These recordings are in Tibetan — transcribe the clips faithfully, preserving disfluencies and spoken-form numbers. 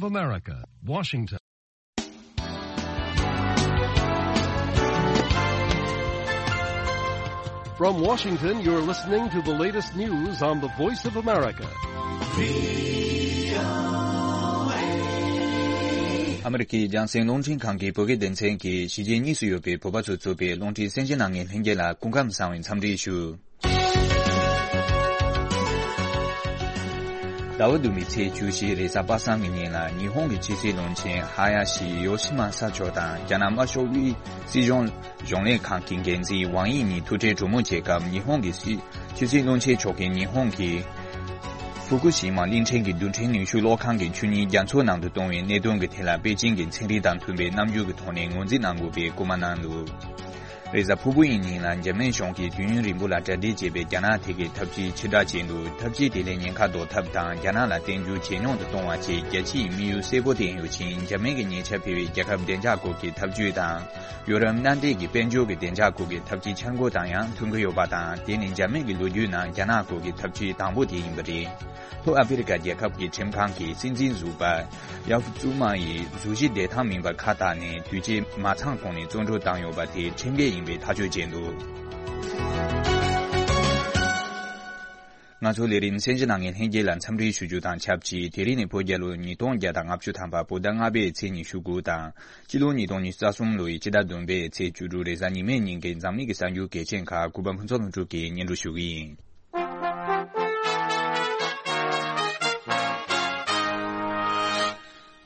of America, Washington. From Washington, you're listening to the latest news on the Voice of America. ཨ་མི་རི་ཀའི་རྒྱང་སྲིང་རླུང་འཕྲིན་ཁང་གི་བོད་སྐད་སྡེ་ཚན་གྱིས་གཞིས་བྱེས་གཉིས་སུ་ཡོད་པའི་བོད་པ་ཚོས་གཙོས་པའི་རླུང་འཕྲིན་གསན་གཟིགས་གནང་མཁན་ལྷན་རྒྱས་ལ་སྐུ་ཁམས་བཟང་བའི་འཚམས་འདྲི་ཞུ། ཟླ་བ་བདུན་པའི་ཚེས་བཅུ་བཞི་རེས་གཟའ་པ་སངས་ཀྱི་ཉིན་ལ་ཉི་ཧོང་གི་ཕྱི་སྲིད་བློན་ཆེན་ཧ་ཡ་ཤི་ཡོ་ཤི་མ་ས་མཆོག་དང་རྒྱ་ནག་དམར་ཤོག་དབུས་སྲིད་གཞུང་གཞུང་ལས་ཁང་གི་འགན་འཛིན་ཝང་དབྱི་གཉིས་ཐུག་འཕྲད་གྲོས་མོལ་བྱེད་སྐབས་ཉི་ཧོང་གི་སྲིད་ཕྱི་སྲིད་བློན་ཆེན་མཆོག་གིས་ཉི་ཧོང་གི་ཧྥུ་ཀུ་ཤི་མ་གླིང་ཕྲན་གྱི་རྡུལ་ཕྲན་ནུས་ཤུགས་གློག་ཁང་གི་ཆུ་གཉིས་རྒྱ་མཚོ་ནང་དུ་གཏོང་བའི་གནད་དོན་གྱི་ཐད་ལ་པེ་ཅིང་གི་ཚན་རིག་དང་མཐུན་པའི་རྣམ་འགྱུར་གྱི་ཐོག་ནས་ངོས་འཛིན་གནང་དགོས་པའི་སྐུལ་མ་གནང་འདུག། རེས་གཟའ་ཕུར་བུ་ཡི་ཉིན་ལ་འཇར་མན་གཞུང་གིས་དུས་ཡུན་རིང་པོ་ལ་གྲ་སྒྲིག་བྱས་པའི་རྒྱ་ནག་ཐད་ཀྱི་འཐབ་ཇུས་ཕྱིར་བསྒྲགས་བྱས་འདུག། འཐབ་ཇུས་དེ་ལས་ཉེན་ཁ་ཟློག་ཐབས་དང་རྒྱ་ནག་ལ་བརྟན་འགྱུར་ཇེ་ཉུང་དུ་གཏོང་བ་བཅས་རྒྱལ་སྤྱིའི་དམིགས་ཡུལ་གསལ་པོ་བསྟན་ཡོད་ཅིང་། འཇར་མན་གྱི་ཉེ་ཆར་ཕེབས་པའི་རྒྱལ་ཁབ་བདེ་འཇགས་སྐོར་གྱི་འཐབ་ཇུས་དང་། ཡོ་རོབ་མནའ་འབྲེལ་གྱི་དཔལ་འབྱོར་གྱི་བདེ་འཇགས་སྐོར་གྱི་འཐབ་ཇུས་འཆར་འགོད་དང་ཡང་མཐུན་གྱི་ཡོད་པ་དང་། དེ་ནི་འཇར་མན་གྱི་ལོ་རྒྱུས་ནང་རྒྱ་ནག་སྐོར་གྱི་འཐབ་ཇུས་དང་པོ་དེ་ཡིན་པ་རེད། ལྷོ་ཨ་ཧྥེ་རི་ཁ་རྒྱལ་ཁབ་ཀྱི་ཁྲིམས་ཁང་གི་སྲིད་འཛིན་ཟུར་པ་ཡ་ཧྥུ་ཙུ་མ་ཡིས་གཟུགས་གཞི་བདེ་ཐང་མིན་པར་ཁ་བཏགས་ནས་དུས་བཅད་མ་ཚང་གོང་ནས་བཙོན་གྲོལ་བཏང་ཡོད་པ་དེ་ཁྲིམས་འགལ་ཡིན་པའི་ཐག་གཅོད་བྱས་འདུག། ང་ཚོ་ལས་རིམ་གསན་གཟིགས་གནང་མཁན་ལྷན་རྒྱས་ལ་འཚམས་འདྲི་ཞུ་རྒྱུ་དང་ཆབས་ཅིག། དེ་རིང་ནི་བོད་རྒྱལ་ལོ་ཉིས་སྟོང་བརྒྱ་དང་ལྔ་བཅུ་ཐམ་པ་བོད་ཟླ་ལྔ་པའི་ཚེས་ཉི་ཤུ་དགུ་དང་། སྤྱི་ལོ་ཉིས་སྟོང་ཉི་ཤུ་རྩ་གསུམ་ལོའི་སྤྱི་ཟླ་བདུན་པའི་ཚེས་བཅུ་དྲུག་རེས་གཟའ་ཉི་མའི་ཉིན་གྱི་འཛམ་གླིང་གི་གསར་འགྱུར་གལ་ཆེན་ཁག་གུས་པ་ཕུན་ཚོགས་ལྷུན་གྲུབ་ཀྱིས་སྙན་སྒྲོན་ཞུ་གི་ཡིན།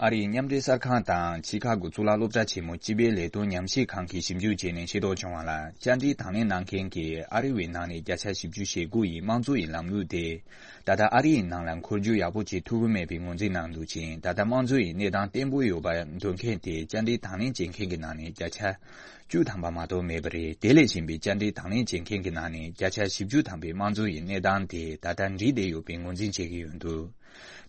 ཨ་རིའི་མཉམ་འབྲེལ་གསར་ཁང་དང་ཆི་ཁ་གོ་གཙུག་ལག་སློབ་གྲྭ་ཆེན་མོ་སྤྱི་པའི་ལས་དོན་ཉམས་ཞིབ་ཁང་གིས་ཞིབ་འཇུག་བྱས་ནས་ཤེས་རྟོགས་བྱུང་བ་ལ། བཅར་འདྲི་དང་ལེན་གནང་མཁན་གྱི་ཨ་རི་བའི་ནང་ནས་བརྒྱ་ཆ་བཞི་བཅུ་ཞེ་དགུ་ཡིས་དམངས་གཙོ་ཡི་ལམ་ལུགས་དེ་ད་ལྟ་ཨ་རི་ཡི་ནང་ལ་འཁོར་རྒྱུག་ཡག་པོ་བྱེད་ཐུབ་ཀྱི་མེད་པའི་ངོས་འཛིན་གནང་འདུག་ཅིང་། ད་ལྟ་དམངས་གཙོ་ཡི་གནས་སྟངས་བརྟན་པོ་ཡོད་པར་འདོད་མཁན་དེ་བཅར་འདྲི་དང་ལེན་བྱེད་མཁན་གྱི་ནང་ནས་བརྒྱ་ཆ་བཅུ་ཐམ་པ་མ་གཏོགས་མེད་པ་རེད། དེ་ལས་གཞན་པའི་བཅར་འདྲི་དང་ལེན་བྱེད་མཁན་གྱི་ནང་ནས་བརྒྱ་ཆ་བཞི་བཅུ་ཐམ་པས་དམངས་གཙོ་ཡི་གནས་སྟངས་དེ་ད་ལྟ་འགྲིག་བསྡད་ཡོད་པའི་ངོས་འཛིན་བྱེད་ཀྱི་ཡོད་འདུག།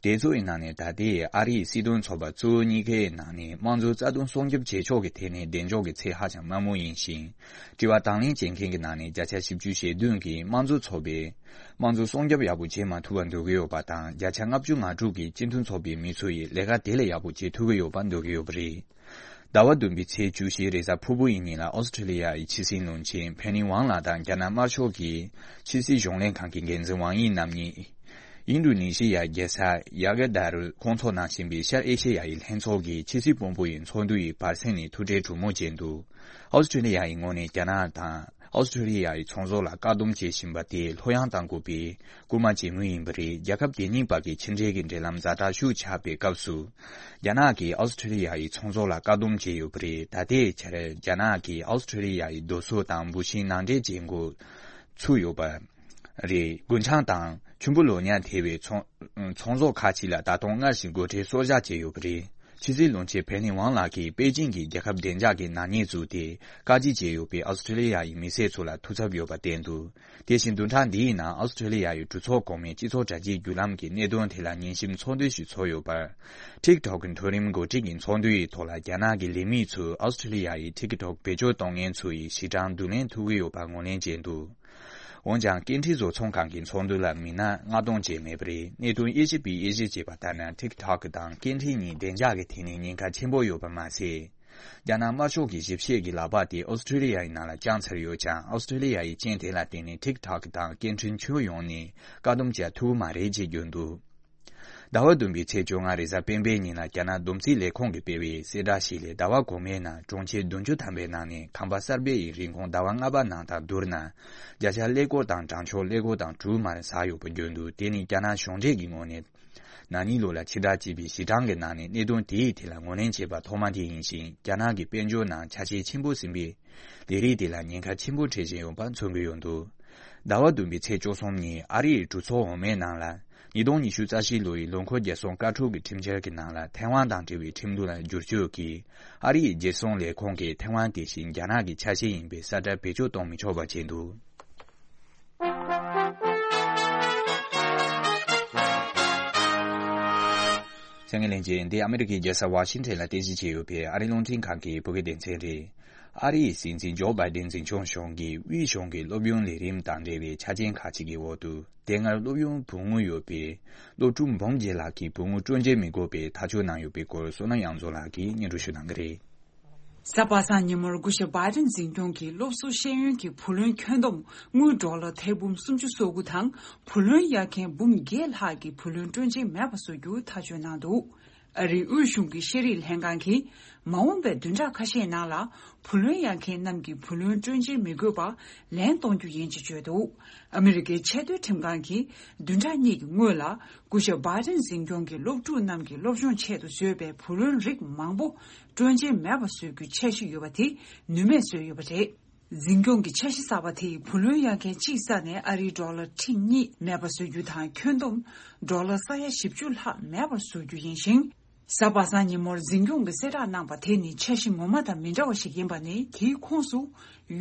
དེ་ཚོ་ཡི་ནང་ནས་ད་ལྟའི་ཨ་རིའི་སྲིད་དོན་ཚོགས་པ་གཙོ་བོ་གཉིས་ཀའི་ནང་ནས་དམངས་གཙོ་རྩ་དོན་སྲུང་སྐྱོབ་བྱེད་ཕྱོགས་ཀྱི་ཐད་ནས་གདེང་འཇོག་གི་ཚད་ཧ་ཅང་དམའ་མོ་ཡིན་ཞིང་། དྲི་བ་དང་ལེན་བྱེད་མཁན་གྱི་ནང་ནས་བརྒྱ་ཆ་བཞི་བཅུ་ཞེ་བདུན་གྱིས་དམངས་གཙོ་ཚོགས་པས་དམངས་གཙོ་སྲུང་སྐྱོབ་ཡག་པོ་བྱེད་མ་ཐུབ་པར་འདོད་ཀྱི་ཡོད་པ་དང་། བརྒྱ་ཆ་ལྔ་བཅུ་ང་དྲུག་གིས་སྤྱི་མཐུན་ཚོགས་པའི་མི་ཚོ་ཡིས་ལས་ཀ་དེ་ལས་ཡག་པོ་བྱེད་ཐུབ་ཀྱི་ཡོད་པར་འདོད་ཀྱི་ཡོད་པ་རེད། ཟླ་བ་བདུན་པའི་ཚེས་བཅུ་བཞི་རེས་གཟའ་ཕུར་བུ་ཡི་ཉིན་ལ་ཨོ་སི་ཁྲི་ལི་ཡ་ཡི་ཕྱི་སྲིད་བློན་ཆེན་ཕེ་ནི་ཝང་ལགས་དང་རྒྱ་ནག་དམར་ཤོག་གི་ཕྱི་སྲིད་གཞུང་ལས་ཁང་གི་འགན་འཛིན་ཝང་དབྱི་རྣམ་གཉིས། ཨིན་ཌོ་ནེ་ཤི་ཡ་རྒྱལ་ས་ཡ་ག་དྷ་རུ་ཁོང་ཚོ་ནང་བཞིན་པའི་ཤར་ཨེ་ཤེ་ཡ་ཡི་ལྷན་ཚོགས་ཀྱི་ཕྱི་སྲིད་དཔོན་པོ་ཡི་ཚོགས་འདུ་ཡི་བར་གསེང་ནས་ཐུག་འཕྲད་གྲོས་མོལ་བྱས་འདུག། ཨོ་སི་ཁྲི་ལི་ཡ་ཡི་ངོས་ནས་རྒྱ་ནག་དང་ཨོ་སི་ཁྲི་ལི་ཡ་ཡི་ཚོང་ཟོག་ལ་བཀག་སྡོམ་བྱེད་བཞིན་པ་དེ་ལྷོད་ཡངས་གཏང་དགོས་པའི་སྐུལ་མ་བྱེད་མུས་ཡིན་པ་རེད། རྒྱལ་ཁབ་དེ་གཉིས་བར་གྱི་ཕྱི་འབྲེལ་གྱི་འབྲེལ་ལམ་ཛ་དྲག་ཤུགས་ཆག་པའི་སྐབས་སུ། རྒྱ་ནག་གིས་ཨོ་སི་ཁྲི་ལི་ཡ་ཡི་ཚོང་ཟོག་ལ་བཀག་སྡོམ་བྱས་ཡོད་པ་རེད། ད་ལྟའི་ཆར་རྒྱ་ནག་གིས་ཨོ་སི་ཁྲི་ལི་ཡ་ཡི་རྡོ་སོལ་དང་འབུ་ཤིང་ནང་འདྲེན་བྱེད་འགོ་ཚུགས་ཡོད་པ་རེད། རྒུན་ཆང་དང་ཆུན་པོ་ལོ་ཉ་ཐེ་བའི་ཚོང་ཚོང་ཟོག་ཁག་ཅིག་ལ་ད་དུང་སྔར་བཞིན་སྒོ་ཁྲལ་གསོག་བཞག་བྱས་ཡོད་པ་རེད། ཕྱི་སྲིད་བློན་ཆེན་ཕེ་ནི་ཝང་ལགས་ཀྱིས་པེ་ཅིང་གིས་རྒྱལ་ཁབ་བདེ་འཇགས་ཀྱི་ནག་ཉེས་བཙུགས་ཏེ་བཀག་སྐྱིལ་བྱས་ཡོད་པའི་ཨོ་སི་ཁྲི་ལི་ཡ་ཡི་མི་སེར་ཚོ་ལ་ཐུགས་འཚབ་ཡོད་པ་བསྟན་འདུག། དེ་བཞིན་བདུན་ཕྲག་འདིའི་ནང་ཨོ་སི་ཁྲི་ལི་ཡ་ཡི་གྲོས་ཚོགས་གོང་མའི་སྤྱི་ཚོགས་དྲ་རྒྱའི་བརྒྱུད་ལམ་གྱི་གནད་དོན་དེ་ལ་ཉན་ཞིབ་ཚོགས་འདུ་ཞིག་ཚོགས་ཡོད་པར། ཊིག་ཊོག་གི་མཐོ་རིམ་འགོ་ཁྲིད་ཀྱི་ཚོགས་འདུ་ཡི་ཐོག་ལ་རྒྱ་ནག་གི་ལས་མི་ཚོས་ཨོ་སི་ཁྲི་ལི་ཡ་ཡི་ཊིག་ཊོག་བེད་སྤྱོད་གཏོང་མཁན་ཚོ་ཡི་གཞི་གྲངས་བསྡུ་ལེན་ཐུབ་ཀྱི་ཡོད་པ་ངོས་ལེན་བྱས་འདུག། འོན་ཀྱང་སྐད་འཕྲིན་བཟོ་ཚོང་ཁང་གི་ཚོགས་འདུ་ལ་མི་སྣ་ལྔ་སྟོང་བཅས་མེད་པ་རེད། གནད་དོན་དབྱེ་ཞིབ་པས་དབྱེ་ཞིབ་བྱས་པ་ལྟར་ན། ཊིག་ཊོག་དང་སྐད་འཕྲིན་གཉིས་བདེ་འཇགས་ཀྱི་ཐད་ནས་ཉེན་ཁ་ཆེན་པོ་ཡོད་པ་མ་ཟད། རྒྱ་ནག་དམར་ཤོག་གི་ཞིབ་བཤེར་གྱི་ལག་པ་དེ་ཨོ་སི་ཁྲི་ལི་ཡ་ཡི་ནང་ལ་བཅངས་ཚར་ཡོད་ཀྱང་། ཨོ་སི་ཁྲི་ལི་ཡ་ཡི་རྐྱེན་དེ་ལ་བརྟེན་ནས་ཊིག་ཊོག་དང་སྐད་འཕྲིན་ཁྱོན་ཡོངས་ནས་བཀག་སྡོམ་བྱ་ཐུབ་ཀྱི་མ་རེད་ཅེས་བརྗོད་འདུག། ཟླ་བ་བདུན་པའི་ཚེས་བཅོ་ལྔ་རེས་གཟའ་སྤེན་པའི་ཉིན་ལ་རྒྱ་ནག་བསྡོམས་རྩིས་ལས་ཁུངས་ཀྱིས་སྤེལ་བའི་གསལ་བསྒྲགས་ཤིག་ལས། ཟླ་བ་གོང་མའི་ནང་གྲོང་ཁྱེར་བདུན་ཅུ་ཐམ་པའི་ནང་ནས་ཁང་པ་གསར་པའི་རིན་གོང་ཟླ་བ་ལྔ་པ་ནང་དང་བསྡུར་ན། བརྒྱ་ཆ་ཀླད་ཀོར་དང་གྲངས་ཆོད་ཀླད་ཀོར་དང་དྲུག་མར་ཟག་ཡོད་པ་བརྗོད་འདུག། དེ་ནི་རྒྱ་ནག་གཞུང་འབྲེལ་གྱི་ངོས་ནས་ན་ནིང་ལོ་ལ་ཕྱིར་བསྒྲགས་བྱས་པའི་གཞི་གྲངས་ཀྱི་ནང་ནས་གནད་དོན་དེའི་ཐད་ལ་ངོས་ལེན་བྱས་པ་ཐོག་མ་དེ་ཡིན་ཞིང་། རྒྱ་ནག་གི་དཔལ་འབྱོར་ནང་ཆ་ཤས་ཆེན་པོ་ཟིན་པའི་ལས་རིགས་དེ་ལ་ཉེན་ཁ་ཆེན་པོ་འཕྲད་བཞིན་ཡོད་པ་མཚོན་གྱི་ཡོད་འདུག། ཟླ་བ་བདུན་པའི་ཚེས་བཅུ་གསུམ་ཉིན་ཨ་རིའི་གྲོས་ཚོགས་འོག་མའི་ནང་ལ། ཉིས་སྟོང་ཉི་ཤུ་རྩ་བཞི་ལོའི་ལོ་འཁོར་རྒྱལ་སྲུང་བཀའ་འཁྲོལ་གྱི་ཁྲིམས་འཆར་གྱི་ནང་ལ་ཐའེ་ཝན་དང་འབྲེལ་བའི་ཁྲིམས་ལུགས་ལ་བསྒྱུར་བཅོས་ཀྱིས། ཨ་རིའི་རྒྱལ་སྲུང་ལས་ཁུངས་ཀྱིས་ཐའེ་ཝན་དེ་བཞིན་རྒྱ་ནག་གི་ཆ་ཤས་ཡིན་པའི་ས་ཁྲ་བེད་སྤྱོད་གཏོང་མི་ཆོག་པ་བྱས་འདུག། གསན་མཁན་ལྷན་རྒྱས། འདི་ཨ་མི་རི་ཀའི་རྒྱལ་ས་ཝ་ཤིང་ཊོན་ལ་རྟེན་གཞི་བྱས་ཡོད་པའི་ཨ་རིའི་རླུང་འཕྲིན་ཁང་གི་བོད་སྐད་སྡེ་ཚན་རེད། ཨ་རིའི་སྲིད་འཛིན་ཇོ་བྷའི་ཏིན་འཛིན་སྐྱོང་གཞུང་གིས་དབུས་གཞུང་གི་སློབ་ཡོན་ལས་རིམ་དང་འབྲེལ་བའི་ཆ་རྐྱེན་ཁག་ཅིག་གི་འོག་ཏུ། དེ་སྔར་སློབ་ཡོན་བུ་དངུལ་ཡོད་པའི་སློབ་ཕྲུག་འབུམ་བརྒྱད་ལྷག་གི་བུ་དངུལ་སྤྲོད་འཇལ་མི་དགོས་པའི་ཐག་གཅོད་གནང་ཡོད་པའི་སྐོར། བསོད་ནམས་དབྱངས་འཛོམས་ལགས་ཀྱིས་སྙན་སྒྲོན་ཞུ་གནང་གི་རེད། གཟའ་པ་སངས་ཉིན་མོར་སྐུ་ཞབས་བྷའི་ཏིན་འཛིན་སྐྱོང་གིས་སློབ་གསོ་ཤེས་ཡོན་གྱི་བུ་ལོན་ཁྱོན་བསྡོམས་དངུལ་ཌོ་ལར་ཐེར་འབུམ་སུམ་ཅུ་སོ་དགུ་དང་། བུ་ལོན་གཡར་མཁན་འབུམ་བརྒྱད་ལྷག་གི་བུ་ལོན་སྤྲོད་འཇལ་མེད་པ་བཟོ་རྒྱུ་ཐག་གཅོད་གནང་འདུག། ཨ་རིའི་དབུས་གཞུང་གི་ཤེས་རིག་ལྷན་ཁང་གིས། མ་འོངས་པའི་བདུན་ཕྲག་ཁ་ཤས་ནང་ལ། བུ་ལོན་གཡར་མཁན་རྣམས་ཀྱི་བུ་ལོན་སྤྲོད་འཇལ་མི་དགོས་པ་ལན་གཏོང་རྒྱུ་ཡིན་ཅེས་བརྗོད་འདུག། ཨ་མི་རི་ཀའི་ཆེས་མཐོའི་ཁྲིམས་ཁང་གིས། བདུན་ཕྲག་གཉིས་ཀྱི་སྔོན་ལ། སྐུ་ཞབས་བྷའི་ཏིན་འཛིན་སྐྱོང་གི་སློབ་ཕྲུག་རྣམས་ཀྱི་སློབ་སྦྱོང་ཆེད་དུ་བཟོས་པའི་བུ་ལོན་རིགས་མང་པོ་སྤྲོད་འཇལ་མེད་པ་བཟོ་རྒྱུའི་འཆར་གཞི་ཡོད་པ་དེ་ནུས་མེད་བཟོས་ཡོད་པ་རེད། འཛིན་སྐྱོང་གི་འཆར་གཞི་གསར་པ་དེས་བུ་ལོན་གཡར་མཁན་གཅིག་ས་ནས་ཨ་རིའི་ཌོ་ལར་ཁྲི་གཉིས་མེད་པ་བཟོ་རྒྱུ་དང་། ཁྱོན་བསྡོམས་ཌོ་ལར་ས་ཡ་བཞི་བཅུ་ལྷག་མེད་པ་བཟོ་རྒྱུ་ཡིན་ཞིང་། གཟའ་པ་སངས་ཉིན་མོར་འཛིན་སྐྱོང་གིས་གསལ་བསྒྲགས་གནང་པ་དེ་ནི་འཆར་གཞི་ངོ་མ་དང་མི་འདྲ་བ་ཞིག་ཡིན་པ་ནི། དེའི་ཁོངས་སུ་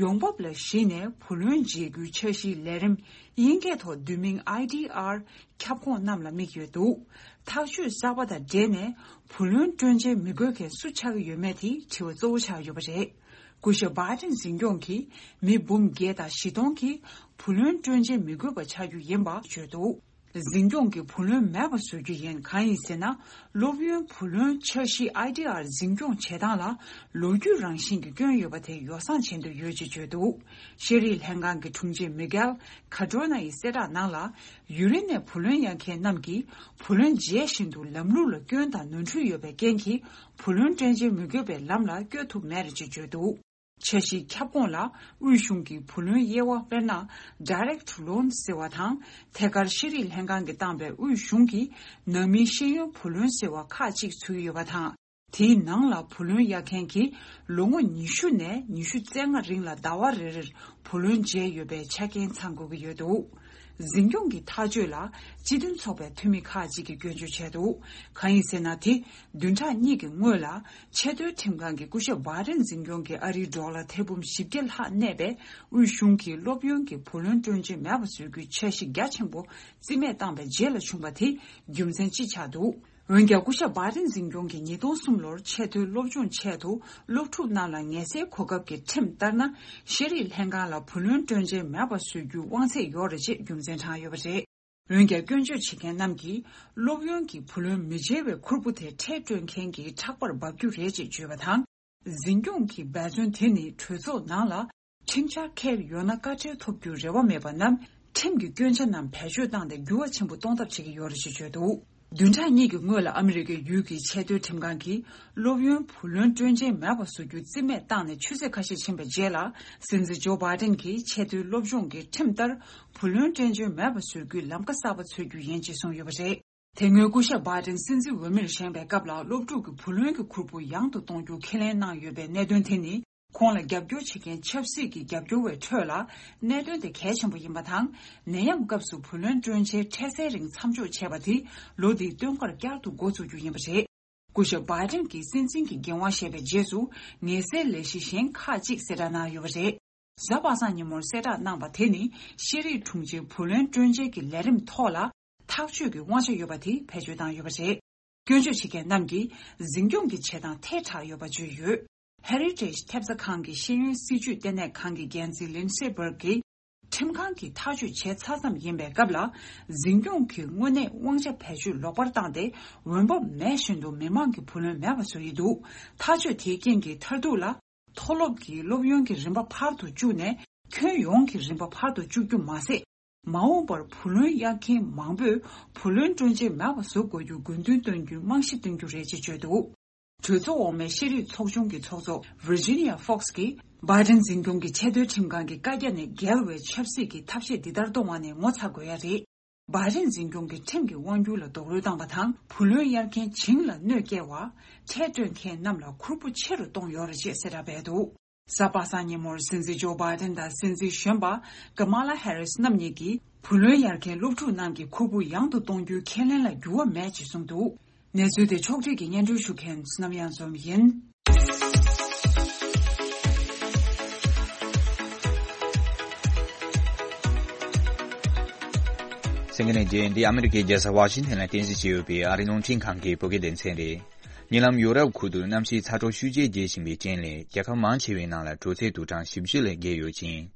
ཡོང་འབབ་ལ་གཞིགས་ནས་བུ་ལོན་འཇལ་རྒྱུའི་འཆར་གཞིའི་ལས་རིམ་དབྱིན་སྐད་ཐོག་བསྡུས་མིང་ཨའི་ཌི་ཨར་ཁྱབ་ཁོངས་རྣམས་ལ་དམིགས་ཡོད་འདུག། ཐག་གཅོད་གསར་པ་དང་འབྲེལ་ནས་བུ་ལོན་སྤྲོད་འཇལ་མི་དགོས་མཁན་སུ་ཆགས་ཀྱི་ཡོད་མེད་དེ་དྲི་བ་གཙོ་བོ་ཆགས་ཡོད་པ་རེད། སྐུ་ཞབས་བྷའི་ཏིན་འཛིན་སྐྱོང་གིས་མི་འབུམ་བརྒྱད་དང་བཞི་སྟོང་གིས་བུ་ལོན་སྤྲོད་འཇལ་མི་དགོས་པ་ཆགས་རྒྱུ་ཡིན་པ་བརྗོད་འདུག། འཛིན་སྐྱོང་གིས་བུ་ལོན་མེད་པ་བཟོ་རྒྱུ་ཡིན། གང་ཡིན་ཟེར་ན། སློབ་ཡོན་བུ་ལོན་འཆར་གཞི་ཨའི་ཌི་ཨར་འཛིན་སྐྱོང་བྱེད་སྟངས་ལ་ལོ་རྒྱུས་རང་བཞིན་གྱི་སྐྱོན་ཡོད་པ་དེ་ཡོ་བསྲང་བྱེད་འདོད་ཡོད་ཅེས་བརྗོད་འདུག། ཤེས་རིག་ལྷན་ཁང་གི་དྲུང་ཆེ་མི་གྷེལ་ཁ་ཏྲོ་ན་ཡིས་གསལ་བསྒྲགས་ནང་ལ། ཡུན་རིང་ནས་བུ་ལོན་གཡར་མཁན་རྣམས་ཀྱིས་བུ་ལོན་འཇལ་བཞིན་དུ་ལམ་ལུགས་ལ་སྐྱོན་དང་ནོར་འཁྲུལ་ཡོད་པའི་རྐྱེན་གྱིས་བུ་ལོན་སྤྲོད་འཇལ་མི་དགོས་པའི་ལམ་ལ་བསྐྱོད་ཐུབ་མེད་རེད་ཅེས་བརྗོད་འདུག། འཆར་གཞིའི་ཁྱབ་ཁོངས་ལ་དབུས་གཞུང་གི་བུ་ལོན་དབྱེ་བ། དཔེར་ན། direct loan ཟེར་བ་དང་། ཐད་ཀར་ཤེས་རིག་ལྷན་ཁང་གིས་བཏང་པའི་དབུས་གཞུང་གི་ནང་མིའི་ཤེས་ཡོན་བུ་ལོན་ཟེར་བ་ཁག་ཅིག་ཚུད་ཡོད་པ་དང་། དེའི་ནང་ལ་བུ་ལོན་གཡར་མཁན་གྱིས་ལོ་ངོ་ཉི་ཤུ་ནས་ཉི་ཤུ་རྩ་ལྔ་རིང་ལ་ཟླ་བ་རེ་རེར་བུ་ལོན་འཇལ་ཡོད་པའི་ཆ་རྐྱེན་ཚང་དགོས་ཀྱི་ཡོད་འདུག། འཛིན་སྐྱོང་གི་ཐག་གཅོད་ལ་སྤྱི་མཐུན་ཚོགས་པའི་འཐུས་མི་ཁག་ཅིག་གིས་སྐྱོན་བརྗོད་བྱས་འདུག། གང་ཡིན་ཟེར་ན། དེ་བདུན་ཕྲག་གཉིས་ཀྱི་སྔོན་ལ་ཆེས་མཐོའི་ཁྲིམས་ཁང་གིས་སྐུ་ཞབས་བྷའི་ཏིན་འཛིན་སྐྱོང་གིས་ཨ་རིའི་ཌོ་ལར་ཐེར་འབུམ་བཞི་བརྒྱ་ལྷག་གནས་པའི་དབུས་གཞུང་གི་སློབ་ཡོན་གྱི་བུ་ལོན་སྤྲོད་འཇལ་མེད་པ་བཟོ་རྒྱུའི་འཆར་གཞི་རྒྱ་ཆེན་པོ་རྩིས་མེད་བཏང་པའི་རྗེས་ལ་བྱུང་བ་དེ་རྒྱུ་མཚན་གཅིག་ཆགས་འདུག། འོན་ཀྱང་། སྐུ་ཞབས་བྷའི་ཏིན་འཛིན་སྐྱོང་གིས་ཉིས་སྟོང་གསུམ་ལོར་ཆེས་མཐོའི་སློབ་སྦྱོང་ཆེད་དུ་སློབ་ཕྲུག་རྣམས་ལ་ངལ་སེལ་གོ་སྐབས་ཀྱི་ཁྲིམས་ལྟར་ན། ཤེས་རིག་ལྷན་ཁང་ལ་བུ་ལོན་སྤྲོད་འཇལ་མེད་པ་བཟོ་རྒྱུའི་དབང་ཚད་ཡོད་རེད་ཅེས་རྒྱུ་མཚན་དྲངས་ཡོད་པ་རེད། འོན་ཀྱང་། སྐྱོན་བརྗོད་བྱེད་མཁན་རྣམས་ཀྱིས་སློབ་ཡོན་གྱི་བུ་ལོན་མི་འཇལ་བའི་ཁུར་པོ་དེ་ཁྲལ་སྤྲོད་མཁན་གྱི་ཕྲག་པར་འབབ་རྒྱུ་རེད་ཅེས་བརྗོད་པ་དང་། འཛིན་སྐྱོང་གི་འབད་བརྩོན་དེ་ནི་གྲོས་ཚོགས་ནང་ལ་ཁྲིམས་འཆར་འཁྱེར་ཡོང་ན་བཀའ་ཁྲལ་ཐོབ་རྒྱུའི་རེ་བ་མེད་པ་རྣམས་ཁྲིམས་ཀྱི་སྐྱོན་ཆ་རྣམས་བེད་སྤྱོད་བཏང་སྟེ་འགྱུར་བ་ཆེན་པོ་གཏོང་ཐབས་བྱེད་ཀྱི་ཡོད་རེད་ཅེས་བརྗོད་འདུག། བདུན་ཕྲག་གཉིས་ཀྱི་སྔོན་ལ་ཨ་མི་རི་ཀའི་ཡུལ་གྱི་ཆེས་མཐོའི་ཁྲིམས་ཁང་གིས་སློབ་ཡོན་བུ་ལོན་སྤྲོད་འཇལ་མེད་པ་བཟོ་རྒྱུ་རྩིས་མེད་བཏང་ནས་ཆུ་ཚོད་ཁ་ཤས་ཕྱིན་པའི་རྗེས་ལ། སྲིད་འཛིན་ཇོ་བྷའི་ཏིན་གྱིས་ཆེས་མཐོའི་སློབ་སྦྱོང་གི་ཁྲིམས་ལྟར་བུ་ལོན་སྤྲོད་འཇལ་མེད་པ་བཟོ་རྒྱུའི་ལམ་ཁ་གསར་པ་འཚོལ་རྒྱུ་ཡིན་ཅེས་གསུངས་ཡོད་པ་རེད། དེ་སྔོན་སྐུ་ཞབས་བྷའི་ཏིན་སྲིད་འཛིན་འོས་མིར་བཞེངས་པའི་སྐབས་ལ་སློབ་ཕྲུག་གི་བུ་ལོན་གྱི་ཁུར་པོ་ཡང་དུ་གཏོང་རྒྱུ་ཁས་ལེན་གནང་ཡོད་པའི་གནད་དོན་དེ་ནི། ཁོང་ལ་རྒྱབ་སྐྱོར་བྱེད་མཁན་ཆབ་སྲིད་ཀྱི་རྒྱབ་སྐྱོར་བའི་ཁྲོད་ལ་གནད་དོན་དེ་གལ་ཆེན་པོ་ཡིན་པ་དང་། ནད་ཡམས་སྐབས་སུ་བུ་ལོན་སྤྲོད་འཇལ་འཕྲལ་སེལ་རིང་མཚམས་འཇོག་བྱས་པ་དེ་ལོ་འདིའི་སྟོན་ཁར་བསྐྱར་དུ་འགོ་བཙུགས་རྒྱུ་ཡིན་པ་རེད། སྐུ་ཞབས་བྷའི་ཏིན་གྱིས་སྲིད་འཛིན་གྱི་འགན་དབང་བཞེས་པའི་རྗེས་སུ། ངལ་སེལ་ལས་གཞི་གཞན་ཁག་ཅིག་གསལ་བསྒྲགས་གནང་ཡོད་པ་རེད། གཟའ་པ་སངས་ཉིན་མོར་གསལ་བསྒྲགས་གནང་པ་དེ་ནི་ཤེས་རིག་དྲུང་ཆེའི་བུ་ལོན་སྤྲོད་འཇལ་གྱི་ལས་རིམ་ཐོག་ལ་ཐག་གཅོད་ཀྱི་དབང་ཆ་ཡོད་པ་དེ་བེད་སྤྱོད་བཏང་ཡོད་པ་རེད། སྐྱོན་བརྗོད་བྱེད་མཁན་རྣམས་ཀྱིས་འཛིན་སྐྱོང་གི་བྱེད་སྟངས་ཐལ་དྲགས་ཡོད་པ་བརྗོད་ཡོད། Heritage ཐེབས་རྩ་ཁང་གི་ཤེས་ཡོན་སྲིད་བྱུས་ལྟེ་གནས་ཁང་གི་འགན་འཛིན་ལིན་སེ་བྷར་གྱིས། ཁྲིམས་ཁང་གིས་ཐག་གཅོད་བྱས་ཚར་ཙམ་ཡིན་པའི་སྐབས་ལ། འཛིན་སྐྱོང་གིས་དངོས་གནས་དབང་ཆ་བེད་སྤྱོད་ལོག་པར་བཏང་སྟེ། འོས་འབབ་མེད་བཞིན་དུ་མི་མང་གི་བུ་ལོན་མེད་པ་བཟོ་ཡི་འདུག། ཐག་གཅོད་དེའི་རྐྱེན་གྱིས་མཐར་ཐུག་ལ། མཐོ་སློབ་ཀྱི་སློབ་ཡོན་གྱི་རིམ་པ་ཕར་དུ་བཅུག་ནས། ཁྱོན་ཡོངས་ཀྱི་རིམ་པ་ཕར་དུ་བཅུག་རྒྱུ་མ་ཟད། མ་འོངས་པར་བུ་ལོན་གཡར་མཁན་མང་པོས་བུ་ལོན་སྤྲོད་འཇལ་མེད་པ་བཟོ་དགོས་རྒྱུ་དགོས་འདུན་བཏོན་རྒྱུའི་རྨང་གཞི་སྟོན་རྒྱུ་རེད་ཅེས་བརྗོད་འདུག། གྲོས་ཚོགས་འོག་མའི་ཤེས་རིག་ཚོགས་ཆུང་གི་ཚོགས་གཙོ་Virginia Fox གིས། བྷའི་ཏིན་འཛིན་སྐྱོང་གི་ཆེས་མཐོའི་ཁྲིམས་ཁང་གི་བཀའ་རྒྱ་ནས་འགལ་བའི་ཆབ་སྲིད་ཀྱི་ཐབས་ཤེས་འདི་ལྟར་གཏོང་བ་ནི་ངོ་ཚ་དགོས་ཡ་རེད། བྷའི་ཏིན་འཛིན་སྐྱོང་གིས་ཁྲིམས་ཀྱི་དབང་སྒྱུར་ལ་རྡོག་རོལ་བཏང་བ་དང་། བུ་ལོན་གཡར་མཁན་བྱིངས་ལ་གནོད་སྐྱེལ་བ། ཁྲལ་སྤྲོད་མཁན་རྣམས་ལ་ཁུར་པོ་ཆེ་རུ་གཏོང་ཡོད་རེད་ཅེས་གསལ་བསྒྲགས་སྤེལ་འདུག། གཟའ་པ་སངས་ཉིན་མོར་སྲིད་འཛིན་ཇོ་བྷའི་ཏིན་དང་སྲིད་འཛིན་གཞོན་པ་ཀ་མ་ལ་ཧེ་རིས་རྣམ་གཉིས་ཀྱིས། བུ་ལོན་གཡར་མཁན་སློབ་ཕྲུག་རྣམས་ཀྱི་ཁུར་པོ་ཡང་དུ་གཏོང་རྒྱུའི་ཁས་ལེན་ལ་འགྱུར་བ་མེད་ཅེས་གསུངས་འདུག། གནས་ཚུལ་དེ་ཕྱོགས་སྒྲིག་གིས་སྙན་སྒྲོན་ཞུ་མཁན་བསོད་ནམས་གཡང་འཛོམས་ཡིན། གསན་མཁན་ལྷན་རྒྱས། འདི་ཨ་མི་རི་ཀའི་རྒྱལ་ས་ཝ་ཤིང་ཐན་ལ་རྟེན་གཞི་བྱས་ཡོད་པའི་ཨ་རིའི་རླུང་འཕྲིན་ཁང་གི་བོད་སྐད་སྡེ་ཚན་རེད། ཉེ་ལམ་ཡོ་རོབ་ཁུལ་དུ་གནམ་གཤིས་ཚ་དྲོད་ཤུགས་ཆེ་རྒྱས་བཞིན་པའི་རྐྱེན་ལས། རྒྱལ་ཁབ་མང་ཆེ་བའི་ནང་ལ་དྲོད་ཚད་དུག་གྲངས་བཞི་བཅུ་ལས་བརྒལ་ཡོད་ཅིང་།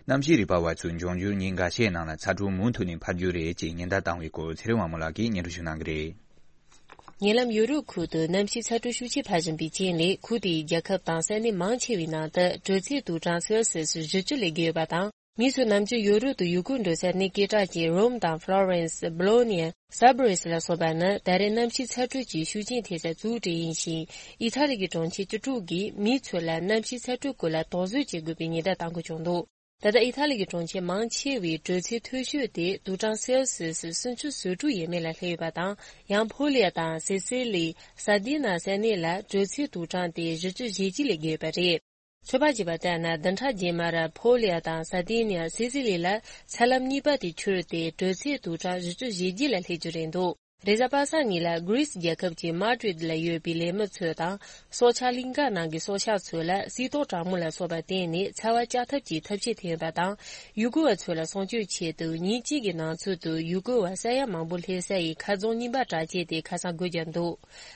གནམ་གཤིས་རིག་པ་བ་ཚོས་འབྱུང་འགྱུར་ཉིན་འགའ་ཤས་ནང་ལ་ཚ་དྲོད་མུ་མཐུད་ནས་འཕར་རྒྱུ་རེད་ཅེས་ཉེན་བརྡ་བཏང་བའི་སྐོར། ཚེ་རིང་དབང་མོ་ལགས་ཀྱིས་སྙན་སྒྲོན་ཞུ་གནང་གི་རེད། ཉེ་ལམ་ཡོ་རོབ་ཁུལ་དུ་གནམ་གཤིས་ཚ་དྲོད་ཤུགས་ཆེ་འཕར་བཞིན་པའི་རྐྱེན་ལས། ཁུལ་དེའི་རྒྱལ་ཁབ་དང་ས་གནས་མང་ཆེ་བའི་ནང་དུ་དྲོད་ཚད་དུག་གྲངས་སེལ་སི་ཡས་བཞི་བཅུ་ལས་བརྒལ་ཡོད་པ་དང་། མི་ཚོས་ནམ་རྒྱུན་ཡོ་རོབ་ཏུ་ཡུལ་སྐོར་འགྲོ་སའི་གནས་སྐད་གྲགས་ཅན་རོམ་དང་ཧྥ་ལོ་རེན་སི། སྦོ་ལོ་ཉི་ཡ། སཱ་བྷ་རིས་ལ་སོགས་པ་ནི་ད་རེས་གནམ་གཤིས་ཚ་དྲོད་ཀྱི་ཤུགས་རྐྱེན་ཐེབས་སའི་གཙོ་བོ་གྲས་ཡིན་ཞིང་། ཨི་ཐ་ལི་གི་གྲོང་ཁྱེར་བཅུ་དྲུག་གིས་མི་ཚོ་ལ་གནམ་གཤིས་ཚ་དྲོད་སྐོར་ལ་དོགས་ཟོན་བྱེད་དགོས་པའི་ཉེན་བརྡ་བཏང་དགོས་བྱུང་འདུག་ད་ལྟ་ཨི་ཐ་ལི་གི་གྲོང་ཁྱེར་མང་ཆེ་བའི་དྲོད་ཚད་མཐོ་ཤོས་དེ་དུག་གྲངས་སེལ་སི་ཡས་སུམ་ཅུ་སོ་དྲུག་ཡས་མས་ལ་སླེབས་ཡོད་པ་དང་། ཡང་ཕོ་ལི་ཡ་དང་སི་སི་ལི། སར་དི་ན་ས་གནས་ལ་དྲོད་ཚད་དུག་གྲངས་དེ་བཞི་བཅུ་ཞེ་གཅིག་ལས་བརྒལ་ཡོད་པ་རེད། ཚོད་དཔག་བྱས་པ་ལྟར་ན། བདུན་ཕྲག་རྗེས་མར་ཕོ་ལི་ཡ་དང་སར་དི་ནི་ཡ། སི་སི་ལི་ལ་ཚད་ལམ་གཉིས་པ་དེ་འཕྱུར་ཏེ་དྲོད་ཚད་དུག་གྲངས་བཞི་བཅུ་ཞེ་བརྒྱད་ལ་སླེབས་རྒྱུ་རེད་འདུག་རེས་གཟའ་པ་སངས་ཉིན་ལ་གྷི་རིས་རྒྱལ་ཁབ་ཀྱི་མཱ་ཏྲིད་ལ་ཡོད་པའི་ལས་མི་ཚོ་དང་། སྲོག་ཆགས་གླིང་ག་ནང་གི་སྲོག་ཆགས་ཚོ་ལ་བསིལ་ཏོག་གྲང་མོ་ལ་སོགས་པར་བརྟེན་ནས་ཚ་བ་བཅག་ཐབས་ཀྱི་ཐབས་ཤེས་ཐོན་ཡོད་པ་དང་། ཡུལ་སྐོར་བ་ཚོ་ལ་སྲུང་སྐྱོབ་ཆེད་དུ་ཉིན་གཅིག་གི་ནང་ཚུད་དུ་ཡུལ་སྐོར་བ་ས་ཡ་མང་པོ་སླེབས་ས་ཡི་མཁར་རྫོང་རྙིང་པ་གྲགས་ཅན་དེ་ཁ་སང་སྒོ་བརྒྱབ་འདུག་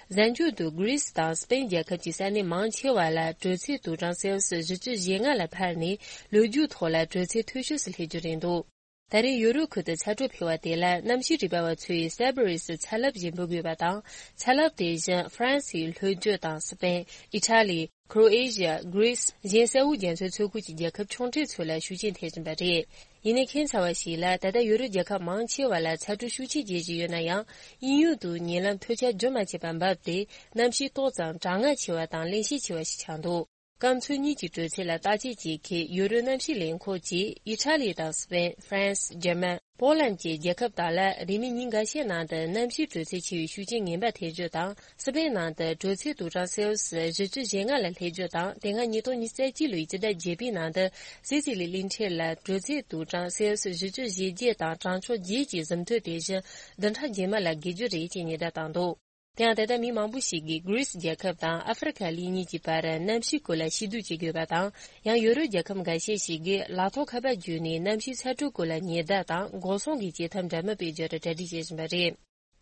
གཟའ་མཇུག་ཏུ་གྷི་རིས་དང་སི་པེན་རྒྱལ་ཁབ་ཀྱི་ས་གནས་མང་ཆེ་བ་ལ་དྲོད་ཚད་དུག་གྲངས་སེལ་སི་ཡས་བཞི་བཅུ་ཞེ་ལྔ་ལ་འཕར་ནས། ལོ་རྒྱུས་ཐོག་ལ་དྲོད་ཚད་མཐོ་ཤོས་སུ་སླེབས་རྒྱུ་རེད་འདུག་ད་རེས་ཡོ་རོབ་ཁུལ་དུ་ཚ་དྲོད་འཕེལ་བ་དེ་ལ་གནམ་གཤིས་རིག་པ་བ་ཚོས་སཱ་བྷ་རིས་སུ་ཚ་རླབས་ཞེས་འབོད་དགོས་པ་དང་། ཚ་རླབས་དེ་བཞིན་ཧྥ་རན་སིའི་ལྷོ་རྒྱུད་དང་སི་པེན། ཨི་ཐ་ལི། ཁྲོ་ཨེ་ཤི་ཡ། གྷི་རིས། གཞན་ས་འོག་རྒྱ་མཚོའི་མཚོ་ཁུལ་གྱི་རྒྱལ་ཁབ་ཆུང་གྲས་ཚོ་ལ་ཤུགས་རྐྱེན་ཐེབས་བཞིན་པ་རེད། ཡིན་ནའི་ཁྱད་མཚར་བ་ཞིག་ལ། ད་ལྟ་ཡོ་རོབ་རྒྱལ་ཁབ་མང་ཆེ་བ་ལ་ཚ་དྲོད་ཤུགས་ཆེ་རྒྱས་བཞིན་ཡོད་ན་ཡང་། དབྱིན་ཡུལ་དུ་ཉེ་ལམ་དུས་ཆ་རྒྱུན་མ་ཆད་པར་འབབ་སྟེ། གནམ་གཤིས་ཏོག་ཙམ་གྲང་ངར་ཆེ་བ་དང་བརླན་གཤེར་ཆེ་བ་ཞིག་ཆགས་འདུག་སྐམ་མཚོ་གཉིས་ཀྱི་དྲོད་ཚད་ལ་བརྟག་དཔྱད་བྱེད་མཁན་ཡོ་རོབ་གནམ་གཤིས་ལས་ཁུངས་ཀྱིས། ཨི་ཐ་ལི་དང་སི་པེན། ཧྥ་རན་སི། འཇར་མན། པོ་ལན་གྱི་རྒྱལ་ཁབ་དག་ལ་རིང་མིན་ཉིན་འགའ་ཤས་ནང་དུ་གནམ་གཤིས་དྲོད་ཚད་ཆེ་བའི་ཤུགས་རྐྱེན་ངན་པ་ཐེབས་རྒྱུ་དང་། སི་པེན་ནང་དུ་དྲོད་ཚད་དུག་གྲངས་སེལ་སི་ཡས་བཞི་བཅུ་ཞེ་ལྔ་ལ་སླེབས་རྒྱུ་དང་། དེ་སྔ་ཉིས་སྟོང་ཉི་ཤུ་རྩ་གཅིག་ལོའི་སྤྱི་ཟླ་བརྒྱད་པའི་ནང་དུ་སི་སི་ལི་གླིང་ཕྲན་ལ་དྲོད་ཚད་དུག་གྲངས་སེལ་སི་ཡས་བཞི་བཅུ་ཞེ་བརྒྱད་དང་གྲང་ཕྱོགས་བརྒྱད་ཀྱི་ཟིན་ཐོ་དེ་བཞིན་བདུན་ཕྲག་རྗེས་མ་ལ་བརྒལ་རྒྱུ་རེད་ཅེས་ཉེན་བརྡ་བཏང་འདུག་དེ་ཡང་། ད་ལྟ་མི་མང་པོ་ཞིག་གིས་གྷི་རིས་རྒྱལ་ཁབ་དང་ཨ་ཧྥེ་རི་ཁ་གླིང་གཉིས་ཀྱི་བར་གནམ་གཤིས་སྐོར་ལ་ཤེས་རྟོགས་བྱེད་དགོས་པ་དང་། ཡང་ཡོ་རོབ་རྒྱལ་ཁབ་འགའ་ཤས་ཤིག་གིས་ལག་ཐོགས་ཁ་པར་བརྒྱུད་ནས་གནམ་གཤིས་ཚ་དྲོད་སྐོར་ལ་ཉེན་བརྡ་དང་འགོག་སྲུང་གི་བྱེད་ཐབས་འདྲ་མིན་སྤེལ་རྒྱུར་གྲ་སྒྲིག་བྱེད་བཞིན་པ་རེད།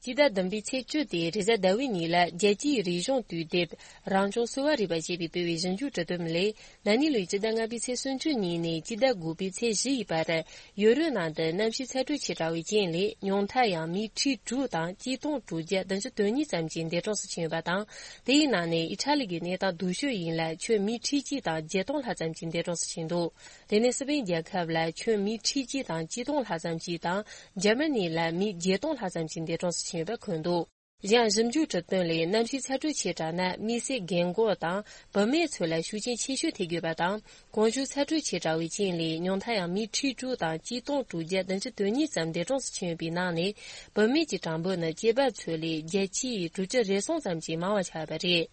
སྤྱི་ཟླ་བདུན་པའི་ཚེས་བཅུ་སྟེ་རེས་གཟའ་ཟླ་བའི་ཉིན་ལ། རྒྱལ་སྤྱིའི་རིག་གཞུང་དུས་དེབ་རང་བྱུང་གསོ་བ་རིག་པ་ཞེས་པས་སྤེལ་བའི་ཞིབ་འཇུག་དྲི་དེབ་ལས། ན་ནིང་ལོའི་སྤྱི་ཟླ་ལྔ་པའི་ཚེས་སུམ་ཅུ་ཉིན་ནས་སྤྱི་ཟླ་དགུ་པའི་ཚེས་བཞི་ཡི་བར། ཡོ་རོབ་ནང་དུ་གནམ་གཤིས་ཚ་དྲོད་ཆེ་དྲགས་པའི་རྐྱེན་ལས། ཉུང་མཐར་ཡང་མི་ཁྲི་དྲུག་དང་གཅིག་སྟོང་དྲུག་བརྒྱ་བདུན་ཅུ་དོན་གཉིས་ཙམ་གྱིས་འདས་གྲོངས་སུ་ཕྱིན་ཡོད་པ་དང་། དེའི་ནང་ནས་ཨི་ཐ་ལི་གི་གནས་སྟངས་སྡུག་ཤོས་ཡིན་ལ། ཁྱོན་མི་ཁྲི་གཅིག་དང་བརྒྱད་སྟོང་ལྷག་ཙམ་གྱིས་འདས་གྲོངས་སུ་ཕྱིན་འདུག་དེ་ནས་སི་པེན་རྒྱལ་ཁབ་ལ་ཁྱོན་མི་ཁྲི་གཅིག་དང་གཅིག་སྟོང་ལྷག་ཙམ་གྱིས་དང་། འཇར་མ་ནི་ལ་མི་བརྒྱད་སྟོང་ལྷག་ཙམ་གྱིས་འདས་གྲོངས་སུ་ཕྱིན་ཡོད་པ་འཁོད་འདུག་གཞན་ཞིབ་འཇུག་གྲུབ་དོན་ལས། གནམ་གཤིས་ཚ་དྲོད་ཆེ་དྲགས་ན་མི་སེར་རྒན་འཁོགས་དང་བུད་མེད་ཚོ་ལ་ཤུགས་རྐྱེན་ཆེ་ཤོས་ཐེབས་ཡོད་པ་དང་། གོང་ཞུས་ཚ་དྲོད་ཆེ་དྲགས་པའི་རྐྱེན་ལས། ཉུང་མཐར་ཡང་མི་ཁྲི་དྲུག་དང་གཅིག་སྟོང་དྲུག་བརྒྱ་བདུན་ཅུ་དོན་གཉིས་ཙམ་འདས་གྲོངས་སུ་ཕྱིན་ཡོད་པའི་ནང་ནས། བུད་མེད་ཀྱི་གྲངས་འབོར་ནི་སྐྱེས་པ་ཚོ་ལས་བརྒྱ་ཆའི་དྲུག་ཅུ་རེ་གསུམ་ཙམ་གྱིས་མང་བ་ཆགས་ཡོད་པ་རེད།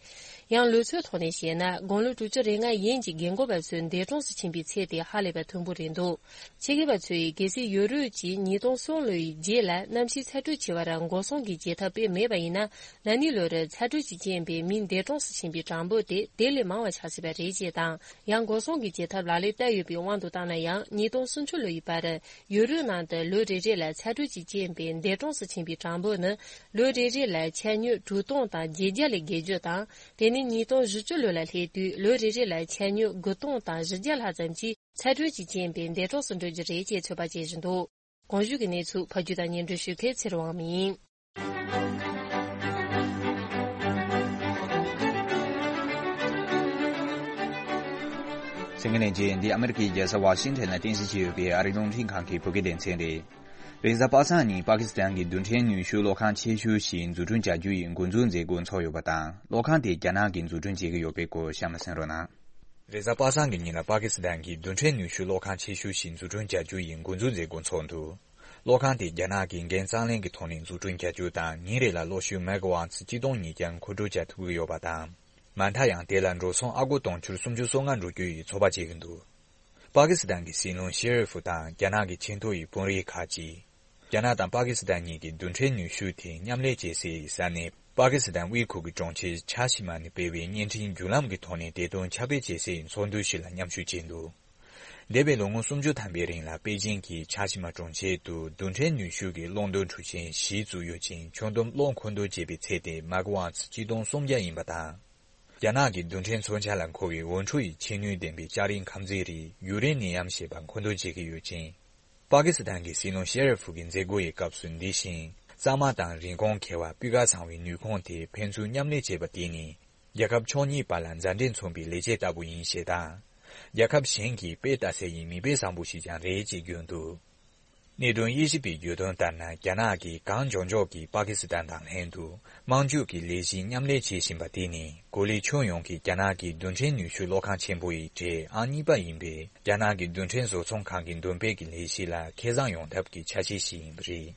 ཡང་ལོ་ཚོད་ཐོག་ནས་བཤད་ན། དགུང་ལོ་དྲུག་ཅུ་རེ་ལྔ་ཡན་གྱི་རྒན་འཁོགས་པ་ཚོ་འདས་གྲོངས་སུ་ཕྱིན་པའི་ཚད་དེ་ཧ་ལས་པ་མཐོན་པོ་རེད་འདུག་ཆེད་མཁས་པ་ཚོས། གལ་སྲིད་ཡོ་རོབ་ཀྱིས་ཉིས་སྟོང་གསུམ་ལོའི་རྗེས་ལ་གནམ་གཤིས་ཚ་དྲོད་ཆེ་བར་འགོག་སྲུང་གི་བྱེད་ཐབས་སྤེལ་མེད་པ་ཡིན་ན། ན་ནིང་ལོར་ཚ་དྲོད་ཀྱི་རྐྱེན་པས་མི་འདས་གྲོངས་སུ་ཕྱིན་པའི་གྲངས་འབོར་དེ་དེ་ལས་མང་བ་ཆགས་སྲིད་པ་རེད་ཅེས་དང་། ཡང་འགོག་སྲུང་གི་བྱེད་ཐབས་ལག་ལེན་བསྟར་ཡོད་པའི་དབང་དུ་བཏང་ན་ཡང་། ཉིས་སྟོང་སུམ་ཅུ་ལོ་ཡི་བར་ཡོ་རོབ་ནང་དུ་ལོ་རེ་རེ་ལ་ཚ་དྲོད་ཀྱི་རྐྱེན་པས་འདས་གྲོངས་སུ་ཕྱིན་པའི་གྲངས་འབོར་ནི་ལོ་རེ་རེ་ལ་ཆ་སྙོམས་དྲུག་སྟོང་དང་བརྒྱད་བརྒྱ་ལས་བརྒལ་རྒྱུ་དང་། དེ་ནས་ཉིས་སྟོང་བཞི་བཅུ་ལོ་ལ་སླེབས་དུས་ལོ་རེ་རེ་ལ་ཆ་སྙོམས་དགུ་སྟོང་དང་བཞི་བརྒྱ་ལྷག་ཙམ་གྱིས། ཚ་དྲོད་ཀྱི་རྐྱེན་པས་འདས་གྲོངས་སུ་འགྲོ་རྒྱུ་རེད་ཅེས་ཚོད་དཔག་བྱེད་བཞིན་འདུག་གོང་ཞུས་ཀྱི་གནས་ཚུལ་ཕབ་སྒྱུར་དང་སྙན་སྒྲོན་ཞུ་མཁན་ཚེ་རིང་དབང་མོ་ཡིན། གསན་མཁན་ལྷན་རྒྱས། འདི་ཨ་མེ་རི་ཁའི་རྒྱལ་ས་ཝ་ཤིང་ཊོན་ལ་རྟེན་གཞི་བྱས་ཡོད་པའི་ཨ་རིའི་རླུང་འཕྲིན་ཁང་གི་བོད་སྐད་སྡེ་ཚན་རེད། རེས་གཟའ་པ་སངས་ཉིན་པ་ཀི་སི་ཐན་གྱི་རྡུལ་ཕྲན་ནུས་ཤུགས་གློག་ཁང་ཆེ་ཤོས་ཤིག་འཛུགས་སྐྲུན་བྱ་རྒྱུ་ཡི་འགོ་འཛུགས་མཛད་སྒོ་འཚོགས་ཡོད་པ་དང་། གློག་ཁང་དེ་རྒྱ་ནག་གིས་འཛུགས་སྐྲུན་བྱེད་ཀྱི་ཡོད་པའི་སྐོར་གཤམ་ལ་གསན་རོགས་གནང་། རེས་གཟའ་པ་སངས་ཀྱི་ཉིན་ལ་པ་ཀི་སི་ཐན་གྱི་རྡུལ་ཕྲན་ནུས་ཤུགས་གློག་ཁང་ཆེ་ཤོས་ཤིག་འཛུགས་སྐྲུན་བྱ་རྒྱུ་ཡི་འགོ་འཛུགས་མཛད་སྒོ་འཚོགས་འདུག་གློག་ཁང་དེ་རྒྱ་ནག་གིས་འགན་གཙང་ལེན་གྱི་ཐོག་ནས་འཛུགས་སྐྲུན་བྱ་རྒྱུ་དང་། ཉིན་རེ་ལ་གློག་ཤུགས་མེ་ག་ཝཊ་གཅིག་སྟོང་ཉིས་བརྒྱ་མཁོ་སྤྲོད་བྱ་ཐུབ་ཀྱི་ཡོད་པ་དང་། མ་མཐའ་ཡང་དེ་ལ་འགྲོ་སོང་ཨ་སྒོར་དུང་ཕྱུར་སུམ་ཅུ་སོ་ལྔ་འགྲོ་རྒྱུ་ཡི་ཚོད་དཔག་བྱེད་ཀྱི་འདུག་པ་ཀི་སི་ཐན་གྱི་སྲིད་བློན་ཤེ་རི་ཧྥུ་དང་རྒྱ་ནག་གི་ཆེས་མཐོ་ཡི་དཔོན་རིགས་ཁག་ཅིག་རྒྱ་ནག་དང་པ་ཀི་སི་ཐན་གཉིས་ཀྱི་རྡུལ་ཕྲན་ནུས་ཤུགས་དེ་མཉམ་ལས་བྱེད་སའི་ས་གནས་པ་ཀི་སི་ཐན་དབུས་ཁུལ་གྱི་གྲོང་ཁྱེར་ཆ་ཤི་མ་ནས་སྤེལ་བའི་བརྙན་འཕྲིན་བརྒྱུད་ལམ་གྱི་ཐོག་ནས་བདེ་དོན་ཁྱབ་སྤེལ་བྱེད་སའི་ཚོགས་འདུ་ཞིག་ལ་མཉམ་ཞུགས་བྱས་འདུག་འདས་པའི་ལོ་ངོ་སུམ་ཅུ་ཐམ་པའི་རིང་ལ་པེ་ཅིང་གི་ཆ་ཤི་མ་གྲོང་ཁྱེར་དུ་རྡུལ་ཕྲན་ནུས་ཤུགས་ཀྱི་གློག་འདོན་གྲུ་ཆེན་བཞི་བཙུགས་ཡོད་ཅིང་། ཁྱོན་བསྡོམས་གློག་མཁོ་འདོན་བྱས་པའི་ཚད་དེ་མེ་ག་ཝཊ་ཆིག་སྟོང་སུམ་བརྒྱ་ཡིན་པ་དང་། རྒྱ་ནག་གི་རྡུལ་ཕྲན་མཚོན་ཆ་ལ་མཁོ་བའི་འོད་འཕྲོ་ཡི་ཆེས་ནུས་ལྡན་པའི་ལྕགས་རིགས་ཁམས་འཛིན་རིགས་ཡུ་རེ་ནི་ཡམ་ཞེས་པ་མཁོ་འདོན་བྱེད་ཀྱི་ཡོད་ཅིང་། པ་ཀི་སི་ཐན་གྱི་སྲིད་བློན་ཤེ་ར་ཧྥུ་གི་མཛད་སྒོ་ཡི་སྐབས་སུ། འདི་བཞིན་གཙང་མ་དང་རིན་གོང་ཁེ་བ་སྤུས་ཀ་ཚང་བའི་ནུས་ཁུངས་དེ་ཕན་ཚུན་མཉམ་ལས་བྱས་པ་དེ་ནི། རྒྱལ་ཁབ་ཕྱོགས་གཉིས་བར་ལ་མཛའ་འབྲེལ་མཚོན་པའི་ལེགས་སྐྱེས་ལྟ་བུ་ཡིན་ཞེས་དང་། རྒྱལ་ཁབ་གཞན་གྱིས་དཔེ་ལྟ་སའི་མིག་དཔེ་བཟང་པོ་ཞིག་ཀྱང་རེད་ཅེས་བརྗོད་འདུག་གནད་དོན་དབྱེ་ཞིབ་པས་བརྗོད་དོན་ལྟར་ན། རྒྱ་ནག་གིས་གངས་ལྗོངས་ཕྱོགས་ཀྱི་པ་ཀི་སི་ཐན་དང་ལྷན་དུ་དམངས་ཕྱུག་གི་ལས་གཞི་མཉམ་ལས་བྱེད་བཞིན་པ་དེ་ནི། གོ་ལའི་ཁྱོན་ཡོངས་ཀྱི་རྒྱ་ནག་གི་རྡུལ་ཕྲན་ནུས་ཤུགས་གློག་ཁང་ཆེན་པོ་ཡི་གྲས་ཨང་གཉིས་པ་ཡིན་པའི་རྒྱ་ནག་གི་རྡུལ་ཕྲན་བཟོ་ཚོང་ཁང་གི་འདོན་སྤེལ་གྱི་ལས་གཞི་ལ་ཁེ་བཟང་ཡོང་ཐབས་ཀྱི་ཆ་ཤས་ཤིག་ཡིན་པ་རེད།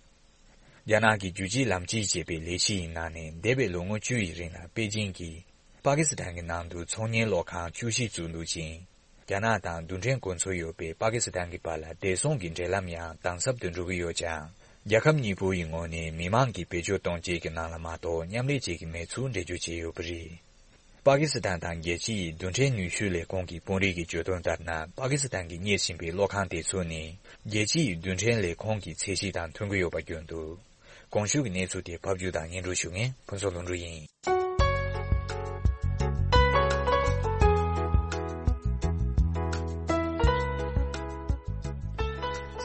རྒྱ་ནག་གི་རྒྱུད་གཅིག་ལམ་གཅིག་ཅེས་པའི་ལས་གཞི་ཡི་ནང་ནས། འདས་པའི་ལོ་ངོ་བཅུ་ཡི་རིང་ལ་པེ་ཅིང་གིས་པ་ཀི་སི་ཐན་གྱི་ནང་དུ་ཚོང་གཉེར་གློག་ཁང་བཅུ་བཞི་བཙུགས་འདུག་ཅིང་། རྒྱ་ནག་དང་རྡུལ་ཕྲན་གོ་མཚོན་ཡོད་པའི་པ་ཀི་སི་ཐན་གྱི་བར་ལ་བདེ་སྲུང་གི་འབྲེལ་ལམ་ཡང་དམ་ཟབ་ཏུ་འགྲོ་གི་ཡོད་ཀྱང་། རྒྱལ་ཁབ་གཉིས་པོ་ཡི་ངོས་ནས་མི་མང་གི་བེད་སྤྱོད་གཏོང་བྱེད་ཀྱི་ནང་ལ་མ་གཏོགས་མཉམ་ལས་བྱེད་ཀྱི་མེད་ཚུལ་འགྲེལ་བརྗོད་བྱས་ཡོད་པ་རེད། པ་ཀི་སི་ཐན་དང་རྒྱལ་སྤྱི་ཡི་རྡུལ་ཕྲན་ནུས་ཤུགས་ལས་ཁུངས་ཀྱི་དཔོན་རིགས་ཀྱིས་བརྗོད་དོན་ལྟར་ན། པ་ཀི་སི་ཐན་གྱིས་གཉེར་བཞིན་པའི་གློག་ཁང་དེ་ཚོ་ནི། རྒྱལ་སྤྱི་ཡི་རྡུལ་ཕྲན་ལས་ཁུངས་ཀྱི་ཚད་གཞི་དང་མཐུན་གྱི་ཡོད་པ་བརྗོད་འདུག་གོང་ཞུས་ཀྱི་གནས་ཚུལ་དེ་ཕབ་སྒྱུར་དང་སྙན་སྒྲོན་ཞུ་མཁན་ཕུན་ཚོགས་ལྷུན་གྲུབ་ཡིན།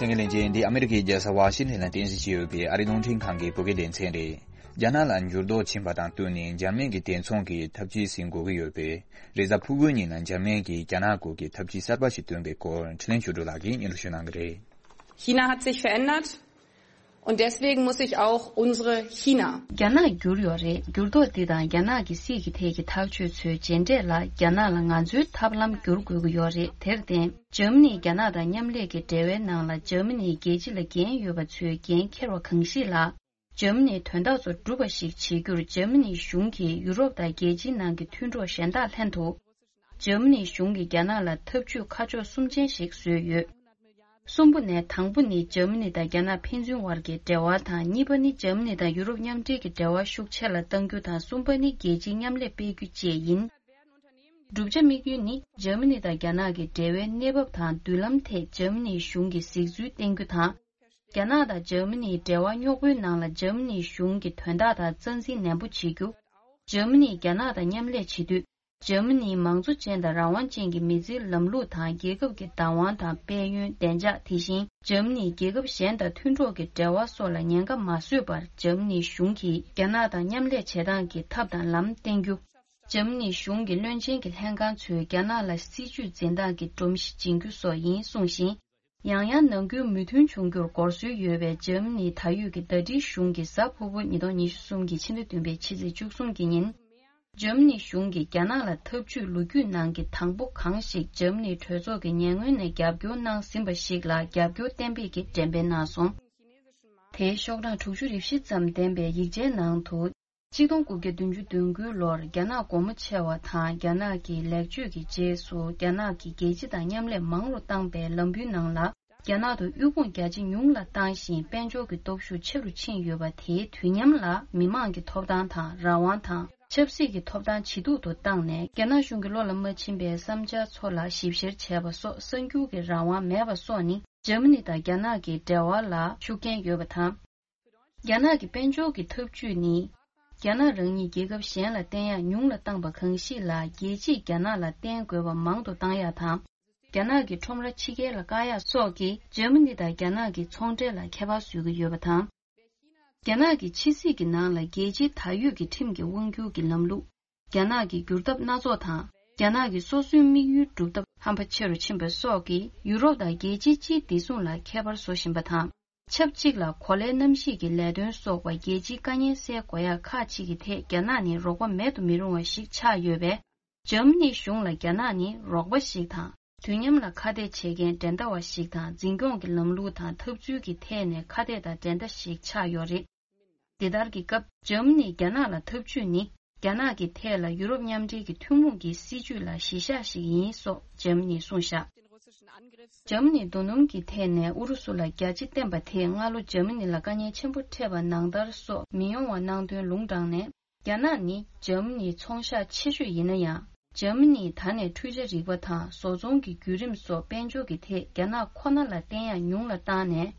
གསན་མཁན་ལྷན་རྒྱས། འདི་ཨ་མི་རི་ཀའི་རྒྱལ་ས་ཝ་ཤིང་ཊོན་ལ་རྟེན་གཞི་བྱས་ཡོད་པའི་ཨ་རིའི་རླུང་འཕྲིན་ཁང་གི་བོད་སྐད་སྡེ་ཚན་རེད། རྒྱ་ནག་ལ་འགྱུར་ལྡོག་ཕྱིན་པ་དང་བསྟུན་ནས། འཇར་མན་གྱི་དེ་མཚུངས་ཀྱི་ཐབས་ཇུས་ཟིན་དགོས་ཀྱི་ཡོད་པས། རེས་གཟའ་ཕུར་བུའི་ཉིན་ལ་འཇར་མན་གྱིས་རྒྱ་ནག་སྐོར་གྱི་ཐབས་ཇུས་གསར་པ་ཞིག་བཏོན་པའི་སྐོར། འཕྲིན་ལས་ཆོས་སྒྲོན་ལགས་ཀྱིས་སྙན་སྒྲོན་ཞུ་གནང་གི་རེད། China hat sich verändert und deswegen muss sich auch unsere China. རྒྱ་ནག་འགྱུར་ཡོད་རེད། འགྱུར་ལྡོག་འདི་དང་རྒྱ་ནག་གི་སྲིད་ཀྱི་ཐད་ཀྱི་ཐག་གཅོད་ཚོའི་རྗེས་འབྲས་ལ། རྒྱ་ནག་ལ་ང་ཚོའི་ཐབས་ལམ་བསྒྱུར་དགོས་ཀྱི་ཡོད་རེད། དེར་བརྟེན། འཇར་མ་ནི་རྒྱ་ནག་དང་མཉམ་ལས་ཀྱི་འབྲེལ་བའི་ནང་ལ། འཇར་མ་ནིའི་རྒྱལ་སྤྱི་ལ་འགན་ཡོད་པ་ཚོས་འགན་འཁྱེར་བ་གང་ཞིག་ལ། འཇར་མ་ནིའི་དོན་དག་ཚོ་འགྲུབ་པ་ཞིག་བྱེད་རྒྱུར། འཇར་མ་ནིའི་གཞུང་གིས་ཡུ་རོབ་དང་རྒྱལ་སྤྱིའི་ནང་གི་མཐུན་གྲོགས་གཞན་དག་ལྷན་དུ། འཇར་མ་ནིའི་གཞུང་གིས་རྒྱ་ནག་ལ་ཐབས་ཇུས་ཁ་ཕྱོགས་གསུམ་ཅན་ཞིག་བཟོས་ཡོད། གསུམ་པོ་ནས་དང་པོ་ནི། འཇར་མ་ནི་དང་རྒྱ་ནག་ཕན་ཚུན་བར་གྱི་འབྲེལ་བ་དང་། གཉིས་པ་ནི། འཇར་མ་ནི་དང་ཡུ་རོབ་མཉམ་འབྲེལ་གྱི་འབྲེལ་བ་ཤུགས་ཆེ་ལ་གཏང་རྒྱུ་དང་། གསུམ་པ་ནི། རྒྱལ་སྤྱིའི་མཉམ་ལས་སྤེལ་རྒྱུ་བཅས་ཡིན། བསྒྲུབ་བྱ་དམིགས་ཡུལ་ནི། འཇར་མ་ནི་དང་རྒྱ་ནག་གི་འབྲེལ་བའི་གནས་བབ་དང་མདུན་ལམ་ཐད་འཇར་མ་ནིའི་གཞུང་གི་གཟིགས་ཚུལ་བསྟན་རྒྱུ་དང་། རྒྱ་ནག་དང་འཇར་མ་ནིའི་འབྲེལ་བ་རྙོག་པོའི་ནང་ལ་འཇར་མ་ནིའི་གཞུང་གི་དོན་དག་དང་རྩ་འཛིན་ནན་པོ་བྱེད་རྒྱུ། འཇར་མ་ནིས་རྒྱ་ནག་དང་མཉམ་ལས་བྱེད་དུས། འཇར་མ་ནིའི་མང་གཙོ་ཅན་དང་རང་དབང་ཅན་གྱི་མི་སེར་ལམ་ལུགས་དང་། རྒྱལ་ཁབ་ཀྱི་བདག་དབང་དང་དཔལ་ཡོན། བདེ་འཇགས། དེ་བཞིན་འཇར་མ་ནིས་རྒྱལ་ཁབ་གཞན་དང་མཐུན་གྲོགས་ཀྱི་འབྲེལ་བ་སོགས་ལ་ཉེན་ཁ་མ་བཟོས་པར། འཇར་མ་ནིའི་གཞུང་གིས་རྒྱ་ནག་དང་མཉམ་ལས་བྱེད་སྟངས་ཀྱི་ཐབས་དང་ལམ་བསྟན་རྒྱུ། འཇར་མ་ནིའི་གཞུང་གི་བློན་ཆེན་གྱི་ལྷན་ཁང་ཚོས་རྒྱ་ནག་ལ་སྲིད་ཇུས་འཛིན་སྟངས་ཀྱི་སྒྲོམ་གཞི་སྦྱིན་རྒྱུ་སོགས་ཡིན་གསུངས་ཤིང་། ཡང་ཡང་ནང་ཁུལ་མོས་མཐུན་བྱུང་རྒྱུར་འགོར་སྲོལ་ཡོད་པའི་འཇར་མ་ནིའི་ད་ཡོད་ཀྱི་ཟླ་སྒྲིལ་གཞུང་གིས་གཟའ་ཕུར་བུ་ཉིས་སྟོང་ཉི་ཤུ་རྩ་གསུམ་གྱི་ཕྱི་ཚེས་བཅུ་གསུམ་གྱི་ཉིན། འཇར་མ་ནིའི་གཞུང་གིས་རྒྱ་ནག་ལ་ཐབས་ཇུས་ལོ་རྒྱུས་ནང་གི་དང་པོ་གང་ཞིག་འཇར་མ་ནིའི་གྲོས་ཚོགས་ཀྱི་ཉེ་སྔོན་ནས་རྒྱབ་སྐྱོར་གནང་ཟིན་པ་ཞིག་ལ་རྒྱབ་སྐྱོར་གཏན་འབེབས་ཀྱི་འགྲེམས་སྤེལ་གནང་སོང་། དེའི་ཤོག་གྲངས་དྲུག་ཅུ་རེ་བཞི་ཙམ་ལྡན་པའི་ཡིག་ཆའི་ནང་དུ། ཆིག་སྟོང་དགུ་བརྒྱ་བདུན་ཅུ་དོན་དགུའི་ལོར་རྒྱ་ནག་སྒོ་མོ་ཆེ་བ་དང་རྒྱ་ནག་གི་ལེགས་བཅོས་ཀྱི་རྗེས་སུ། རྒྱ་ནག་གིས་རྒྱལ་སྤྱི་དང་མཉམ་ལས་མང་རུ་བཏང་པའི་ལམ་བུའི་ནང་ལ། རྒྱ་ནག་ཏུ་དབུལ་ཕོངས་རྒྱ་ཇེ་ཉུང་ལ་བཏང་ཞིང་། དཔལ་འབྱོར་གྱི་སྟོབས་ཤུགས་ཆེ་རུ་ཕྱིན་ཡོད་པ། དེའི་དུས་མཉམ་ལ་མི་དམངས་ཀྱི་ཐོབ་ཐང་དང་རང་དབང་དང་། ཆབ་སྲིད་ཀྱི་ཐོབ་ཐང་ཇེ་སྡུག་ཏུ་བཏང་ནས། རྒྱ་ནག་གཞུང་གི་བློ་ལ་མ་ཕྱིན་པའི་བསམ་འཆར་ཚོ་ལ་ཞིབ་བཤེར་བྱས་པ་སོགས། གསར་འགྱུར་གྱི་རང་དབང་མེད་པ་སོགས་ནི། འཇར་མ་ནི་དང་རྒྱ་ནག་གི་འབྲེལ་བ་ལ་ཤུགས་རྐྱེན་ཡོད་པ་དང་། རྒྱ་ནག་གི་དཔལ་འབྱོར་གྱི་འཐབ་ཇུས་ནི། རྒྱ་ནག་རང་ཉིད་རྒྱལ་ཁབ་གཞན་ལ་བརྟེན་ཡག་ཉུང་ལ་བཏང་པ་གང་ཞིག་ལ། རྒྱལ་སྤྱིས་རྒྱ་ནག་ལ་བརྟེན་དགོས་པ་མང་དུ་བཏང་ཡག་དང་། རྒྱ་ནག་གི་ཁྲོམ་ར་ཕྱི་རྒྱལ་ལ་བཀག་ཡག་སོགས་ཀྱིས་འཇར་མ་ནི་དང་རྒྱ་ནག་གི་ཚོང་འབྲེལ་ལ་ཁྱད་པར་བཟོ་གི་ཡོད་པ་དང་། རྒྱ་ནག་གི་ཕྱི་སྲིད་ཀྱི་ནང་ལ་རྒྱལ་སྤྱིའི་ད་ཡོད་ཀྱི་ཁྲིམས་ཀྱི་དབང་སྒྱུར་གྱི་ལམ་ལུགས། རྒྱ་ནག་གི་བསྒྱུར་ཐབས་སྣ་ཚོགས་དང་། རྒྱ་ནག་གི་སོ་སོའི་དམིགས་ཡུལ་སྒྲུབ་ཐབས་ཧམ་པ་ཆེ་རུ་ཕྱིན་པ་སོགས་ཀྱིས། ཡུ་རོབ་དང་རྒྱལ་སྤྱིའི་སྤྱིའི་བདེ་སྲུང་ལ་ཁྱད་པར་བཟོ་བཞིན་པ་དང་། ཆབས་ཅིག་ལ་གོ་ལའི་གནམ་གཤིས་ཀྱི་ལས་དོན་སོགས་པ་རྒྱལ་སྤྱིའི་དཀའ་ངལ་སེལ་དགོས་ཡག་ཁག་ཅིག་གི་ཐད་རྒྱ་ནག་ནི་རོགས་པ་མེད་དུ་མི་རུང་བ་ཞིག་ཆགས་ཡོད་པས། འཇར་མ་ནིའི་གཞུང་ལ་རྒྱ་ནག་ནི་རོགས་པ་ཞིག་དང་། དུས་མཉམ་ལ་ཁ་གཏད་བྱེད་མཁན་འགྲན་ཟླ་བ་ཞིག་དང་། འཛིན་སྐྱོང་གི་ལམ་ལུགས་དང་འཐབ་རྩོད་ཀྱི་ཐད་ནས་ཁ་གཏད་དང་འགྲན་ཟླ་ཞིག་ཆགས་ཡོད་རེད། འདི་ལྟར་གྱི་སྐབས། འཇར་མ་ནིས་རྒྱ་ནག་ལ་འཐབ་ཇུས་ནི། རྒྱ་ནག་གི་ཐད་ལ་ཡུ་རོབ་མཉམ་འབྲེལ་གྱི་ཐུན་མོང་གི་སྲིད་ཇུས་ལ་གཞི་བཞག་ཞིག་ཡིན་སོགས་འཇར་མ་ནིས་གསུངས་བཞག་འཇར་མ་ནིས་རྡོ་སྣུམ་གྱི་ཐད་ནས་ཨུ་རུ་སུ་ལ་རྒྱ་ཇེ་བརྟན་པ་དེས་སྔ་ལོ་འཇར་མ་ནི་ལ་དཀའ་ངལ་ཆེན་པོ་འཕྲད་པ་ནང་ལྟར་སོགས་མི་ཡོང་བ་གནང་དོན་ལུང་དྲངས་ནས། རྒྱ་ནག་ནི་འཇར་མ་ནིའི་ཚོང་ཤག་ཆེ་ཤོས་ཡིན་ན་ཡང་། འཇར་མ་ནིས་ད་ནས་འཕྲུལ་ཆ་རིག་པ་དང་བཟོ་ཚོང་གི་བརྒྱུད་རིམ་སོགས་དཔལ་འབྱོར་གྱི་ཐད་རྒྱ་ནག་ཁོ་ན་ལ་བརྟེན་ཡག་ཉུང་ལ་བཏང་ནས།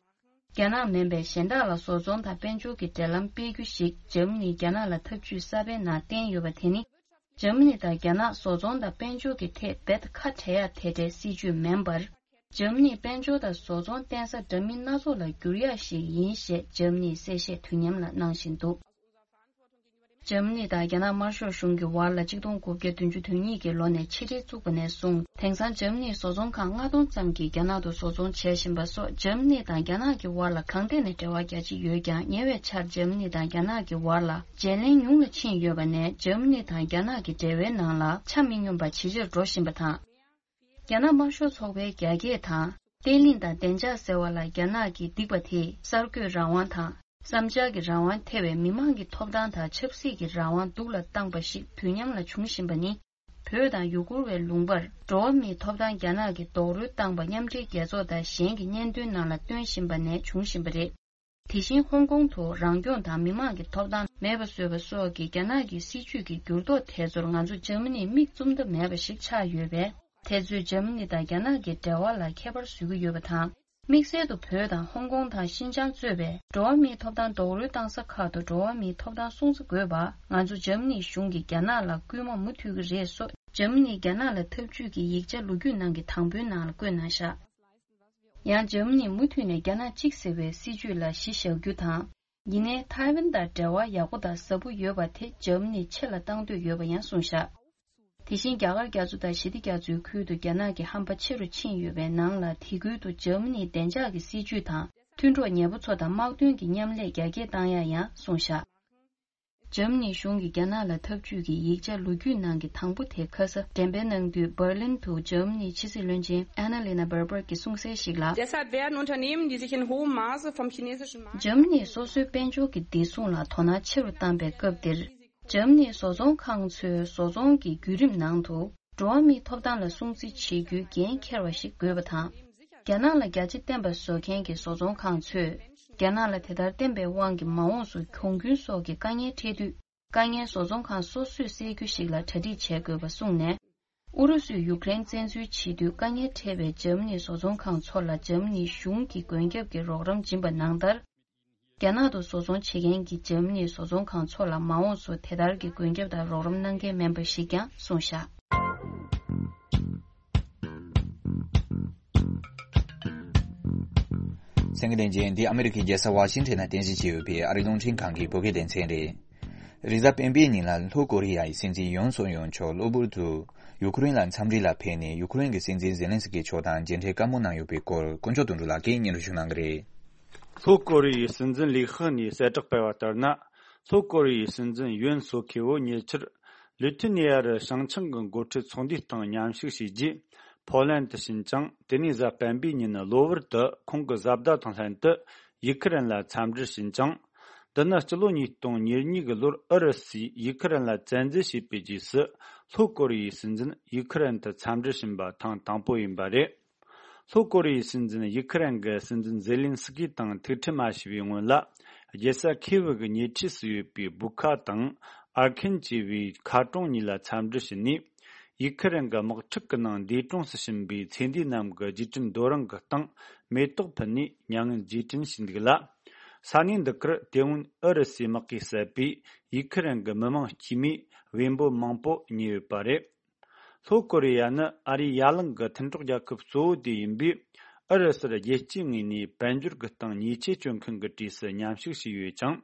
རྒྱ་ནག་མིན་པའི་གཞན་དག་ལ་བཟོ་ཚོང་དང་དཔལ་འབྱོར་གྱི་འབྲེལ་ལམ་སྤེལ་རྒྱུ་ཞིག་འཇར་མ་ནིས་རྒྱ་ནག་ལ་ཐབས་ཇུས་གསར་པའི་ནང་བསྟན་ཡོད་པ་དེ་ནི། འཇར་མ་ནི་དང་རྒྱ་ནག་བཟོ་ཚོང་དང་དཔལ་འབྱོར་གྱི་ཐད་རྦད་ཁ་བྲལ་ཡག་དེ་འདྲའི་སྲིད་ཇུས་མིན་པར། འཇར་མ་ནིས་དཔལ་འབྱོར་དང་བཟོ་ཚོང་བརྟེན་ས་འདྲ་མིན་སྣ་ཚོགས་ལ་བསྒྱུར་ཡག་ཞིག་ཡིན་ཞེས་འཇར་མ་ནིས་གསལ་བཤད་དུས་མཉམ་ལ་གནང་བཞིན་འདུག་འཇར་མ་ནི་དང་རྒྱ་ནག་དམར་ཤོག་གཞུང་གི་བར་ལ་ཆིག་སྟོང་དགུ་བརྒྱ་བདུན་ཅུ་དོན་གཉིས་ཀྱི་ལོ་ནས་ཕྱི་འབྲེལ་བཙུགས་པ་ནས་བཟུང་། དེང་སང་འཇར་མ་ནིའི་བཟོ་ཚོང་ཁང་ལྔ་སྟོང་ཙམ་གྱིས་རྒྱ་ནག་ཏུ་བཟོ་ཚོང་བྱེད་བཞིན་པ་སོགས། འཇར་མ་ནི་དང་རྒྱ་ནག་གི་བར་ལ་གང་ཐད་ནས་འབྲེལ་བ་རྒྱ་ཆེ་ཡོད་ཀྱང་། ཉེ་བའི་ཆར་འཇར་མ་ནི་དང་རྒྱ་ནག་གི་བར་ལ་བརྗེ་ལེན་ཉུང་ལ་ཕྱིན་ཡོད་པ་ནས། འཇར་མ་ནི་དང་རྒྱ་ནག་གི་འབྲེལ་བའི་ནང་ལ་ཆ་མི་སྙོམས་པ་ཇེ་ཆེར་འགྲོ་བཞིན་པ་དང་། རྒྱ་ནག་དམར་ཤོག་ཚོགས་པའི་རྒྱ་སྐྱེད་དང་། བརྟན་ལྷིང་དང་བདེ་འཇགས་ཟེར་བ་ལ་རྒྱ་ནག་གིས་སྡིགས་པ་དེས་གསར་འགོད་རང་དབང་དང་། བསམ་འཆར་གྱི་རང་དབང་ཐེ་བའི་མི་མང་གི་ཐོབ་ཐང་དང་ཆབ་སྲིད་ཀྱི་རང་དབང་སྡུག་ལ་བཏང་པ་ཞིག་དུས་མཉམ་ལ་འབྱུང་བཞིན་པ་ནི། བོད་དང་ཡུ་གུར་བའི་ལུང་པར་འགྲོ་བ་མིའི་ཐོབ་ཐང་རྒྱ་ནག་གིས་རྡོག་རོལ་བཏང་པ་མཉམ་འབྲེལ་རྒྱལ་ཚོགས་དང་གཞན་གྱི་སྙན་ཐོའི་ནང་ལ་བཏོན་བཞིན་པ་ནས་བྱུང་བཞིན་པ་རེད། དེ་བཞིན་ཧོང་ཀོང་དུ་རང་སྐྱོང་དང་མི་མང་གི་ཐོབ་ཐང་མེད་པ་བཟོས་པ་སོགས་ཀྱི་རྒྱ་ནག་གི་སྲིད་ཇུས་ཀྱི་འགྱུར་ལྡོག་དེ་ཚོར་ང་ཚོ་འཇར་མ་ནིས་མིག་བཙུམ་ཐབས་མེད་པ་ཞིག་ཆགས་ཡོད་པས། དེ་ཚོས་འཇར་མ་ནི་དང་རྒྱ་ནག་གི་འབྲེལ་བ་ལ་ཁྱད་པར་བཟོ་གི་ཡོད་པ་དང་། དམིགས་བསལ་དུ་བོད་དང་ཧོང་ཀོང་དང་ཤིན་ཅང་གཙོས་པའི་འགྲོ་བ་མིའི་ཐོབ་ཐང་རྡོག་རོལ་བཏང་ས་ཁག་ཏུ་འགྲོ་བ་མིའི་ཐོབ་ཐང་སྲུང་བརྩི་དགོས་པ། ང་ཚོ་འཇར་མ་ནིའི་གཞུང་གིས་རྒྱ་ནག་ལ་སྐུལ་མ་མུ་མཐུད་ཀྱི་རེད་སོགས། འཇར་མ་ནིས་རྒྱ་ནག་ལ་འཐབ་ཇུས་ཀྱི་ཡིག་ཆ་ལོ་རྒྱུས་ནང་གི་དང་པོའི་ནང་ལ་བཀོད་གནང་བཞག་ཡང་འཇར་མ་ནིས་མུ་མཐུད་ནས་རྒྱ་ནག་གཅིག་ཟེར་བའི་སྲིད་ཇུས་ལ་གཞི་བཞག་རྒྱུ་དང་། ཡིན་ནའི་ཐའེ་ཝན་དང་འབྲེལ་བ་ཡག་པོ་དང་ཟབ་པོ་ཡོད་པ་དེ་འཇར་མ་ནིས་ཆེ་ལ་བཏང་འདོད་ཡོད་པ་ཡང་གསུངས་བཞག་དེ་བཞིན་རྒྱ་གར་རྒྱ་མཚོ་དང་ཞི་བདེ་རྒྱ་མཚོའི་ཁུལ་དུ་རྒྱ་ནག་གི་ཧམ་པ་ཆེ་རུ་ཕྱིན་ཡོད་པའི་ནང་ལ། དེ་ཁུལ་དུ་འཇར་མ་ནིའི་བདེ་འཇགས་ཀྱི་སྲིད་ཇུས་དང་། མཐུན་གྲོགས་ཉེ་པོ་ཚོ་དང་དམག་དོན་གྱི་མཉམ་ལས་རྒྱ་སྐྱེད་བཏང་ཡག་ཡང་གསུངས་བཞག་འཇར་མ་ནིའི་གཞུང་གིས་རྒྱ་ནག་ལ་འཐབ་ཇུས་ཀྱི་ཡིག་ཆ་ལོ་རྒྱུས་ནང་གི་དང་པོ་དེ་ཁ་ས་འགྲེམས་སྤེལ་གནང་དུས། འབར་ལིན་དུ་འཇར་མ་ནིའི་ཕྱི་སྲིད་བློན་ཆེན་ཨ་ན་ལི་ན་བྷར་བྷར་གྱིས་གསུངས་གསལ་ཞིག་ལ། Deshalb werden Unternehmen, die sich in hohem Maße vom chinesischen Markt འཇར་མ་ནིས་སོ་སོའི་དཔལ་འབྱོར་གྱི་བདེ་སྲུང་ལ་དོ་སྣང་ཆེ་རུ་བཏང་པའི་སྐབས་འདིར། འཇར་མ་ནིའི་བཟོ་ཚོང་ཁང་ཚོའི་བཟོ་ཚོང་གི་བརྒྱུད་རིམ་ནང་དུ། འགྲོ་བ་མིའི་ཐོབ་ཐང་ལ་སྲུང་བརྩི་བྱེད་རྒྱུའི་འགན་འཁྱེར་བ་ཞིག་དགོས་པ་དང་། རྒྱ་ནག་ལ་རྒྱ་ཆེ་བསྟན་པ་བཟོ་མཁན་གྱི་བཟོ་ཚོང་ཁང་ཚོས། རྒྱ་ནག་ལ་དེ་ལྟར་བསྟན་པའི་དབང་གིས་མ་འོངས་སུ་གྱོང་གུན་སོགས་ཀྱི་དཀའ་ངལ་འཕྲད་དུས། དཀའ་ངལ་བཟོ་ཚོང་ཁང་སོ་སོས་སེལ་རྒྱུ་ཞིག་ལ་གྲ་སྒྲིག་བྱེད་དགོས་པ་གསུངས་ནས། ཨུ་རུ་སུས་ཡུཀ་རེན་བཙན་འཛུལ་བྱེད་དུས་དཀའ་ངལ་འཕྲད་པའི་འཇར་མ་ནིའི་བཟོ་ཚོང་ཁང་ཚོ་ལ་འཇར་མ་ནིའི་གཞུང་གིས་མགོན་སྐྱབས་ཀྱི་རོགས་རམ་སྦྱིན་པ་ནང་ལྟར། རྒྱ་ནག་ཏུ་བཟོ་ཚོང་བྱེད་མཁན་གྱི་འཇར་མ་ནིའི་བཟོ་ཚོང་ཁང་ཚོ་ལ་མ་འོངས་སུ་དེ་ལྟར་གྱི་མགོན་སྐྱབས་དང་རོགས་རམ་གནང་མཁན་མིན་པ་ཞིག་ཀྱང་གསུངས་བཞག་གསན་མཁན་ལྷན་རྒྱས། འདི་ཨ་མི་རི་ཀའི་རྒྱལ་ས་ཝ་ཤིང་ཊོན་ནང་རྟེན་གཞི་བྱས་ཡོད་པའི་ཨ་རིའི་རླུང་འཕྲིན་ཁང་གི་བོད་སྐད་སྡེ་ཚན་རེད། རེས་གཟའ་སྤེན་པའི་ཉིན་ལ་ལྷོ་ཀོ་རི་ཡའི་སྲིད་འཛིན་ཡོན་སུག་ཡོལ་མཆོག་གློ་བུར་དུ་ཡུ་ཁུ་རེན་ལ་འཚམས་འདྲི་ལ་ཕེབས་ནས། ཡུ་ཁུ་རེན་གྱི་སྲིད་འཛིན་ཛེ་ལན་སི་ཀི་མཆོག་དང་མཇལ་འཕྲད་བཀའ་མོལ་གནང་ཡོད་པའི་སྐོར་དཀོན་མཆོག་དོན་གྲུབ་ལགས་ཀྱིས་སྙན་སྒྲོན་ཞུ་གནང་གི་རེད། ལྷོ་ཀོ་རི་ཡའི་སྲིད་འཛིན་ལི་ཁེ་ནས་གསལ་བསྒྲགས་སྤེལ་བ་ལྟར་ན། ལྷོ་ཀོ་རི་ཡའི་སྲིད་འཛིན་ཡོན་སུག་ཡོལ་ཉེ་ཆར་ལི་ཐི་ནི་ཡ་རུ་བྱང་ཆིངས་ཀྱི་འགོ་ཁྲིད་ཚོགས་འདུའི་སྟེང་མཉམ་ཞུགས་བྱས་རྗེས། ཕོ་ལན་དུ་ཕྱིན་ཅིང་། དེ་ནས་གཟའ་སྤེན་པའི་ཉིན་གློ་བུར་དུ་ཁོང་གི་བཟའ་ཟླ་དང་ལྷན་དུ་ཡུ་ཁུ་རེན་ལ་འཚམས་འདྲིར་ཕྱིན་ཅིང་། འདི་ནི་སྤྱི་ལོ་ཉིས་སྟོང་ཉེར་གཉིས་ཀྱི་ལོར་ཨུ་རུ་སུས་ཡུ་ཁུ་རེན་ལ་བཙན་འཛུལ་བྱས་པའི་རྗེས་སུ། ལྷོ་ཀོ་རི་ཡའི་སྲིད་འཛིན་ཡུ་ཁུ་རེན་དུ་འཚམས་འདྲིར་ཕྱིན་པ་ཐེངས་དང་པོ་ཡིན་པ་རེད། ལྷོ་ཀོ་རི་ཡའི་སྲིད་འཛིན་ཡུ་ཁུ་རེན་གྱི་སྲིད་འཛིན་ཛེ་ལིན་སི་ཀི་དང་ཐུག་འཕྲད་མ་བྱས་པའི་སྔོན་ལ། རྒྱལ་ས་ཁེ་བི་གི་ཉེ་འཁྲིས་སུ་ཡོད་པའི་བུ་ཁ་དང་ཨར་ཁན་ཅེས་པའི་མཁར་གྲོང་གཉིས་ལ་འཚམས་འདྲི་བྱས་ནས། ཡུ་ཁུ་རེན་གྱི་དམག་འཁྲུག་གི་ནང་འདས་གྲོངས་སུ་ཕྱིན་པའི་ཚེ་འདས་རྣམས་ཀྱི་རྗེས་དྲན་རྡོ་རིང་གི་སྟེང་མེ་ཏོག་ཕུལ་ནས་མྱ་ངན་རྗེས་དྲན་ཞུས་འདུག་ལ། ས་གནས་འདི་གར་དེ་སྔོན་ཨུ་རུ་སུའི་དམག་གིས་བསད་པའི་ཡུ་ཁུ་རེན་གྱི་མི་མང་དཀྱུས་མའི་བེམ་པོ་མང་པོ་རྙེད་ཡོད་པ་རེད། ལྷོ་ཀོ་རི་ཡ་ནི་ཨ་རིའི་ཡ་གླིང་གི་མཐུན་གྲོགས་རྒྱལ་ཁབ་གཙོ་བོ་དེ་ཡིན་པས། ཨུ་རུ་སུར་རྒྱལ་སྤྱིའི་ངོས་ནས་དཔལ་འབྱོར་གྱི་སྟེང་ཉེས་ཆད་གཅོད་མཁན་གྱི་གྲས་སུ་མཉམ་ཞུགས་བྱས་ཡོད་ཅིང་།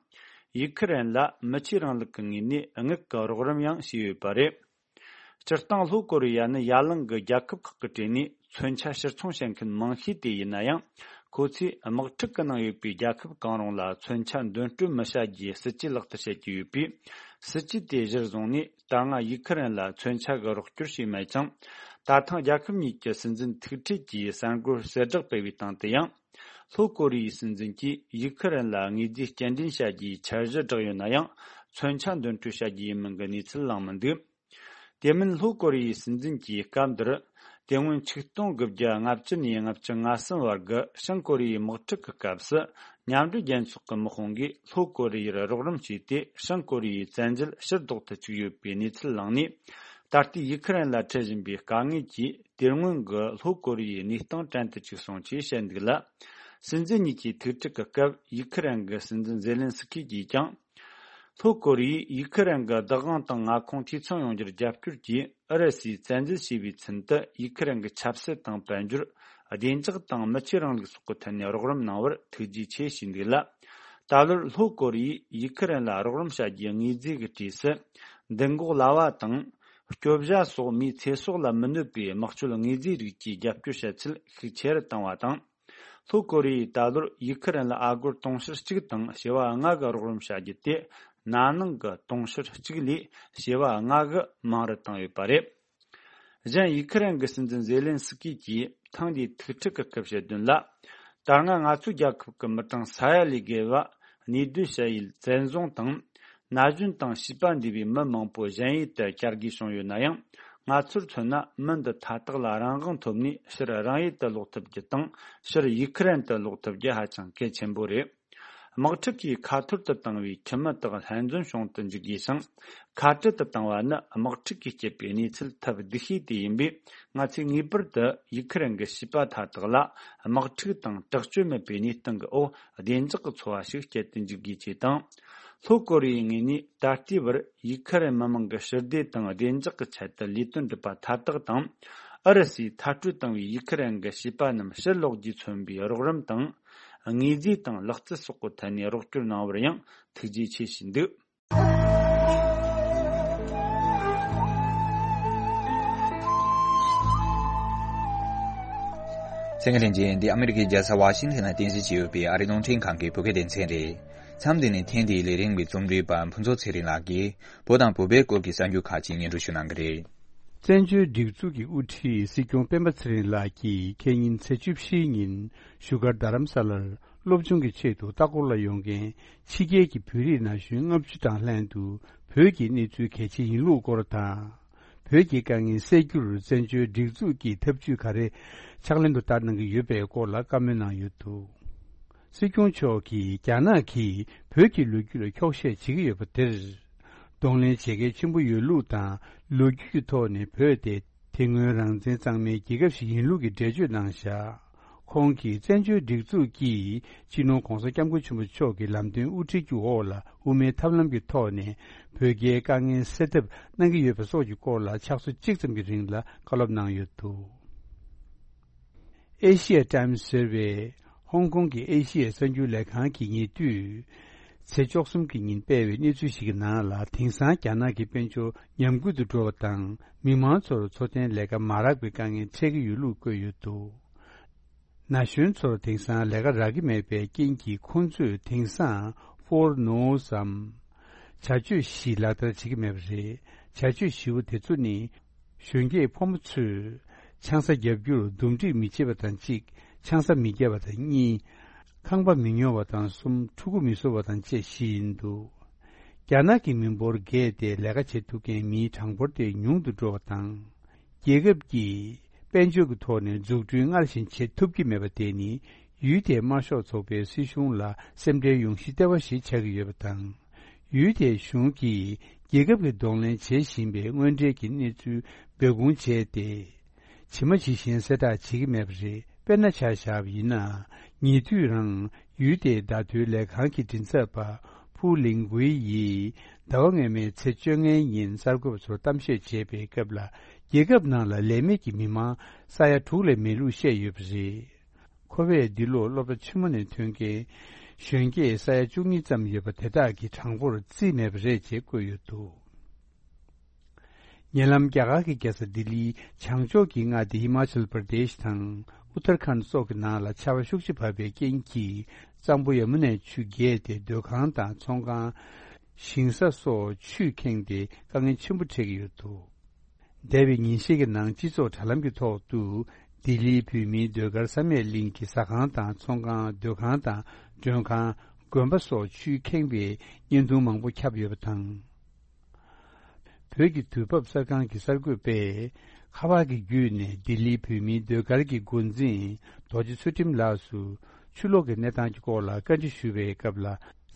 ཡུ་ཁུ་རེན་ལ་མི་ཆོས་རིང་ལུགས་ཀྱི་ངོས་ནས་དངུལ་གྱི་རོགས་རམ་ཡང་བྱས་ཡོད་པ་རེད། སྤྱིར་བཏང་ལྷོ་ཀོ་རི་ཡ་ནི་ཡ་གླིང་གི་རྒྱལ་ཁབ་ཁག་གི་གྲས་ནས་མཚོན་ཆ་ཕྱིར་ཚོང་བྱེད་མཁན་མང་ཤོས་དེ་ཡིན་ན་ཡང་། ཁོ་ཚོས་དམག་འཁྲུག་གི་ནང་ཡོད་པའི་རྒྱལ་ཁབ་གང་རུང་ལ་མཚོན་ཆ་འདོན་སྤྲོད་མི་བྱ་རྒྱུའི་སྲིད་ཇུས་ལག་བསྟར་བྱེད་ཀྱི་ཡོད་པས། སྲིད་ཇུས་དེ་གཞིར་བཟུང་ནས། ད་སྔ་ཡུ་ཁུ་རེན་ལ་མཚོན་ཆ་གི་རོགས་སྐྱོར་བྱས་མེད་ཅིང་། ད་ཐེངས་རྒྱལ་ཁབ་གཉིས་ཀྱི་སྲིད་འཛིན་ཐུག་འཕྲད་ཀྱིས་གསར་འགོད་གསལ་བསྒྲགས་སྤེལ་བའི་སྟེང་དུ་ཡང་། ལྷོ་ཀོ་རི་ཡའི་སྲིད་འཛིན་གྱིས་ཡུ་ཁུ་རེན་ལ་དངོས་རྫས་སྐྱེལ་འདྲེན་བྱ་རྒྱུའི་འཆར་གཞི་བསྒྲགས་ཡོད་ན་ཡང་། མཚོན་ཆ་འདོན་སྤྲོད་བྱ་རྒྱུ་ཡིན་མིན་གྱི་གནས་ཚུལ་བླངས་མི་འདུག་དེ་མིན་ལྷོ་ཀོ་རི་ཡའི་སྲིད་འཛིན་གྱིས་སྐབས་འདིར། དེ་སྔོན་ཆིག་སྟོང་དགུ་བརྒྱ་ལྔ་བཅུ་ནས་ལྔ་བཅུ་ང་གསུམ་བར་གྱི་བྱང་ཀོ་རི་ཡའི་དམག་འཁྲུག་གི་སྐབས་སུ། མཉམ་འབྲེལ་རྒྱལ་ཚོགས་ཀྱི་དམག་དཔུང་གིས་ལྷོ་ཀོ་རི་ཡར་རོགས་རམ་བྱས་ཏེ། བྱང་ཀོ་རི་ཡའི་བཙན་འཛུལ་ཕྱིར་ལྡོག་ཏུ་བཅུག་ཡོད་པའི་གནས་ཚུལ་བླངས་ནས། ད་ལྟའི་ཡུ་ཁི་རན་ལ་འཕྲད་བཞིན་པའི་དཀའ་ངལ་གྱིས་དེ་སྔོན་གྱི་ལྷོ་ཀོ་རི་ཡའི་གནས་སྟངས་བྲན་དུ་བཅུག་སོང་ཅེས་བཤད་འདུག་ལ། སྲིད་འཛིན་གཉིས་ཀྱི་ཐུག་འཕྲད་ཀྱི་སྐབས་ཡུ་ཁི་རན་གྱི་སྲིད་འཛིན་ཛེ་ལན་སི་ཁི་གིས་ཀྱང་། ལྷོ་ཀོ་རི་ཡས་ཡུ་ཁི་རན་གྱི་བདག་དབང་དང་མངའ་ཁོངས་འཐུས་ཚང་ཡོང་རྒྱུར་རྒྱབ་སྐྱོར་གྱིས་ཨུ་རུ་སུས་བཙན་འཛུལ་བྱས་པའི་ཚུན་དུ་ཡུ་ཁི་རན་གྱི་ཆབ་སྲིད་དང་དཔལ་འབྱོར། བདེ་འཇགས་དང་མི་ཆོས་རིང་ལུགས་སོགས་ཀྱི་ཐད་ནས་རོགས་རམ་གནང་བར་ཐུགས་རྗེ་ཆེ་ཞུས་འདུག་ལ། ད་ལོར་ལྷོ་ཀོ་རི་ཡས་ཡུ་ཁི་རན་ལ་རོགས་རམ་བྱ་རྒྱུའི་དངོས་རྫས་ཀྱི་གྲས་སུ། མདུན་འགོག་ལྭ་བ་དང་། སྐྱོ་བྱ་སོགས་མིའི་ཚེ་སྲོག་ལ་མི་གནོད་པའི་དམག་སྤྱོད་དངོས་རྫས་རིགས་ཀྱི་རྒྱབ་སྐྱོར་བྱ་ཚུལ་ཤུགས་ཆེ་རུ་བཏང་བ་དང་། ལྷོ་ཀོ་རི་ཡས་ད་ལོར་ཡུ་ཁི་རན་ལ་ཨ་སྒོར་དུང་ཕྱུར་གཅིག་དང་བྱེ་བ་ལྔ་གི་རོགས་རམ་བྱ་རྒྱུ་དེ་ན་ནིང་གི་དུང་ཕྱུར་གཅིག་ལས་བྱེ་བ་ལྔ་གི་མང་རུ་བཏང་ཡོད་པ་རེད། གཞན་ཡུ་ཁི་རན་གྱི་སྲིད་འཛིན་ཛེ་ལན་སི་ཀི་གིས་ཐེངས་འདིའི་ཐུག་འཕྲད་ཀྱི་སྐབས་བཤད་དོན་ལ། ད་སྔ་ང་ཚོའི་རྒྱལ་ཁབ་ཀྱི་མི་གྲངས་ས་ཡ་ལས་བརྒལ་བ་གནས་སྡོད་བྱ་ཡུལ་བཙན་བཟུང་དང་། ན་གཞོན་དང་བྱིས་པ་འདུས་པའི་མི་མང་པོ་གཞན་ཡུལ་དུ་གྱར་དགོས་བྱུང་ཡོད་ན་ཡང་། ང་ཚོར་མཚོན་ན་མི་འདི་མཐའ་དག་ལ་རང་དབང་ཐོབ་ནས་ཕྱིར་རང་ཡུལ་དུ་ལོག་ཐུབ་རྒྱུ་དང་ཕྱིར་ཡུ་ཁི་རན་དུ་ལོག་ཐུབ་རྒྱུ་ཧ་ཅང་གལ་ཆེན་པོ་རེད། དམག་འཁྲུག་གིས་ཁ་ཐོར་དུ་བཏང་བའི་ཁྱིམ་མི་དག་ལྷན་འཛོམས་བྱུང་དུ་འཇུག་དགོས་ཤིང་། ཁ་བྲལ་དུ་བཏང་བ་ནི་དམག་འཁྲུག་གིས་བསྐྱེད་པའི་གནས་ཚུལ་ཐབས་སྡུག་ཤོས་དེ་ཡིན་པས། ང་ཚོས་ངེས་པར་དུ་ཡུ་ཁི་རན་གྱི་བྱིས་པ་མཐའ་དག་ལ་དམག་འཁྲུག་དང་དྲག་སྤྱོད་མེད་པའི་གནས་སྟངས་ཀྱི་འོག་བདེ་འཇགས་ཀྱི་འཚོ་བ་ཞིག་སྐྱེལ་དུ་འཇུག་དགོས་ཅེས་དང་། ལྷོ་ཀོ་རི་ཡའི་ངོས་ནས་ད་ལྟའི་བར་ཡུ་ཁི་རན་མི་མང་གི་ཞི་བདེ་དང་བདེ་འཇགས་ཀྱི་ཆེད་དུ་ལས་དོན་སྒྲུབ་པ་མཐའ་དག་དང་། ཨུ་རུ་སུས་མཐར་སྐྲོད་བཏང་བའི་ཡུ་ཁི་རན་གྱི་བྱིས་པ་རྣམས་ཕྱིར་ལོག་རྒྱུས་མཚོན་པའི་རོགས་རམ་དང་། དངོས་རྫས་དང་ལག་རྩལ་སོགས་ཀྱི་ཐད་ནས་རོགས་སྐྱོར་གནང་བར་ཡང་ཐུགས་རྗེ་ཆེ་ཞུས་འདུག། གསན་མཁན་ལྷན་རྒྱས། འདི་ཨ་མི་རི་ཀའི་རྒྱལ་ས་ཝ་ཤིང་ཐན་ལ་རྟེན་གཞི་བྱས་ཡོད་པའི་ཨ་རིའི་རླུང་འཕྲིན་ཁང་གི་བོད་སྐད་སྡེ་ཚན་རེད། མཚམས་འདི་ནས་ཐེངས་འདིའི་ལས་རིམ་གྱི་རྩོམ་སྒྲིག་པ་ཕུན་ཚོགས་ཚེ་རིང་ལགས་ཀྱིས་བོད་དང་བོད་པའི་སྐོར་གྱི་གསར་འགྱུར་ཁག་ཅིག་སྙན་སྒྲོན་ཞུ་གནང་གི་རེད། བཙན་བྱོལ་སྒྲིག་འཛུགས་ཀྱི་དབུ་ཁྲིད་སྲིད་སྐྱོང་སྤེན་པ་ཚེ་རིང་ལགས་ཀྱིས་ཁེ་ཉིན་ཚེས་བཅུ་བཞི་ཉིན་བཞུགས་སྒར་རྡ་རམ་ས་ལར་སློབ་སྦྱོང་གི་ཆེད་དུ་ལྟ་སྐོར་ལ་ཡོང་མཁན་ཕྱི་རྒྱལ་གྱི་བོད་རིགས་ན་གཞོན་ལྔ་བཅུ་དང་ལྷན་དུ་བོད་ཀྱི་གནས་ཚུལ་གལ་ཆེ་ཡིན་ལུགས་སྐོར་དང་། བོད་ཀྱི་དཀའ་ངལ་སེལ་རྒྱུར་བཙན་བྱོལ་སྒྲིག་འཛུགས་ཀྱིས་ཐབས་ཇུས་ག་རེ་ཕྱག་ལེན་དུ་བསྟར་གནང་གི་ཡོད་པའི་སྐོར་ལ་བཀའ་མོལ་གནང་ཡོད་འདུག། སྲིད་སྐྱོང་མཆོག་གིས་རྒྱ་ནག་གིས་བོད་ཀྱི་ལོ་རྒྱུས་ལ་འཁྱོག་བཤད་བྱེད་ཀྱི་ཡོད་པ་དེར། གདོང་ལེན་བྱེད་གལ་ཆེན་པོ་ཡོད་ལུགས་དང་ལོ་རྒྱུས་ཀྱི་ཐོག་ནས་བོད་དེ་དེ་སྔོན་རང་བཙན་གཙང་མའི་རྒྱལ་ཁབ་ཞིག་ཡིན་ལུགས་ཀྱི་འགྲེལ་བརྗོད་གནང་བཞག། ཁོང་གིས་བཙན་བྱོལ་སྒྲིག་འཛུགས་ཀྱིས་སྤྱི་ནོར་༧གོང་ས་༧སྐྱབས་མགོན་ཆེན་པོ་མཆོག་གི་ལམ་སྟོན་དབུ་ཁྲིད་ཀྱི་འོག་ལ་དབུ་མའི་ཐབས་ལམ་གྱི་ཐོག་ནས་བོད་རྒྱའི་དཀའ་ངལ་སེལ་ཐབས་གནང་གི་ཡོད་པ་སོགས་ཀྱི་སྐོར་ལ་ཕྱག་ཚོད་གཅིག་ཙམ་གྱི་རིང་ལ་བཀའ་སློབ་གནང་ཡོད་འདུག། ཨེ་ཤི་ཡ་ཊའིམ་ཟེར་བའི་ཧོང་ཀོང་གི་ཨེ་ཤི་ཡའི་གསར་འགྱུར་ལས་ཁང་གིས་ཉེ་དུས་ཚེས་བཅུ་གསུམ་གྱི་ཉིན་སྤེལ་བའི་གནས་ཚུལ་ཞིག་གི་ནང་ལ། དེང་སང་རྒྱ་ནག་གི་དཔལ་འབྱོར་ཉམས་རྒུད་དུ་འགྲོ་བ་དང་། མི་མང་ཚོར་འཚོ་རྟེན་ལས་ཀ་མ་རག་པའི་དཀའ་ངལ་འཕྲད་ཀྱི་ཡོད་ལུགས་བཀོད་ཡོད་འདུག། ན་གཞོན་ཚོར་དེང་སང་ལས་ཀ་རག་གི་མེད་པའི་རྐྱེན་གྱིས། ཁོང་ཚོས་དེང་སང་ཕོར་ནོ་སམ་བྱ་སྤྱོད་བཞི་ལག་བསྟར་བྱེད་ཀྱི་མེད་པ་རེད། བྱ་སྤྱོད་བཞི་པོ་དེ་ཚོ་ནི། གཞོན་སྐྱེས་ཕོ་མོ་ཚོས་ཆང་ས་བརྒྱབ་རྒྱུར་འདུམ་འགྲིག་མི་བྱེད་པ་དང་གཅིག། ཆང་ས་མི་བརྒྱབ་པ་དང་གཉིས། ཁང་པ་མི་ཉོ་བ་དང་གསུམ། ཕྲུ་གུ་མི་གསོ་བ་དང་བཅས་བཞི་ཡིན་འདུག། རྒྱ་ནག་གི་མི་འབོར་རྒས་ཏེ་ལས་ཀ་བྱེད་ཐུབ་མཁན་མིའི་གྲངས་འབོར་དེ་ཉུང་དུ་འགྲོ་བ་དང་། རྒྱལ་ཁབ་ཀྱིས་དཔལ་འབྱོར་གྱི་ཐོག་ནས་འཛུགས་སྐྲུན་སྔར་བཞིན་བྱེད་ཐུབ་ཀྱི་མེད་པ་དེ་ནི། ཡུལ་དེའི་དམར་ཤོག་ཚོགས་པའི་སྲིད་གཞུང་ལ་སེམས་ཁྲལ་ཡོང་གཞི་ལྟེ་བ་ཞིག་ཆགས་ཀྱི་ཡོད་པ་དང་། ཡུལ་དེའི་གཞུང་གིས་རྒྱལ་ཁབ་ཀྱི་གདོང་ལེན་བྱེད་བཞིན་པའི་དངོས་འབྲེལ་གྱི་གནས་ཚུལ་སྦས་སྐུང་བྱས་ཏེ། ཇི་མ་ཇི་བཞིན་གསལ་བསྒྲགས་བྱེད་ཀྱི་མེད་པ་རེད། དཔེར་ན་ཆ་བཞག་པ་ཡིན་ན། ཉེ་དུས་རང་ཡུལ་དེའི་བརྡ་དོན་ལས་ཁང་གི་མགྲིན་ཚབ་པ་ཕུའུ་ལིང་ཝེ་ཡིས་ཟླ་བ་སྔོན་མའི་ཚེས་བཅོ་ལྔའི་ཉིན་གསར་འགོད་པ་ཚོར་གཏམ་བཤད་བྱས་པའི་སྐབས་ལ། རྒྱལ་ཁབ་ནང་ལ་ལས་མེད་ཀྱི་མི་མང་ས་ཡ་དྲུག་ལས་མེད་ལུགས་བཤད་ཡོད་པ་རེད། ཁོ་བས་འདི་ལོར་སློབ་གྲྭ་ཆེན་མོ་ནས་ཐོན་མཁན་གཞོན་སྐྱེས་ས་ཡ་བཅུ་གཉིས་ཙམ་ཡོད་པ་དེ་དག་གི་གྲངས་འབོར་རྩིས་མེད་པ་རེད་ཅེས་བཀོད་ཡོད་འདུག། ཉེ་ལམ་རྒྱ་གར་གྱི་རྒྱལ་ས་ལྡི་ལིའི་བྱང་ཕྱོགས་ཀྱི་མངའ་སྡེ་ཧི་མ་ཅལ་པར་དེཤ་དང་ཨུ་ཐར་ཁཱན་སོགས་ཀྱི་ནང་ལ་ཆར་པ་ཤུགས་ཆེ་བབས་པའི་རྐྱེན་གྱིས། གཙང་པོ་ཡ་མུ་ནའི་ཆུ་རྒྱས་ཏེ། སྡོད་ཁང་དང་ཚོང་ཁང་། ཞིང་ས་སོགས་ཆུས་ཁེངས་ཏེ་དཀའ་ངལ་ཆེན་པོ་འཕྲད་ཀྱི་ཡོད་འདུག། འདས་པའི་ཉིན་ཤས་ཀྱི་ནང་སྤྱི་ཚོགས་དྲ་ལམ་གྱི་ཐོག་ཏུ། ལྡི་ལིའི་བོད་མིའི་ཟློས་གར་བསམ་ཡས་གླིང་གི་ཟ་ཁང་དང་ཚོང་ཁང་། སྡོད་ཁང་དང་མགྲོན་ཁང་། དགོན་པ་སོགས་ཆུས་ཁེངས་པའི་བརྙན་ཐུང་མང་པོ་ཁྱབ་ཡོད་པ་དང་། བོད་ཀྱི་དུས་བབ་གསར་ཁང་གི་གསར་འགོད་པས། ཁ་པར་གྱི་བརྒྱུད་ནས་ལྡི་ལིའི་བོད་མིའི་ཟློས་གར་གྱི་འགོ་འཛིན་རྡོ་རྗེ་ཚུལ་ཁྲིམས་ལགས་སུ། ཆུ་ལོག་གི་གནས་སྟངས་ཀྱི་སྐོར་ལ་བཀའ་འདྲི་ཞུ་བའི་སྐབས་ལ།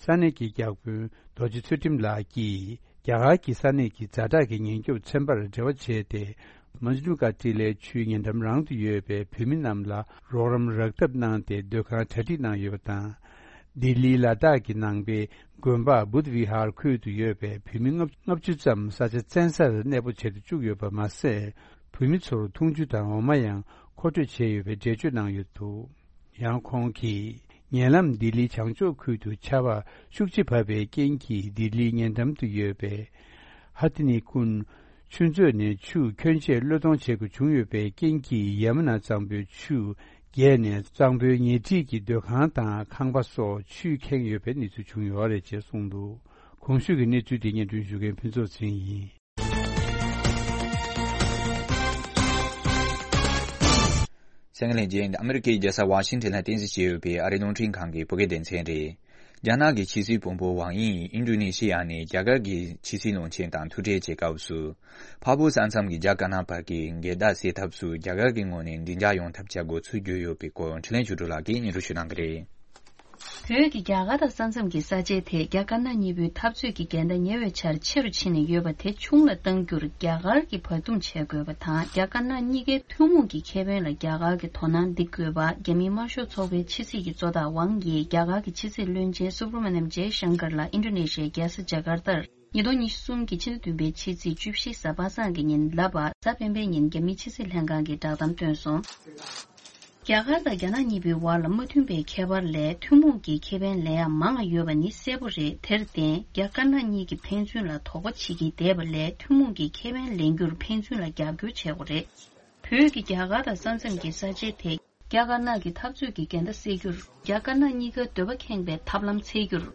ས་གནས་ཀྱི་བརྒྱ་དཔོན་རྡོ་རྗེ་ཚུལ་ཁྲིམས་ལགས་ཀྱིས། རྒྱ་གར་གྱི་ས་གནས་ཀྱི་ཛ་དྲག་གི་ཉེན་སྐྱོབ་ཚན་པར་འབྲེལ་བ་བྱས་ཏེ། མཇནུ་ཀ་ཊི་ལའི་ཆུའི་ཉེ་འགྲམ་རང་དུ་ཡོད་པའི་བོད་མི་རྣམས་ལ་རོགས་རམ་རག་ཐབས་གནང་སྟེ་སྡོད་ཁང་གྲ་སྒྲིག་གནང་ཡོད་པ་དང་། ལྡི་ལིའི་ལ་དྭགས་ཀྱི་ནང་པའི་དགོན་པ་བུདྡྷ་བི་ཧར་ཁུལ་དུ་ཡོད་པའི་བོད་མི་ལྔ་བཅུ་ཙམ་ས་ཆ་བཙན་སར་གནས་སྤོ་བྱེད་དུ་བཅུག་ཡོད་པ་མ་ཟད། བོད་མི་ཚོར་འཐུང་ཆུ་དང་འོ་མ་ཡང་མཁོ་སྤྲོད་བྱས་ཡོད་པའི་འགྲེལ་བརྗོད་གནང་ཡོད་འདུག་ཡང་ཁོང་གིས། ཉེ་ལམ་ལྡི་ལིའི་བྱང་ཕྱོགས་ཁུལ་དུ་ཆར་པ་ཤུགས་ཆེ་བབས་པའི་རྐྱེན་གྱིས། ལྡི་ལིའི་ཉེ་འགྲམ་དུ་ཡོད་པའི་ཧ་ཏི་ནི་ཀུན་ཆུ་མཛོད་ནས་ཆུ་ཁྱོན་ཆེ་གློད་གཏོང་བྱེད་དགོས་བྱུང་ཡོད་པའི་རྐྱེན་གྱིས། ཡ་མུ་ན་གཙང་པོའི་ཆུ་རྒྱས་ནས་གཙང་པོའི་ཉེ་འཁྲིས་ཀྱི་སྡོད་ཁང་དང་ཁང་པ་སོགས་ཆུས་ཁེངས་ཡོད་པའི་གནས་ཚུལ་བྱུང་ཡོད་རེད་ཅེས་གསུངས་འདུག་གོང་ཞུས་ཀྱི་གནས་ཚུལ་དེ་སྙན་སྒྲོན་ཞུ་མཁན་ཕུན་ཚོགས་ཚེ་རིང་ཡིན། གསན་མཁན་ལྷན་རྒྱས། ཨ་མི་རི་ཀའི་རྒྱལ་ས་ཝ་ཤིང་ཊོན་ལ་རྟེན་གཞི་བྱས་ཡོད་པའི་ཨ་རིའི་རླུང་འཕྲིན་ཁང་གི་བོད་སྐད་སྡེ་ཚན་རེད། རྒྱ་ནག་གི་ཕྱི་སྲིད་དཔོན་པོ་ཝང་དབྱི་ཡིས་ཨིན་ཌོ་ནེ་ཤི་ཡ་ནས་རྒྱ་གར་གྱི་ཕྱི་སྲིད་བློན་ཆེན་དང་ཐུག་འཕྲད་བྱེད་སྐབས་སུ། འཕགས་བོད་ས་མཚམས་ཀྱི་རྒྱ་དཀར་ནག་བར་གྱི་འགལ་ཟླ་སེལ་ཐབས་སུ་རྒྱ་གར་གྱི་ངོས་ནས་མགྲིན་འཇགས་ཡོང་ཐབས་བྱ་དགོས་ཚུལ་བརྗོད་ཡོད་པའི་སྐོར་འཕྲིན་ལས་ཆོས་སྒྲོན་ལགས་ཀྱིས་སྙན་སྒྲོན་ཞུ་གནང་གི་རེད། བོད་ཀྱིས་རྒྱ་གར་དང་ས་མཚམས་ཀྱི་ས་ཆའི་ཐད་རྒྱ་དཀར་ནག་གཉིས་པོའི་འཐབ་རྩོད་ཀྱི་འགལ་ཟླ་ཉེ་བའི་ཆར་ཆེ་རུ་ཕྱིན་ནས་ཡོད་པ་དེ་ཆུང་ལ་གཏང་རྒྱུར་རྒྱ་གར་གྱིས་བར་འདུམ་བྱེད་དགོས་པ་དང་། རྒྱ་དཀར་ནག་གཉིས་ཀའི་ཐུན་མོང་གི་ཁེ་ཕན་ལ་རྒྱ་གར་གྱིས་དོ་སྣང་འདི་དགོས་པ། རྒྱ་མིའི་དམར་ཤོག་ཚོགས་པའི་ཕྱི་སྲིད་ཀྱི་གཙོ་བདག་ཝང་ཡིས་རྒྱ་གར་གྱི་ཕྱི་སྲིད་བློན་ཆེན་སུབ་ར་མ་ནམ་ཇེ་ཤང་ཀར་ལ་ཨིན་ཌོ་ནེ་ཤི་ཡའི་རྒྱལ་ས་ཇ་ཀར་ཏར་ཉིས་སྟོང་ཉི་ཤུ་གསུམ་གྱི་ཕྱི་ཟླ་བདུན་པའི་ཕྱི་ཚེས་བཅུ་བཞི་གཟའ་པ་སངས་ཀྱི་ཉིན་ལབ་པ། གཟའ་སྤེན་པའི་ཉིན་རྒྱ་མིའི་ཕྱི་སྲིད་ལྷན་ཁང་གིས་བསྒྲགས་གཏམ་བཏོན་སོང་། རྒྱ་གར་དང་རྒྱ་ནག་གཉིས་པོའི་བར་ལ་མ་མཐུན་པའི་ཁྱད་པར་ལས་ཐུན་མོང་གི་ཁེ་ཕན་ལེན་ཡ་མང་ང་ཡོད་པ་ནི་གསལ་པོ་རེད། དེར་བརྟེན་རྒྱ་དཀར་ནག་གཉིས་ཀྱིས་ཕན་ཚུན་ལ་དོགས་པ་བྱེད་ཀྱིན་བསྡད་པ་ལས་ཐུན་མོང་གི་ཁེ་ཕན་ལེན་རྒྱུར་ཕན་ཚུན་ལ་རྒྱབ་སྐྱོར་བྱེད་དགོས་རེད། བོད་ཀྱིས་རྒྱ་གར་དང་ས་མཚམས་ཀྱི་ས་ཆའི་ཐད་རྒྱ་དཀར་ནག་གི་འཐབ་རྩོད་ཀྱི་འགལ་ཟླ་སེལ་རྒྱུར། རྒྱ་དཀར་ནག་གཉིས་ཀའི་འདོད་པ་ཁེངས་པའི་ཐབས་ལམ་འཚོལ་རྒྱུར།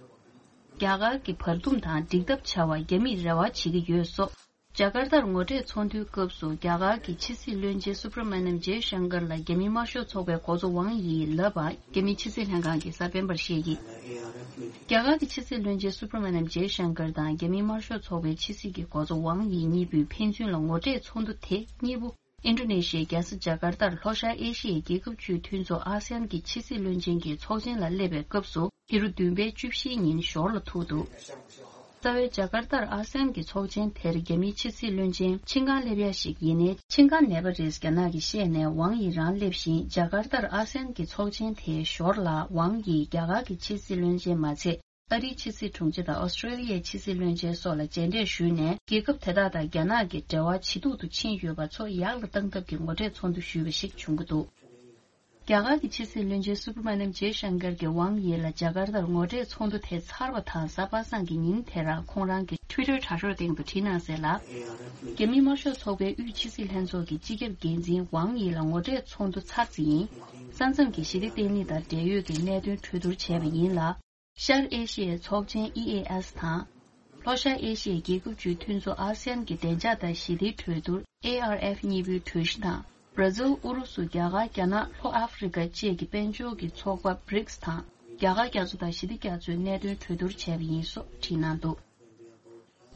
རྒྱ་གར་གྱི་བར་འདུམ་དང་འགྲིག་ཐབས་བྱ་བར་རྒྱ་མིས་རེ་བ་བྱེད་ཀྱི་ཡོད་སོགས། ཇ་ཀར་ཏར་ངོ་འཕྲད་ཚོགས་འདུའི་སྐབས་སུ་རྒྱ་གར་གྱི་ཕྱི་སྲིད་བློན་ཆེན་སུབ་ར་མ་ནམ་ཇེ་ཤང་ཀར་ལ་རྒྱ་མིའི་དམར་ཤོག་ཚོགས་པའི་འགོ་གཙོ་ཝང་ཡིས་ལབ་པ། རྒྱ་མིའི་ཕྱི་སྲིད་ལྷན་ཁང་གིས་གཟའ་སྤེན་པར་བཤད་ཀྱིས། རྒྱ་གར་གྱི་ཕྱི་སྲིད་བློན་ཆེན་སུབ་ར་མ་ནམ་ཇེ་ཤང་ཀར་དང་རྒྱ་མིའི་དམར་ཤོག་ཚོགས་པའི་ཕྱི་སྲིད་ཀྱི་འགོ་གཙོ་ཝང་ཡི་གཉིས་པོས་ཕན་ཚུན་ལ་ངོ་འཕྲད་ཚོགས་འདུ་དེ་གཉིས་པོ་ཨིན་ཌོ་ནེ་ཤི་ཡའི་རྒྱལ་ས་ཇ་ཀར་ཏར་ལྷོ་ཤར་ཨེ་ཤི་ཡའི་རྒྱལ་ཁབ་བཅུའི་མཐུན་ཚོགས་ཨ་སི་ཡན་གྱི་ཕྱི་སྲིད་བློན་ཆེན་གྱི་ཚོགས་ཆེན་ལ་སླེབས་པའི་སྐབས་སུ། ཕྱི་ལོ་བདུན་པའི་བཅུ་བཞིའི་ཉིན་ཞོར་ལ་ཐུག་འདུག་རྩ་བའི་ཇ་ཀར་ཏར་ཨ་སི་ཡན་གྱི་ཚོགས་ཆེན་དེར་རྒྱ་མིའི་ཕྱི་སྲིད་བློན་ཆེན་ཆིན་ཀང་སླེབས་ཡ་ཞིག་ཡིན་ནའི་ཆིན་ཀང་ནད་པ་རེད་རྒྱ་ནག་གིས་བཤད་ནས་ཝང་ཡི་རང་སླེབས་ཤིང་། ཇ་ཀར་ཏར་ཨ་སི་ཡན་གྱི་ཚོགས་ཆེན་དེའི་ཞོར་ལ་ཝང་ཡིས་རྒྱ་གར་གྱི་ཕྱི་སྲིད་བློན་ཆེན་མ་ཚད། ཨ་རིའི་ཕྱི་སྲིད་དྲུང་ཆེ་དང་ཨོ་སི་ཀྲེ་ལི་ཡའི་ཕྱི་སྲིད་བློན་ཆེན་སོགས་ལ་མཇལ་འཕྲད་ཞུས་ནས། རྒྱལ་ཁབ་དེ་དག་དང་རྒྱ་ནག་གི་འབྲེལ་བ་ཇེ་སྡུག་ཏུ་ཕྱིན་ཡོད་པ་ཚོ་ཡག་ལ་གཏང་ཐབས་ཀྱི་ངོ་འཕྲད་ཚོགས་འདུ་ཞུས་པ་ཞིག་བྱུང་གི་འདུག་རྒྱ་གར་གྱི་ཕྱི་སྲིད་བློན་ཆེན་སུ་བྷི་ར་མ་ནམ་ཇེ་ཤང་ཀར་གྱིས་ཝང་ཡི་ལ་ཇ་ཀར་ཏར་ངོ་འཕྲད་ཚོགས་འདུ་དེ་ཚར་བ་དང་གཟའ་པ་སངས་ཀྱི་ཉིན་དེ་རང་ཁོང་རང་གི་ཊུའི་ཊར་དྲ་གྲོགས་སྟེང་དུ་བྲིས་གནང་གསལ་ལ། རྒྱ་མིའི་དམར་ཤོག་ཚོགས་པའི་དབུས་ཕྱི་སྲིད་ལྷན་ཚོགས་ཀྱི་སྤྱི་ཁྱབ་འགན་འཛིན་ཝང་ཡི་ལ་ངོ་འཕྲད་ཚོགས་འདུ་ཚར་རྩིས་ཡིན། ས་མཚམས་ཀྱི་ཞི་བདེ་བརྟན་ལྷིང་དང་འབྲེལ་ཡོད་ཀྱི་གནད་དོན་གྲོས་བསྡུར་བྱས་པ་ཡིན་ལ། ཤར་ཨེ་ཤི་ཡའི་ཚོགས་ཆེན་ཨི་ཨེ་ཨེ་སི་དང་། ལྷོ་ཤར་ཨེ་ཤི་ཡའི་རྒྱལ་ཁབ་བཅུའི་མཐུན་ཚོགས་ཨ་སི་ཡན་གྱི་བདེ་འཇགས་དང་ཞི་བདེའི་གྲོས་བསྡུར་ཨེ་ཨར་ཨེཕ་གཉིས་པོའི་གྲོས་གཞི་དང་། བྷར་ཛིལ། ཨུ་རུ་སུ། རྒྱ་གར། རྒྱ་ནག་ལྷོ་ཨ་ཧྥེ་རི་ཀ་བཅས་ཀྱི་དཔལ་འབྱོར་གྱི་ཚོགས་པ་བྷི་རིག་སི་དང་། རྒྱ་གར་རྒྱ་མཚོ་དང་ཞི་བདེ་རྒྱ་མཚོའི་གནད་དོན་གྲོས་བསྡུར་བྱས་པ་ཡིན་སོགས་བྲིས་གནང་འདུག་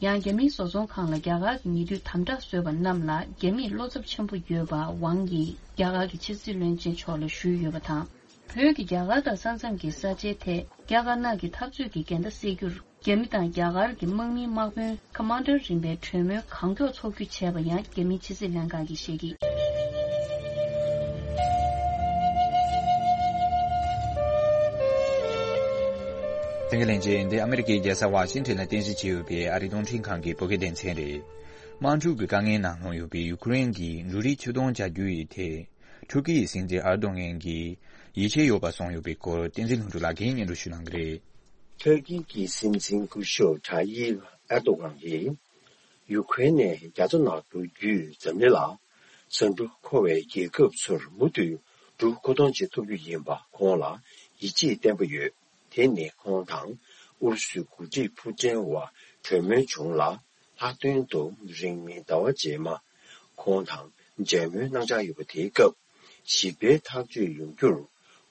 ཡང་རྒྱ་མིའི་བཟོ་ཚོང་ཁང་ལ་རྒྱ་གར་གྱི་ཉེ་དུས་དམ་དྲག་བཟོས་པ་རྣམས་ལ་རྒྱ་མིས་བློ་འཚབ་ཆེན་པོ་ཡོད་པ་ཝང་ཡིས་རྒྱ་གར་གྱི་ཕྱི་སྲིད་བློན་ཆེན་མཆོག་ལ་ཞུས་ཡོད་པ་དང་། བོད་ཀྱིས་རྒྱ་གར་དང་ས་མཚམས་ཀྱི་ས་ཆའི་ཐད་རྒྱ་དཀར་ནག་གི་འཐབ་རྩོད་ཀྱི་འགལ་ཟླ་སེལ་རྒྱུར། རྒྱ་མི་དང་རྒྱ་གར་གྱི་དམག་མིའི་དམག་དཔོན་ཁ་མན་ཌར་རིམ་པའི་གྲོས་མོལ་གང་མགྱོགས་ཚོགས་རྒྱུའི་བྱས་པ་ཡང་རྒྱ་མིའི་ཕྱི་སྲིད་ལྷན་ཁང་གིས་བཤད་ཀྱིས། དེ་ག་ལན་རྗེས་འདི་ཨ་མི་རི་ཀའི་རྒྱལ་ས་ཝ་ཤིང་ཊོན་ལ་རྟེན་གཞི་བྱས་ཡོད་པའི་ཨ་རིའི་རླུང་འཕྲིན་ཁང་གི་བོད་སྐད་སྡེ་ཚན་རེད། དམག་འཁྲུག་གི་དཀའ་ངལ་ནང་ལྷུང་ཡོད་པའི་ཡུ་ཀེ་རེན་གྱིས་འབྲུ་རིགས་ཕྱིར་གཏོང་བྱ་རྒྱུ་ཡི་ཐད། ཐུར་ཀི་ཡི་སྲིད་འཛིན་ཨར་དོ་ངན་གྱིས་ཡིད་ཆེས་ཡོད་པ་གསུངས་ཡོད་པའི་སྐོར་བསྟན་འཛིན་ལྷུན་གྲུབ་ལགས་ཀྱིས་སྙན་སྒྲོན་ཞུ་གནང་གི་རེད། ཐུར་ཀི་གི་སྲིད་འཛིན་སྐུ་ཞབས་ཐ་ཡིབ་ཨར་དོ་ངན་གྱིས་ཡུ་ཀེ་རེན་ནས་རྒྱ་མཚོ་ནང་འགྲོ་རྒྱུའི་འཛམ་གླིང་ལ་ཟ་འབྲུ་མཁོ་བའི་རྒྱལ་ཁབ་ཚོར་མུ་མཐུད་འབྲུ་མཁོ་གཏོང་བྱེད་ཐུབ་རྒྱུ་ཡིན་པ་ཁོང་ལ་ཡིད་ཆེས་བརྟན་པོ་ཡོད། དེ་ནི་ཁོང་དང་ཨུ་རུ་སུའི་འགོ་ཁྲིད་ཕུ་ཀྲིན་བར་གྲོས་མོལ་བྱུང་ལ། ལྷག་དོན་དུ་རིང་མིན་ཟླ་བ་རྗེས་མ་ཁོང་དང་མཇལ་མོལ་གནང་འཆར་ཡོད་པ་དེའི་སྐབས་ཞི་བའི་ཐག་གཅོད་ཡོང་རྒྱུར་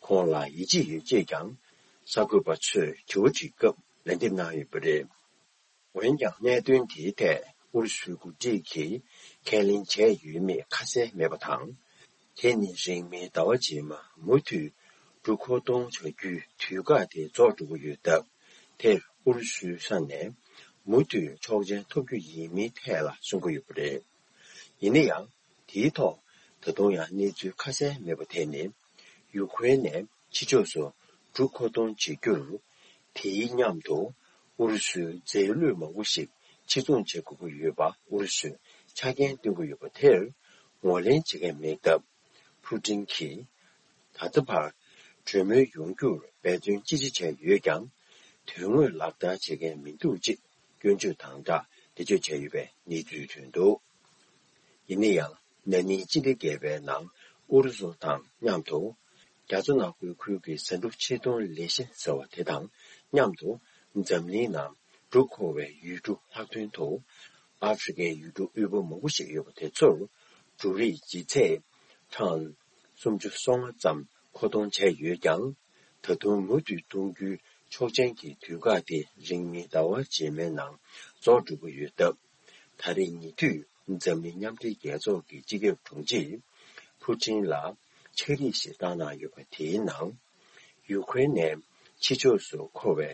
ཁོང་ལ་ཡིད་ཆེས་ཡོད་ཅེས་ཀྱང་གསར་འགོད་པ་ཚོས་དྲི་བ་དྲིས་སྐབས་ལན་འདེབས་གནང་ཡོད་པ་རེད། འོན་ཀྱང་གནད་དོན་དེའི་ཐད་ཨུ་རུ་སུའི་འགོ་ཁྲིད་ཀྱིས་ཁས་ལེན་བྱས་ཡོད་མེད་ཁ་གསལ་མེད་པ་དང་། དེ་ནི་རིང་མིན་ཟླ་བ་རྗེས་མ་མུ་མཐུད་འབྲུ་མཁོ་གཏོང་བྱ་རྒྱུའི་དུས་བཀག་དེ་རྫོགས་འགྲོ་གི་ཡོད་སྟབས། དེར་ཨུ་རུ་སུའི་ས་ནས་ མུ་མཐུད་ཆོག་མཆན་ཐོབ་རྒྱུ་ཡིན་མིན་ཐད་ལ་གསུང་གི་ཡོད་པ་རེད། ཡིན་ན་ཡང་། དེའི་ཐོག་ད་དུང་ཡང་གནས་ཚུལ་ཁ་གསལ་མེད་པ་དེ་ནི། ཡུ་ཁུ་རེན་ནས་ཕྱི་ཕྱོགས་སུ་འབྲུ་མཁོ་གཏོང་བྱེད་རྒྱུར། དེའི་མཉམ་དུ་ཨུ་རུ་སུའི་རྫས་ལུད་མང་པོ་ཞིག་ཕྱིར་ཚོང་བྱེད་དགོས་ཀྱི་ཡོད་པ་ཨུ་རུ་སུས་ཆ་རྐྱེན་བཏོན་གྱི་ཡོད་པ་དེར་ངོས་ལེན་བྱེད་མཁན་མེད་སྟབས། ཕུ་ཀྲིན་གྱིས་ད་ལྟ་བར་གྲོས་མོལ་ཡོང་རྒྱུར་འབད་བརྩོན་ཅི་ཆེ་བྱས་ཡོད་ཀྱང་། དོན་དངོས་ལག་བསྟར་བྱེད་མཁན་མི་འདུག་ཅེས་སྐྱོན་བརྗོད་དང་སྦྲགས་འགྲེལ་བརྗོད་བྱས་ཡོད་པའི་གནས་ཚུལ་ཐོན་འདུག་ཡིན་ན་ཡང་། ན་ནིང་སྤྱི་ཟླ་བརྒྱད་པའི་ནང་ཨུ་རུ་སུ་དང་མཉམ་དུ། རྒྱ་མཚོ་ནག་པོའི་ཁུལ་གྱི་ཟ་འབྲུ་ཕྱིར་གཏོང་ལས་གཞི་ཟེར་བ་དེ་དང་མཉམ་དུ། འཛམ་གླིང་ནང་འབྲུ་མཁོ་བའི་ཡུལ་གྲུ་ལྷག་དོན་དུ། ཨ་ཧྥེ་རི་ཁའི་ཡུལ་གྲུ་དབུལ་པོ་མང་པོ་ཞིག་ཡོད་པ་དེ་ཚོར། འབྲུ་རིགས་ལྗིད་ཚད་ཊོན་སུམ་ཅུ་སོ་ལྔ་ཙམ་མཁོ་གཏོང་བྱས་ཡོད་ཀྱང་། ད་དུང་མུ་མཐུད་གཏོང་རྒྱུའི་ཆོག་མཆན་གྱི་དུས་བཀག་དེ་རིང་མིན་ཟླ་བ་རྗེས་མའི་ནང་རྫོགས་འགྲོ་གི་ཡོད་སྟབས། ད་རེས་ཉེ་དུས་འཛམ་གླིང་མཉམ་འབྲེལ་རྒྱལ་ཚོགས་ཀྱི་སྤྱི་ཁྱབ་དྲུང་ཆེས་ཕུ་ཀྲིན་ལ་ཕྱག་བྲིས་ཤིག་བཏང་གནང་ཡོད་པ་དེའི་ནང་། ཡུ་ཁུ་རེན་ནས་ཕྱི་ཕྱོགས་སུ་མཁོ་བའི་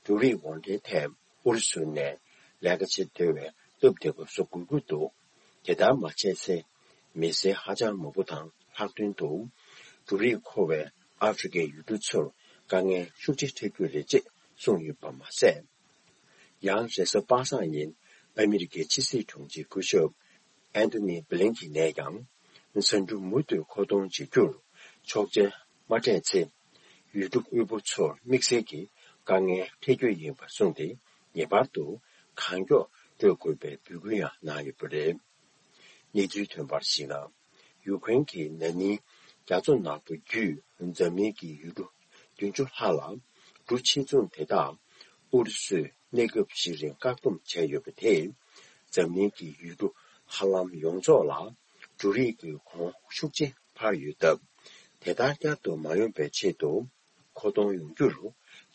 འབྲུ་རིགས་དབོར་འདྲེན་ཐད་ཨུ་རུ་སུ་ནས་ལས་ཀ་བྱེད་བདེ་བའི་སྟབས་བདེ་པོ་བཟོ་དགོས་ཀྱི་འདུག་དེ་ལྟར་མ་བྱས་ཚེ། མི་སེར་ཧ་ཅང་མང་པོ་དང་ལྷག་དོན་དུ། འབྲུ་རིགས་མཁོ་བའི་ཨ་ཧྥེ་རི་ཁའི་ཡུལ་གྲུ་ཚོར་དཀའ་ངལ་ཤུགས་ཆེ་འཕྲད་རྒྱུ་རེད་ཅེས་གསུངས་ཡོད་པ་མ་ཟད། ཡང་རེས་གཟའ་པ་སངས་ཉིན་ཨ་མི་རི་ཀའི་ཕྱི་སྲིད་དྲུང་ཆེ་སྐུ་ཞབས་ཨན་ཐོ་ནི་བྷི་ལིན་ཁིན་ནས་ཀྱང་། ཟ་འབྲུ་མུ་མཐུད་མཁོ་གཏོང་བྱེད་རྒྱུར་ཆོག་མཆན་མ་སྤྲད་ཚེ། ཡུལ་གྲུ་དབུལ་པོ་ཚོར་དམིགས་བསལ་གྱི་དཀའ་ངལ་འཕྲད་རྒྱུ་ཡིན་པ་གསུངས་ཏེ། ངེས་པར་དུ་གང་མགྱོགས་སྤྲོད་དགོས་པའི་འབོད་སྐུལ་ཡང་གནང་ཡོད་པ་རེད། གནས་ཚུལ་ཐོན་པར་གཞིགས་ན། ཡུ་ཁུ་རེན་གྱིས་ན་ནིང་རྒྱ་མཚོ་ནག་པོ་བརྒྱུད་འཛམ་གླིང་གི་ཡུལ་གྲུ་བདུན་ཅུ་ལྷག་ལ་འབྲུ་ཕྱིར་ཚོང་དེ་དག་ཨུ་རུ་སུས་གནས་སྐབས་ཤིག་རིང་བཀག་སྡོམ་བྱས་ཡོད་པ་དེས། འཛམ་གླིང་གི་ཡུལ་གྲུ་ཧ་ལམ་ཡོངས་རྫོགས་ལ་འབྲུ་རིགས་ཀྱི་གོང་ཤུགས་ཆེ་འཕར་ཡོད་སྟབས། དེ་ལྟར་བསྐྱར་དུ་མ་ཡོང་པའི་ཆེད་དུ། མཁོ་གཏོང་ཡོང་རྒྱུར་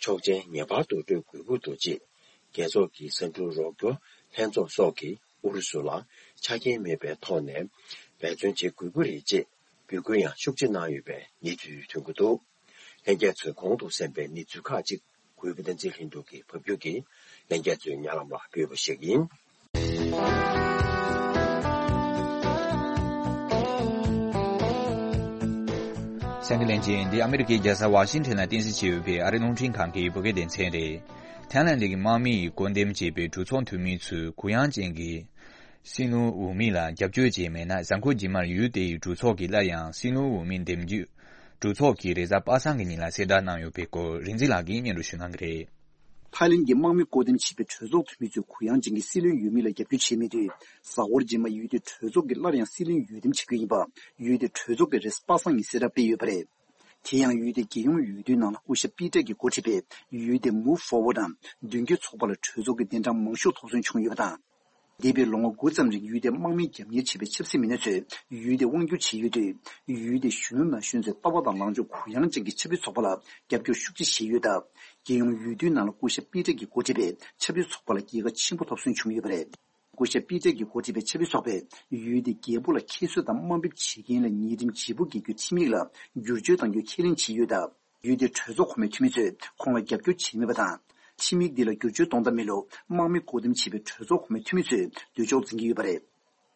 ཆོག་མཆན་ངེས་པར་དུ་སྤྲོད་དགོས་ཀྱི་འདུག་ཅེས། རྒྱལ་ཚོགས་ཀྱི་ཟ་འབྲུ་རོགས་སྐྱོར་ལྷན་ཚོགས་སོགས་ཀྱིས་ཨུ་རུ་སུ་ལ་ཆ་རྐྱེན་མེད་པའི་ཐོག་ནས་འབད་བརྩོན་བྱེད་དགོས་ཀྱི་རེད་ཅེས་འབོད་སྐུལ་ཡང་ཤུགས་ཆེ་གནང་ཡོད་པའི་གནས་ཚུལ་ཐོན་གྱི་འདུག་ལྷན་རྒྱས་ཚོས་གོང་དུ་གསན་པའི་གནས་ཚུལ་ཁག་ཅིག་གུས་པ་བསྟན་འཛིན་ལྷུན་གྲུབ་ཀྱིས་ཕབ་སྒྱུར་གྱིས་ལྷན་རྒྱས་ཚོའི་སྙན་ལམ་ལ་འབུལ་བ་ཞིག་ཡིན། གསན་མཁན་ལྷན་རྒྱས། འདི་ཨ་མི་རི་ཀའི་རྒྱལ་ས་ཝ་ཤིང་ཊོན་ལ་རྟེན་གཞི་བྱས་ཡོད་པའི་ཨ་རིའི་རླུང་འཕྲིན་ཁང་གི་བོད་སྐད་སྡེ་ཚན་རེད། ཐའི་ལན་གྱི་དམག་མི་ཡིས་བཀོད་འདོམས་བྱས་པའི་གྲོས་ཚོགས་འཐུས་མི་ཚོས་གུ་ཡངས་ཅན་གྱི་སྲིད་བློན་འོས་མི་ལ་རྒྱབ་སྐྱོར་བྱས་མེད་ན། གཟའ་འཁོར་རྗེས་མར་ཡུལ་དེའི་གྲོས་ཚོགས་ཀྱིས་སླར་ཡང་སྲིད་བློན་འོས་མི་འདེམས་རྒྱུ་གྲོས་ཚོགས་ཀྱིས་རེས་གཟའ་པ་སངས་ཀྱི་ཉིན་ལ་གསལ་བསྒྲགས་གནང་ཡོད་པའི་སྐོར་རིག་འཛིན་ལགས་ཀྱིས་སྙན་སྒྲོན་ཞུ་གནང་གི་རེད། ཐའི་ལན་གྱི་དམག་མི་བཀོད་འདོམས་བྱས་པའི་གྲོས་ཚོགས་འཐུས་མི་ཚོས་གུ་ཡངས་ཅན་གྱི་སྲིད་བློན་འོས་མི་ལ་རྒྱབ་སྐྱོར་བྱས་མེད་དུས། གཟའ་འཁོར་རྗེས་མ་ཡུལ་དེའི་གྲོས་ཚོགས་ཀྱིས་སླར་ཡང་སྲིད་བློན་འོས་འདེམས་བྱེད་རྒྱུ་ཡིན་པ་ཡུལ་དེའི་གྲོས་ཚོགས་ཀྱིས་རེས་གཟའ་པ་སངས་ཉིན་གསལ་བསྒྲགས་སྤེལ་ཡོད་པ་རེད། དེ་ཡང་ཡུལ་དེའི་རྒྱལ་ཡོངས་འོས་བསྡུའི་ནང་ལ་སྐུ་ཞབས་པི་ཏྲ་གིས་འགོ་ཁྲིད་པའི་ཡུལ་དེའི་Move Forward དང་མདུན་སྐྱོད་ཚོགས་པ་ལ་གྲོས་ཚོགས་ཀྱི་གདན་གྲངས་མང་ཤོས་ཐོབ་སོན་བྱུང་ཡོད་པ་དང་། འདས་པའི་ལོ་ངོ་དགུ་ཙམ་རིང་ཡུལ་དེའི་དམག་མིས་རྒྱབ་གཉེར་བྱས་པའི་ཆབ་སྲིད་མི་སྣ་ཚོས་ཡུལ་དེ་དབང་སྒྱུར་བྱས་ཡོད་དུས། ཡུལ་དེའི་གཞོན་ནུ་ན་གཞོན་ཚོས་ལྟ་བ་དང་ལངས་ཕྱོགས་གུ་ཡངས་ཅན་གྱི་ཆབ་སྲིད་ཚོགས་པ་ལ་རྒྱབ་སྐྱོར་ཤུགས་ཆེ་བྱས་ཡོད་སྟབས། རྒྱལ་ཡོངས་འོས་བསྡུའི་ནང་ལ་སྐུ་ཞབས་པི་ཏྲ་གིས་འགོ་ཁྲིད་པའི་ཆབ་སྲིད་ཚོགས་པ་ལ་རྒྱལ་ཁ་ཆེན་པོ་ཐོབ་སོན་བྱུང་ཡོད་པ་རེད། སྐུ་ཞབས་པི་ཏྲ་གིས་འགོ་ཁྲིད་པའི་ཆབ་སྲིད་ཚོགས་པས་ཡུལ་དེའི་རྒྱལ་པོ་ལ་ཁྱད་གསོད་དང་དམའ་འབེབས་བྱེད་མཁན་ལ་ཉེས་ཁྲིམས་བརྗེ་པོ་བཀལ་རྒྱུའི་ཁྲིམས་ཡིག་ལ་བསྒྱུར་བཅོས་གཏང་རྒྱུ་ཁས་ལེན་བྱས་ཡོད་སྟབས། ཡུལ་དེའི་གྲོས་ཚོགས་གོང་མའི་འཐུས་མི་ཚོས་ཁོང་ལ་རྒྱབ་སྐྱོར་བྱས་མེད་པ་དང་། ཁྲིམས་ཡིག་འདི་ལ་བསྒྱུར་བཅོས་གཏོང་ཐབས་མེད་ལུགས་དམག་མི་བཀོད་འདོམས་བྱས་པའི་གྲོས་ཚོགས་གོང་མའི་འཐུས་མི་ཚོས་འདོད་ཕྱོགས་འཛིན་གྱི་ཡོད་པ་རེད།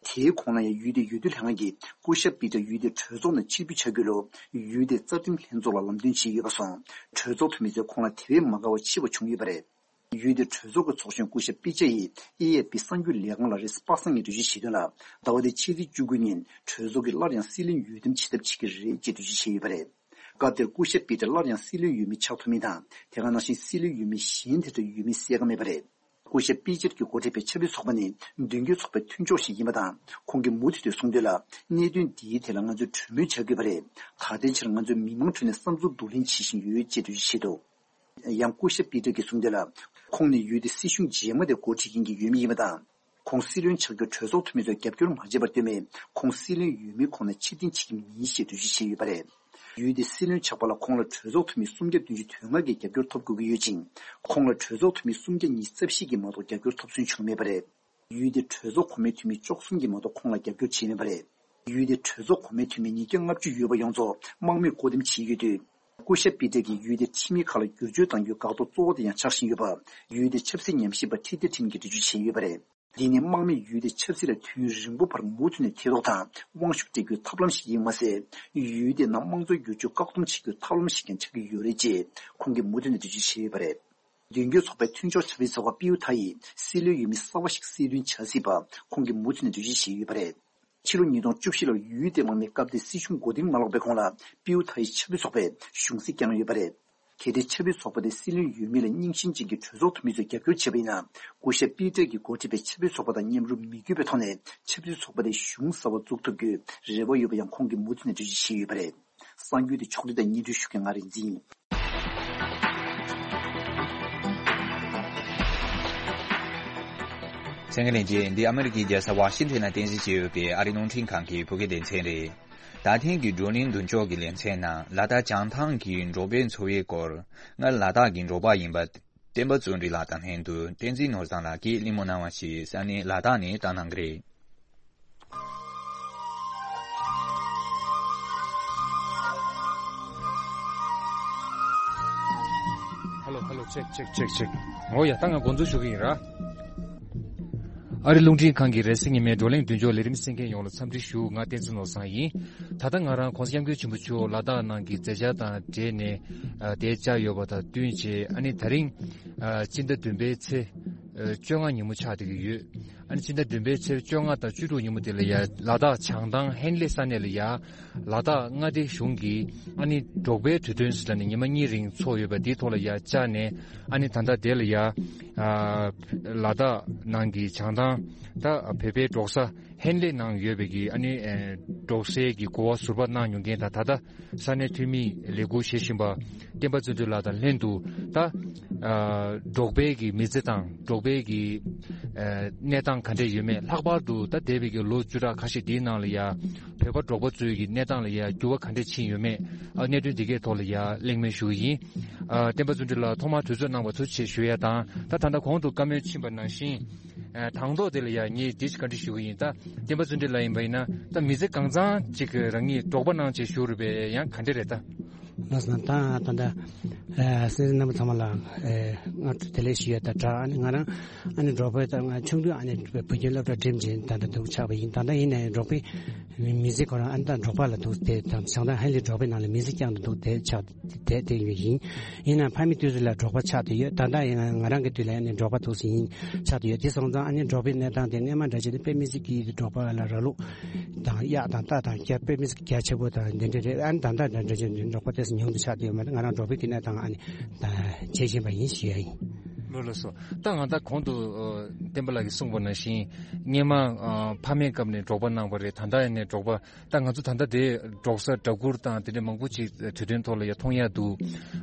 དེའི་གོང་ལ་ཡང་ཡུལ་དེའི་འོས་བསྡུ་ལྷན་ཁང་གིས་སྐུ་ཞབས་པི་ཏྲ་ཡུལ་དེའི་གྲོས་ཚོགས་ནང་ཕྱིར་འབུད་བྱ་རྒྱུ་ལུགས་ཡུལ་དེའི་རྩ་ཁྲིམས་ལྷན་ཚོགས་ལ་ལམ་སྟོན་བྱས་ཡོད་པ་སོང་། གྲོས་ཚོགས་འཐུས་མི་ཚོས་ཁོང་ལ་དེ་བས་མ་དགའ་བ་ཆེ་བ་བྱུང་ཡོད་པ་རེད། ཡུལ་དེའི་གྲོས་ཚོགས་ཀྱི་ཚོགས་གཞོན་སྐུ་ཞབས་པི་ཅ་ཡིས་ཨེ་ཨེཕ་པི་གསར་འགྱུར་ལས་ཁང་ལ་རེས་གཟའ་པ་སངས་ཉིན་འགྲེལ་བརྗོད་བྱས་དོན་ལ། ཟླ་བ་འདིའི་ཕྱི་ཚེས་བཅུ་དགུ་ཉིན་གྲོས་ཚོགས་ཀྱིས་སླར་ཡང་སྲིད་བློན་འོས་འདེམས་བྱེད་ཐབས་བྱེད་ཀྱི་རེད་ཅེས་འགྲེལ་བརྗོད་བྱས་ཡོད་པ་རེད། སྐབས་དེར་སྐུ་ཞབས་པི་ཏྲ་སླར་ཡང་སྲིད་བློན་འོས་མི་ཆགས་ཐུབ་མིན་དང་། དེ་ག་ནང་བཞིན་སྲིད་བློན་འོས་མི་གཞན་དེ་འདྲ་ཡོད་མིན་གསལ་ཁ་མེད་པ་རེད། སྐུ་ཞབས་པི་ཅར་གྱིས་འགོ་ཁྲིད་པའི་ཆབ་སྲིད་ཚོགས་པ་ནི་མདུན་སྐྱོད་ཚོགས་པའི་མཐུན་ཕྱོགས་ཤིག་ཡིན་པ་དང་། ཁོང་གིས་མུ་མཐུད་དུ་གསུངས་དོན་ལ། གནད་དོན་འདིའི་ཐད་ལ་ང་ཚོས་གྲོས་མོལ་བྱ་དགོས་པ་རེད། ད་ལྟའི་ཆར་ང་ཚོས་མི་མང་ཁྲོད་ནས་བསམ་ཚུལ་བསྡུ་ལེན་བྱེད་བཞིན་ཡོད་ཅེས་འགྲེལ་བརྗོད་བྱས་འདུག་ཡང་སྐུ་ཞབས་པི་ཏྲ་གིས་གསུངས་དོན་ལ། ཁོང་ནི་ཡུལ་དེའི་སྲིད་གཞུང་རྗེས་མ་དེ་འགོ་ཁྲིད་མཁན་གྱི་འོས་མི་ཡིན་པ་དང་། ཁོང་སྲིད་བློན་ཆགས་རྒྱུར་གྲོས་ཚོགས་འཐུས་མི་ཚོས་རྒྱབ་སྐྱོར་མ་བྱས་པར་ལྟོས་མེད། ཁོང་སྲིད་བློན་འོས་མིའི་ཁོངས་ནས་ཕྱིར་འཐེན་བྱེད་ཀྱི་མིན་ཞེས་འགྲེལ་བརྗོད་བྱས་ཡོད་པ་རེད། ཡུལ་དེའི་སྲིད་བློན་ཆགས་པ་ལ་ཁོང་ལ་གྲོས་ཚོགས་འཐུས་མི་སུམ་བརྒྱ་བདུན་ཅུ་དོན་ལྔ་གིས་རྒྱབ་སྐྱོར་ཐོབ་དགོས་ཀྱི་ཡོད་ཅིང་། ཁོང་ལ་གྲོས་ཚོགས་འཐུས་མི་སུམ་བརྒྱ་ཉི་ཤུ་རྩ་བཞི་གིས་མ་གཏོགས་རྒྱབ་སྐྱོར་ཐོབ་སོན་བྱུང་མེད་པ་རེད། ཡུལ་དེའི་གྲོས་ཚོགས་གོང་མའི་འཐུས་མི་བཅུ་གསུམ་གྱིས་མ་གཏོགས་ཁོང་ལ་རྒྱབ་སྐྱོར་བྱས་མེད་པ་རེད། ཡུལ་དེའི་གྲོས་ཚོགས་གོང་མའི་འཐུས་མི་ཉིས་བརྒྱ་ལྔ་བཅུ་ཡོད་པ་ཡོངས་རྫོགས་དམག་མིས་བཀོད་འདོམས་བྱས་ཡོད་དུས། སྐུ་ཞབས་པི་ཏྲ་གིས་ཡུལ་དེའི་ཁྲིམས་ཡིག་ཁག་ལ་བསྒྱུར་བཅོས་གཏང་རྒྱུའི་འགག་ཐོག་གཙོ་བོ་དེ་ཡང་ཆགས་བཞིན་ཡོད་པ། ཡུལ་དེའི་ཆབ་སྲིད་ཉམས་ཞིབ་པ་ཁྲི་ཏི་ཁྲིན་གྱིས་འགྲེལ་བརྗོད་བྱས་ཡོད་པ་རེད། འདི་ནི་དམག་མིས་ཡུལ་དེའི་ཆབ་སྲིད་ལ་དུས་ཡུན་རིང་པོ་བར་མུ་མཐུད་ནས་ཐེ་གཏོགས་དང་དབང་ཤུགས་སྤྲད་རྒྱུའི་ཐབས་ལམ་ཞིག་ཡིན་མ་ཟད། ཡུལ་དེའི་ནང་དམངས་གཙོའི་བསྒྱུར་བཅོས་བཀག་སྡོམ་བྱེད་རྒྱུའི་ཐབས་ལམ་ཞིག་ཀྱང་ཆགས་ཀྱི་ཡོད་རེད་ཅེས་ཁོང་གིས་མུ་མཐུད་ནས་འགྲེལ་བརྗོད་བྱས་ཡོད་པ་རེད། མདུན་སྐྱོད་ཚོགས་པའི་མཐུན་ཕྱོགས་ཆབ་སྲིད་ཚོགས་པ་པིའུ་ཐ་ཡིས་སྲིད་བློན་འོས་མི་གསར་པ་ཞིག་སྲིད་དོན་བྱ་སྲིད་པ་ཁོང་གིས་མུ་མཐུད་ནས་འགྲེལ་བརྗོད་བྱས་ཡོད་པ་རེད། ཕྱི་ལོ་ཉིས་སྟོང་བཅུ་བཞི་ལོར་ཡུལ་དེའི་དམག་མིས་སྐབས་དེའི་སྲིད་གཞུང་མགོ་རྟིང་མ་ལོག་པའི་གོང་ལ་པིའུ་ཐ་ཡི་ཆབ་སྲིད་ཚོགས་པས་གཞུང་སྲིད་བསྐྱངས་ཡོད་པ་རེད། གལ་ཏེ་ཆབ་སྲིད་ཚོགས་པ་དེ་སྲིད་བློན་འོས་མི་ལ་རྙིང་ཞེན་ཅན་གྱི་གྲོས་ཚོགས་འཐུས་མི་ཚོས་རྒྱབ་སྐྱོར་བྱས་པ་ཡིན་ན། སྐུ་ཞབས་པི་ཏྲ་གིས་འགོ་ཁྲིད་པའི་ཆབ་སྲིད་ཚོགས་པ་དང་མཉམ་རུབ་མི་དགོས་པའི་ཐོག་ནས་ཆབ་སྲིད་ཚོགས་པ་དེ་གཞུང་གསར་པ་འཛུགས་ཐུབ་རྒྱུའི་རེ་བ་ཡོད་པ་ཡང་ཁོང་གིས་མུ་མཐུད་ནས་འགྲེལ་བརྗོད་བྱས་ཡོད་པ་རེད། གསར་འགྱུར་དེ་ཕྱོགས་བསྒྲིགས་དང་སྙན་སྒྲོན་ཞུ་མཁན་ང་རིག་འཛིན་ཡིན། གསན་མཁན་ལྷན་རྒྱས། འདི་ཨ་མི་རི་ཀའི་རྒྱལ་ས་ཝ་ཤིང་ཊོན་ནང་རྟེན་གཞི་བྱས་ཡོད་པའི་ཨ་རིའི་རླུང་འཕྲིན་ཁང་གི་བོད་སྐད་སྡེ་ཚན་རེད། ད་ཐེངས་ཀྱི་བགྲོ་གླེང་མདུན་ཅོག་གི་ལེ་ཚན་ནང་ལ་དྭགས་བྱང་ཐང་གི་འབྲོག་པའི་འཚོ་བའི་སྐོར། སྔར་ལ་དྭགས་ཀྱི་འབྲོག་པ་ཡིན་པ། བསྟན་པ་བརྩོན་འགྲུས་ལགས་དང་ལྷན་དུ་བསྟན་འཛིན་ནོར་བཟང་ལགས་ཀྱིས་གླེང་མོལ་གནང་བ་ཞིག་ས་གནས་ལ་དྭགས་ནས་བཏང་གནང་གི་རེད། ཧེ་ལོ། ཧེ་ལོ། ཅེག་ཅེག་ཅེག་ཅེག། འོ་ཡ། ད་ང་འགོ་འཛུགས་ཞུ་གི་ཡིན་ར། ཨ་རི་རླུང་འཕྲིན་ཁང་གི་རེས་གཟའ་ཉི་མའི་བགྲོ་གླེང་མདུན་ཅོག་ལས་རིམ་གསན་མཁན་ཡོངས་ལ་འཚམས་འདྲི་ཞུ། ང་བསྟན་འཛིན་ནོར་བཟང་ཡིན། ད་ལྟ་ང་རང་༸གོང་ས་༸སྐྱབས་མགོན་ཆེན་པོ་མཆོག་ལ་དྭགས་ནང་གི་མཛད་འཆར་དང་འབྲེལ་ནས་ཨ་དེ་བཅར་ཡོད་པ་དང་བསྟུན་བྱས། ཨ་ནི་ད་རིང་ཨ་སྤྱི་ཟླ་བདུན་པའི་ཚེས་ཨ་བཅོ་ལྔ་ཉིན་མོ་ཆགས་བསྡད་ཀྱི་ཡོད། ཨ་ནི་སྤྱི་ཟླ་བདུན་པའི་ཚེས་བཅོ་ལྔ་དང་བཅུ་དྲུག་ཉིན་མོ་དེ་ལ་ཡ་ལ་དྭགས་བྱང་ཐང་ཧན་ལེ་ས་གནས་ལ་ཡ་ལ་དྭགས་མངའ་སྡེ་གཞུང་གིས་ཨ་ནི་འབྲོག་པའི་དུས་སྟོན་ཟེར་ནས་ཉི་མ་གཉིས་རིང་ཚོགས་ཡོད་པ་དེའི་ཐོག་ལ་ཡ་བཅར་ནས། ཨ་ནི་ད་ལྟ་དེ་ལ་ཡ་ཨ་ལ་དྭགས་ནང་གི་བྱང་ཐང་ད་བོད་པའི་འབྲོག་ས་ཧན་ལེ་ནང་ཡོད་པའི་གི་ཨ་ནི་ཨེ་འབྲོག་སའི་གི་གོ་བ་ཟུར་པ་གནང་མྱོང་མཁན་དང་། ད་ལྟ་ས་གནས་འཐུས་མིའི་ལས་ཁུར་བཞེས་བཞིན་པ་བསྟན་པ་བརྩོན་འགྲུས་ལགས་དང་ལྷན་དུ། ད་ཨ་འབྲོག་པའི་གི་མི་ཚེ་དང་འབྲོག་པའི་གི་ཨ་གནས་སྟངས་ག་འདྲས་ཡོད་མེད། ལྷག་པར་དུ་ད་འདས་པའི་གི་ལོ་བཅུ་ཕྲག་ཁ་ཤས་འདིའི་ནང་ལ་ཡ་བོད་པ་འབྲོག་པ་ཚོའི་གི་གནས་སྟངས་ལ་ཡ་འགྱུར་བ་ག་འདྲས་ཕྱིན་ཡོད་མེད། ཨ་གནད་དོན་འདི་གའི་ཐོག་ལ་ཡ་གླེང་མོལ་ཞུ་གི་ཡིན། ཨ་བསྟན་པ་བརྩོན་འགྲུས་ལགས་ཐོག་མར་དུས་ཚོད་གནང་བར་ཐུགས་རྗེ་ཆེ་ཞུ་ཡ་དང་། ད་ད་ལྟ་གོང་དུ་བཀའ་མོལ་ཕྱིན་པ་ནང་བཞིན། ཨ་དང་ཐོག་དེ་ལ་ཡ་ངས་འདི་ཞིག་བཀའ་འདྲི་ཞུ་གི་ཡིན། ད་བསྟན་པ་བརྩོན་འགྲུས་ལགས་ཡིན་པ་ཡིན་ན། ད་མི་ཚེ་གང་ཚང་ཅིག་རང་ཉིད་འབྲོག་པ་ནང་བྱས་བཞུགས་རེད་པས། ཡང་ག་འདྲ་རེད་ད། ལགས་སོ། ད་ད་ལྟ་ཨ་སེམས་ཅན་རྣམ་པ་ཚང་མ་ལ་ཨ་སྔ་དྲོ་བདེ་ལེགས་ཞུ་ཡ་དང་སྦྲགས། ཨ་ནི་ང་རང་ཨ་ནི་འབྲོག་པའི་ད་ང་ཆུང་དུས་ཨ་ནི་བོད་ཁྱིམ་སློབ་གྲྭ་འགྲིམས་བྱས་ད་ལྟ་འདུག་ཆགས་པ་ཡིན། ད་ལྟ་ཡིན་ནའི་འབྲོག་པའི་མི་ཚེ་ཁོ་རང་ཨ་ནི་ད་འབྲོག་པ་ལ་འདུག་དེ་དང་བྱང་ཐང་ཧན་ལེ་འབྲོག་པའི་ནང་ལ་མི་ཚེ་བསྐྱངས་ཏེ་འདུག་དེ་ཆགས་དེ་དེ་ཡོད་ཡིན། ཡིན་ནའང་ཕ་མའི་དུས་སུ་ལ་འབྲོག་པ་ཆགས་བསྡད་ཡོད། ད་ལྟ་ཡིན་ན་ང་རང་གི་དུས་ལ་ཡང་ནི་འབྲོག་པ་འདུག་སེ་ཡིན་ཆགས་བསྡད་ཡོད། དེ་སོང་ཙང་ཨ་ནི་འབྲོག་པའི་གནས་སྟངས་དེ་སྔས་མ་འདྲ་བྱས་ཏེ་དཔེ་མི་སྲིད་ཀྱི་འབྲོག་པ་ལ་ར་ལུག་དང་གཡག་དང་རྟ་དང་རྒྱ་དཔེ་མི་སྲིད་རྒྱ་ཆེ་པོ་དང་འདི་འདྲ་རེད། ཨ་ནི་ད་ལྟ་འདྲ་འདྲ་བྱས་ནས་འབྲོག་པ་དེ་ཚོ་ཉུང་དུ་ཆགས་བསྡད་ཡོད་མ་རེད། ང་རང་འབྲོག་པའི་གི་གནས་སྟངས་ཨ་ནི་ད་བྱེད་བཞིན་པ་ཡིན་ཞུ་ཡ་ཡིན། ལགས་ལགས་སོ། ད་ང་ད་གོང་དུ་ཨ་བསྟན་པ་ལགས་ཀྱིས་གསུངས་པ་ནང་བཞིན་སྔས་མ་ཨ་ཕ་མའི་སྐབས་ནས་འབྲོག་པ་གནང་བ་རེད། ད་ལྟ་ཡིན་ནའི་འབྲོག་པ། ད་ང་ཚོ་ད་ལྟ་དེ་འབྲོག་ས་སྦྲ་གུར་དང་དེ་འདྲ་མང་པོ་ཅིག་དུས་སྟོན་ཐོག་ལ་ཡ་མཐོང་ཡ་འདུག་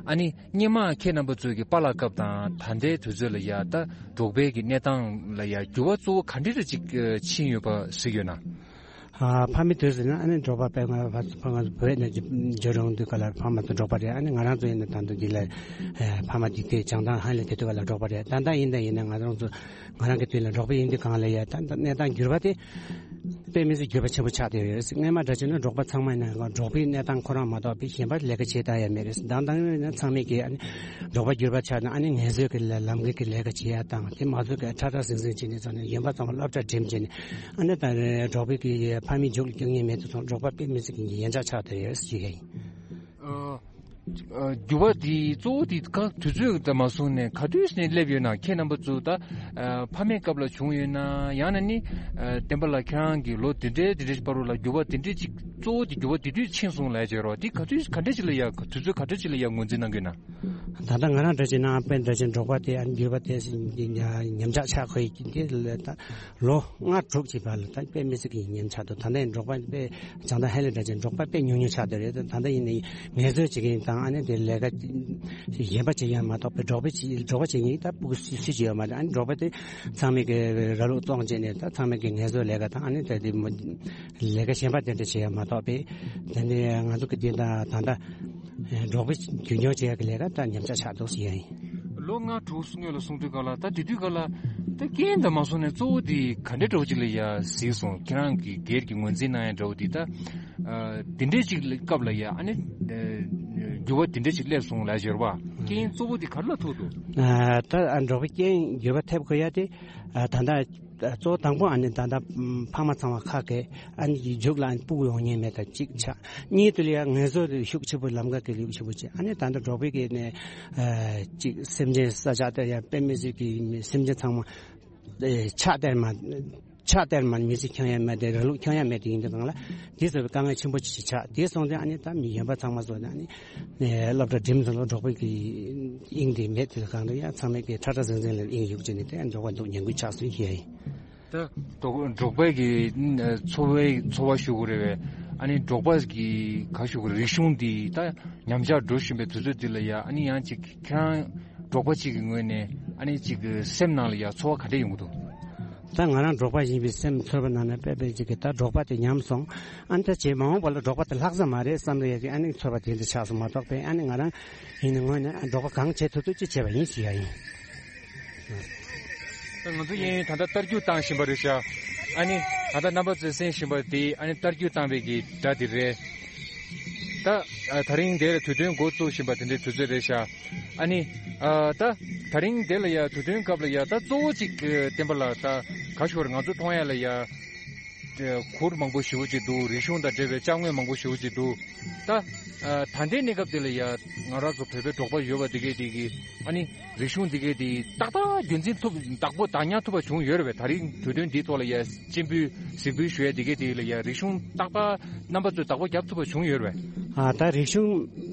ཨ་ནི་སྔས་མ་ཁྱེད་རྣམ་པ་ཚོའི་གི་པཱ་ལགས་སྐབས་དང་ད་ལྟའི་དུས་ཚོད་ལ་ཡ་ད་འབྲོག་པའི་གི་གནས་སྟངས་ལ་ཡ་འགྱུར་བ་གཙོ་བོ་ག་འདྲ་རེ་ཅིག་ཕྱིན་ཡོད་པ་གཟིགས་ཡོད་ན། ཨ་ཕ་མའི་དུས་སུ་ན་ཨ་ནི་འབྲོག་པ་དཔེ་ང་ཕ་ཕ་ང་བོད་ནས་འབྱོར་ཡོང་དུས་ག་ལ་ཕ་མ་ཚོ་འབྲོག་པ་རེད། ཨ་ནི་ང་རང་ཚོ་ཡིན་ན་ད་དུང་འདི་ལ་ཨ་ཕ་མ་འདི་དེ་བྱང་ཐང་ཧན་ལེ་དེ་དུས་ག་ལ་འབྲོག་པ་རེད། ད་ལྟ་ཡིན་ད་ཡིན་ན་ང་རང་ཚོ་ང་རང་གི་དུས་ལ་འབྲོག་པ་ཡིན་དུས་གང་ལ་ཡ་ད་ད་གནས་སྟངས་འགྱུར་བ་དེ། དཔེ་མི་སྲིད་འགྱུར་བ་ཆེན་པོ་ཆགས་བསྡད་ཡོད་རེད། སྔས་མ་འདྲ་བྱས་ན་འབྲོག་པ་ཚང་མ་ཡིན་ན་འབྲོག་པའི་གནས་སྟངས་ཁོ་རང་མ་གཏོགས་པའི་གཞན་པ་ལས་ཀ་བྱེད་བསྡད་ཡ་མེད་རེད། དང་དང་ཡིན་ན་ཚང་མས་ཀྱི་ཨ་ནི་འབྲོག་པ་འགྱུར་བ་ཆགས་ན་ཨ་ནི་ངལ་རྩོལ་གྱི་ལ་ལམ་ཁའི་གི་ལས་ཀ་བྱེད་ཡ་དང་། དེ་མ་ཚོད་ཀྱི་ཁྲ་ཁྲ་ཟིང་ཟིང་བྱས་ནས་ཚོ་ནས་གཞན་པ་ཚང་མ་སློབ་གྲྭ་འགྲིམས་བྱས་ནས་ཨ་ནི་ད་འབྲོག་པའི་གི་ཕ་མའི་མཇུག་ལ་སྐྱོན་ངེས་མེད་དུ་སོང་། འབྲོག་པ་དཔེ་མི་སྲིད་ཀྱི་ཡན་ཆད་ཆགས་བསྡད་ཡོད་ཞུ་ཡ་ཡིན། ཨ། ཨ། འགྱུར་བ་འདི་གཙོ་བོ་འདི་ག་དུས་ཚོད་དང་མ་བཟུང་ནས་ག་དུས་ནས་སླེབས་ཡོད་ན། ཁྱེད་རྣམ་པ་ཚོ་ད་ཨ་ཕ་མའི་སྐབས་ལ་བྱུང་ཡོད་ན། ཡང་ན་ནི་ཨ་བསྟན་པ་ལགས་ཁྱེད་རང་གི་ལོ་འདི་འདྲའི་འདི་འདྲའི་བར་དུ་ལ་འགྱུར་བ་འདི་འདྲའི་ཅིག་གཙོ་བོ་འདི་འགྱུར་བ་འདི་དུས་ཕྱིན་སོང་ལབ་ཡ་ཅིག་ཡོད་རེད་པ། འདི་ག་དུས་ག་འདྲ་ཅིག་ལ་ཡ་དུས་ཚོད་ག་འདྲ་ཅིག་ལ་ཡ་ངོས་འཛིན་གནང་གི་ཡོད་ན། ད་ལྟ་ང་རང་འདྲ་ཅིག་ན་དཔེ་འདྲ་ཅིག་འབྲོག་པ་དེ་ཨ་འགྱུར་བ་དེ་ཉམས་ཆག་ཆགས་ཁོ་ཡི་དེ་ལ་ད། ལོ་ལྔ་དྲུག་ཅིག་བར་ལ་ད་དཔེ་མི་སྲིད་ཀྱི་ཉམས་ཆག་འདུག་ད་ལྟ་ཡིན་འབྲོག་པ་དཔེ་བྱང་ཐང་ཧན་ལེ་འདྲ་ཅན་འབྲོག་པ་དཔེ་ཉུང་ཉུང་ཆགས་བསྡད་རེད། ད་ལྟ་ཡིན་ནའི་ངལ་རྩོལ་བྱེད་མཁན་དང་ཨ་ནི་དེ་ལས་ཀ་གཞན་པ་བྱེད་ཡ་མ་གཏོགས་པའི་འབྲོག་པའི་ཅི་འབྲོག་པ་བྱེད་མཁན་ད་སྤུ་གུ་སུ་སུ་ཅིག་ཡོད་མ་རེད། ཨ་ནི་འབྲོག་པ་དེ་ཚང་མས་ཀྱི་ར་ལུག་བཙོང་བྱས་ནས་ད་ཚང་མས་ཀྱི་ངལ་རྩོལ་ལས་ཀ་དང་ཨ་ནི་ད་དེ་མ་ལས་ཀ་གཞན་པ་དེ་འདྲ་བྱེད་ཡ་མ་གཏོགས་པའི་དེ་ནས་ང་ཚོ་གི་དེ་ད་ད་ལྟ་འབྲོག་པའི་རྒྱུན་སྐྱོང་བྱེད་ཡ་གི་ལས་ཀ་ད་ཉམས་ཆག་ཆགས་འདུག་ཟེར་ཡ་ཡིན། ལོ་ལྔ་དྲུག་སྔོན་ལ་གསུངས་དུས་ག་ལ་ད་དེ་དུས་ག་ལ་ད་རྐྱེན་དང་མ་སོང་ནས་གཙོ་བོ་དེ་ག་འདྲ་འདྲ་བོ་ཅིག་ལ་ཡ་གཟིགས་སོང་། ཁྱེད་རང་གི་སྒེར་གྱི་ངོས་འཛིན་གནང་ཡ་འདྲ་བོ་དེ་ད་ཨ་དེ་འདྲའི་ཅིག་ལ་སྐབས་ལ་ཡ་ཨ་ནི་ཨ་ འགྱུར་བ་དེ་འདྲ་ཞིག་སླེབས་སོང་ལབ་ཀྱི་ཡོད་རེད་པ། རྐྱེན་གཙོ་བོ་དེ་ག་རེ་ལ་ཐུག་འདུག་ཨ། ད་ཨ་འབྲོག་པའི་རྐྱེན་འགྱུར་བ་ཐེབས་དགོས་ཡ་དེ། ཨ། ད་ལྟ་གཙོ་བོ་དང་པོ་ཨ་ནི་ད་ལྟ་ཕ་མ་ཚང་མ་ཁ་སྐད་ཨ་ནི་ཀྱི་མཇུག་ལ་ཨ་ནི་སྤུ་གུ་ཡོང་མཁན་མེད་ད་གཅིག་ཆགས། གཉིས་དེ་ལ་ཡ་ངལ་རྩོལ་ཤུགས་ཆེ་པོ་ལམ་ཁ་སྐད་ལ་ཤུགས་ཆེ་པོ་བྱས། ཨ་ནི་ད་ལྟ་འབྲོག་པའི་གི་ནས་ཨ་གཅིག་སེམས་ཅན་ས་ཆ་དེ་ཡ་དཔེ་མི་སྲིད་ཀྱི་སེམས་ཅན་ཚང་མ་ཨེ་ཕྱག་སྟེར་མ། ཕྱག་སྟེར་མ་མི་ཚེ་འཁྱོང་ཡ་མེད་དེ་ར་ལུག་འཁྱོང་ཡ་མེད་དེ་ཡིན་དུས་སྒང་ལ་དེ་ཚོ་དཀའ་ངལ་ཆེན་པོ་ཅིག་ཆགས། དེ་སོང་ཙང་ཨ་ནི་ད་མི་གཞན་པ་ཚང་མ་ཚོ་ནི་ཨ་ནི་ཨེ་སློབ་གྲྭ་འགྲིམས་སོང་ལ་འབྲོག་པའི་གི་དབྱིངས་དེ་མེད་དེ་སྒང་ལ་ཡ་ཚང་མས་གི་ཁྲ་ཁྲ་ཟིང་ཟིང་ལ་དབྱིངས་ཡུག་ཅིག་ནི་དེ་འབྲོག་པ་འདུག་ཉན་དགོས་ཆགས་སོང་ཞེས་ཡིན། ད་འབྲོག་པའི་གི་འཚོ་བའི་འཚོ་བ་ཞུ་དགོས་རེད་བས། ཨ་ནི་འབྲོག་པ་གི་ག་ཞུ་དགོས་རེད། རིག་གཞུང་འདི་ད་ཉམས་ཆག་འགྲོ་བཞིན་པའི་དུས་ཚོད་འདི་ལ་ཡ་ཨ་ནི་ཡང་ཅིག་ཁྱེད་རང་འབྲོག་པ་གཅིག་གི་ངོས་ནས་ཨ་ནི་ཅིག་གི་སེམས་ནང་ལ་ཡ་ཚོར་བ་ག་འདྲ་ཡོང་གི་འདུག་ད་ང་རང་འབྲོག་པ་ཡིན་པའི་སེམས་ཚོར་བ་ནང་ན་དཔེ་དཔེ་ཅིག་གི་ད་འབྲོག་པ་དེ་ཉམས་སོང་། ཨ་ནི་ད་རྗེས་མ་འོངས་པ་ལ་འབྲོག་པ་དེ་ལྷག་ས་མ་རེད་བསམ་རེ་ཡ་གི་ཨ་ནི་ཚོར་བ་དེ་འདྲ་ཆགས་སོང་མ་གཏོགས་པས། ཨ་ནི་ང་རང་ཡིན་ནའི་ངོས་ནས་འབྲོག་པ་གང་བྱེད་ཐུབ་ཐུབ་ཅིག་བྱས་པ་ཡིན་ཞུ་ཡ་ཡིན། ད་ང་ཚོ་གཡས་གཡོན་ད་ལྟ་རྟ་རྒྱུག་བཏང་བཞིན་པ་རེད་ཤག་ཨ་ནི་ད་ལྟ་རྣམ་པ་ཚོས་གསན་བཞིན་པ་དེ་ཨ་ནི་རྟ་རྒྱུག་བཏང་བའི་གི་སྒྲ་དེ་རེད། ད་ཨ་ད་རིང་དེ་ལ་དུས་སྟོན་འགོ་བཙུགས་བཞིན་པ་དེ་འདྲའི་དུས་ཚོད་རེད་ཤག་ཨ་ནི་ཨ་ད་ད་རིང་དེ་ལ་ཡ་དུས་སྟོན་སྐབས་ལ་ཡ་ད་གཙོ་བོ་གཅིག་བསྟན་པ་ལགས་ད་ག་ཞོར་ང་ཚོ་མཐོང་ཡ་ལ་ཡ་གུར་མང་པོ་ཞེ་པོ་ཅིག་འདུག་རིག་གཞུང་དང་འབྲེལ་བའི་ཅ་དངོས་མང་པོ་ཞེ་པོ་ཅིག་འདུག་ད་ཨ་ད་ལྟའི་གནས་སྐབས་དེ་ལ་ཡ་ང་རང་ཚོ་བོད་པའི་འབྲོག་པ་ཡོད་པ་དེ་གས་དེ་གི་ཨ་ནི་རིག་གཞུང་འདི་གས་དེ་ཏག་ཏག་རྒྱུན་འཛིན་ཐུབ་བདག་པོ་བདག་ཉར་ཐུབ་པ་བྱུང་ཡོད་རེད་པས། ད་རིང་དུས་སྟོན་འདིའི་ཐོག་ལ་ཡ་སྤྱན་འབུལ་གཟིགས་འབུལ་ཞུ་ཡ་འདི་གས་དེ་ལ་ཡ་རིག་གཞུང་ཏག་ཏག་རྣམ་པ་ཚོས་བདག་པོ་རྒྱབ་ཐུབ་པ་བྱུང་ཡོད་རེད་པས། ཨ་ད་རིག་གཞུང་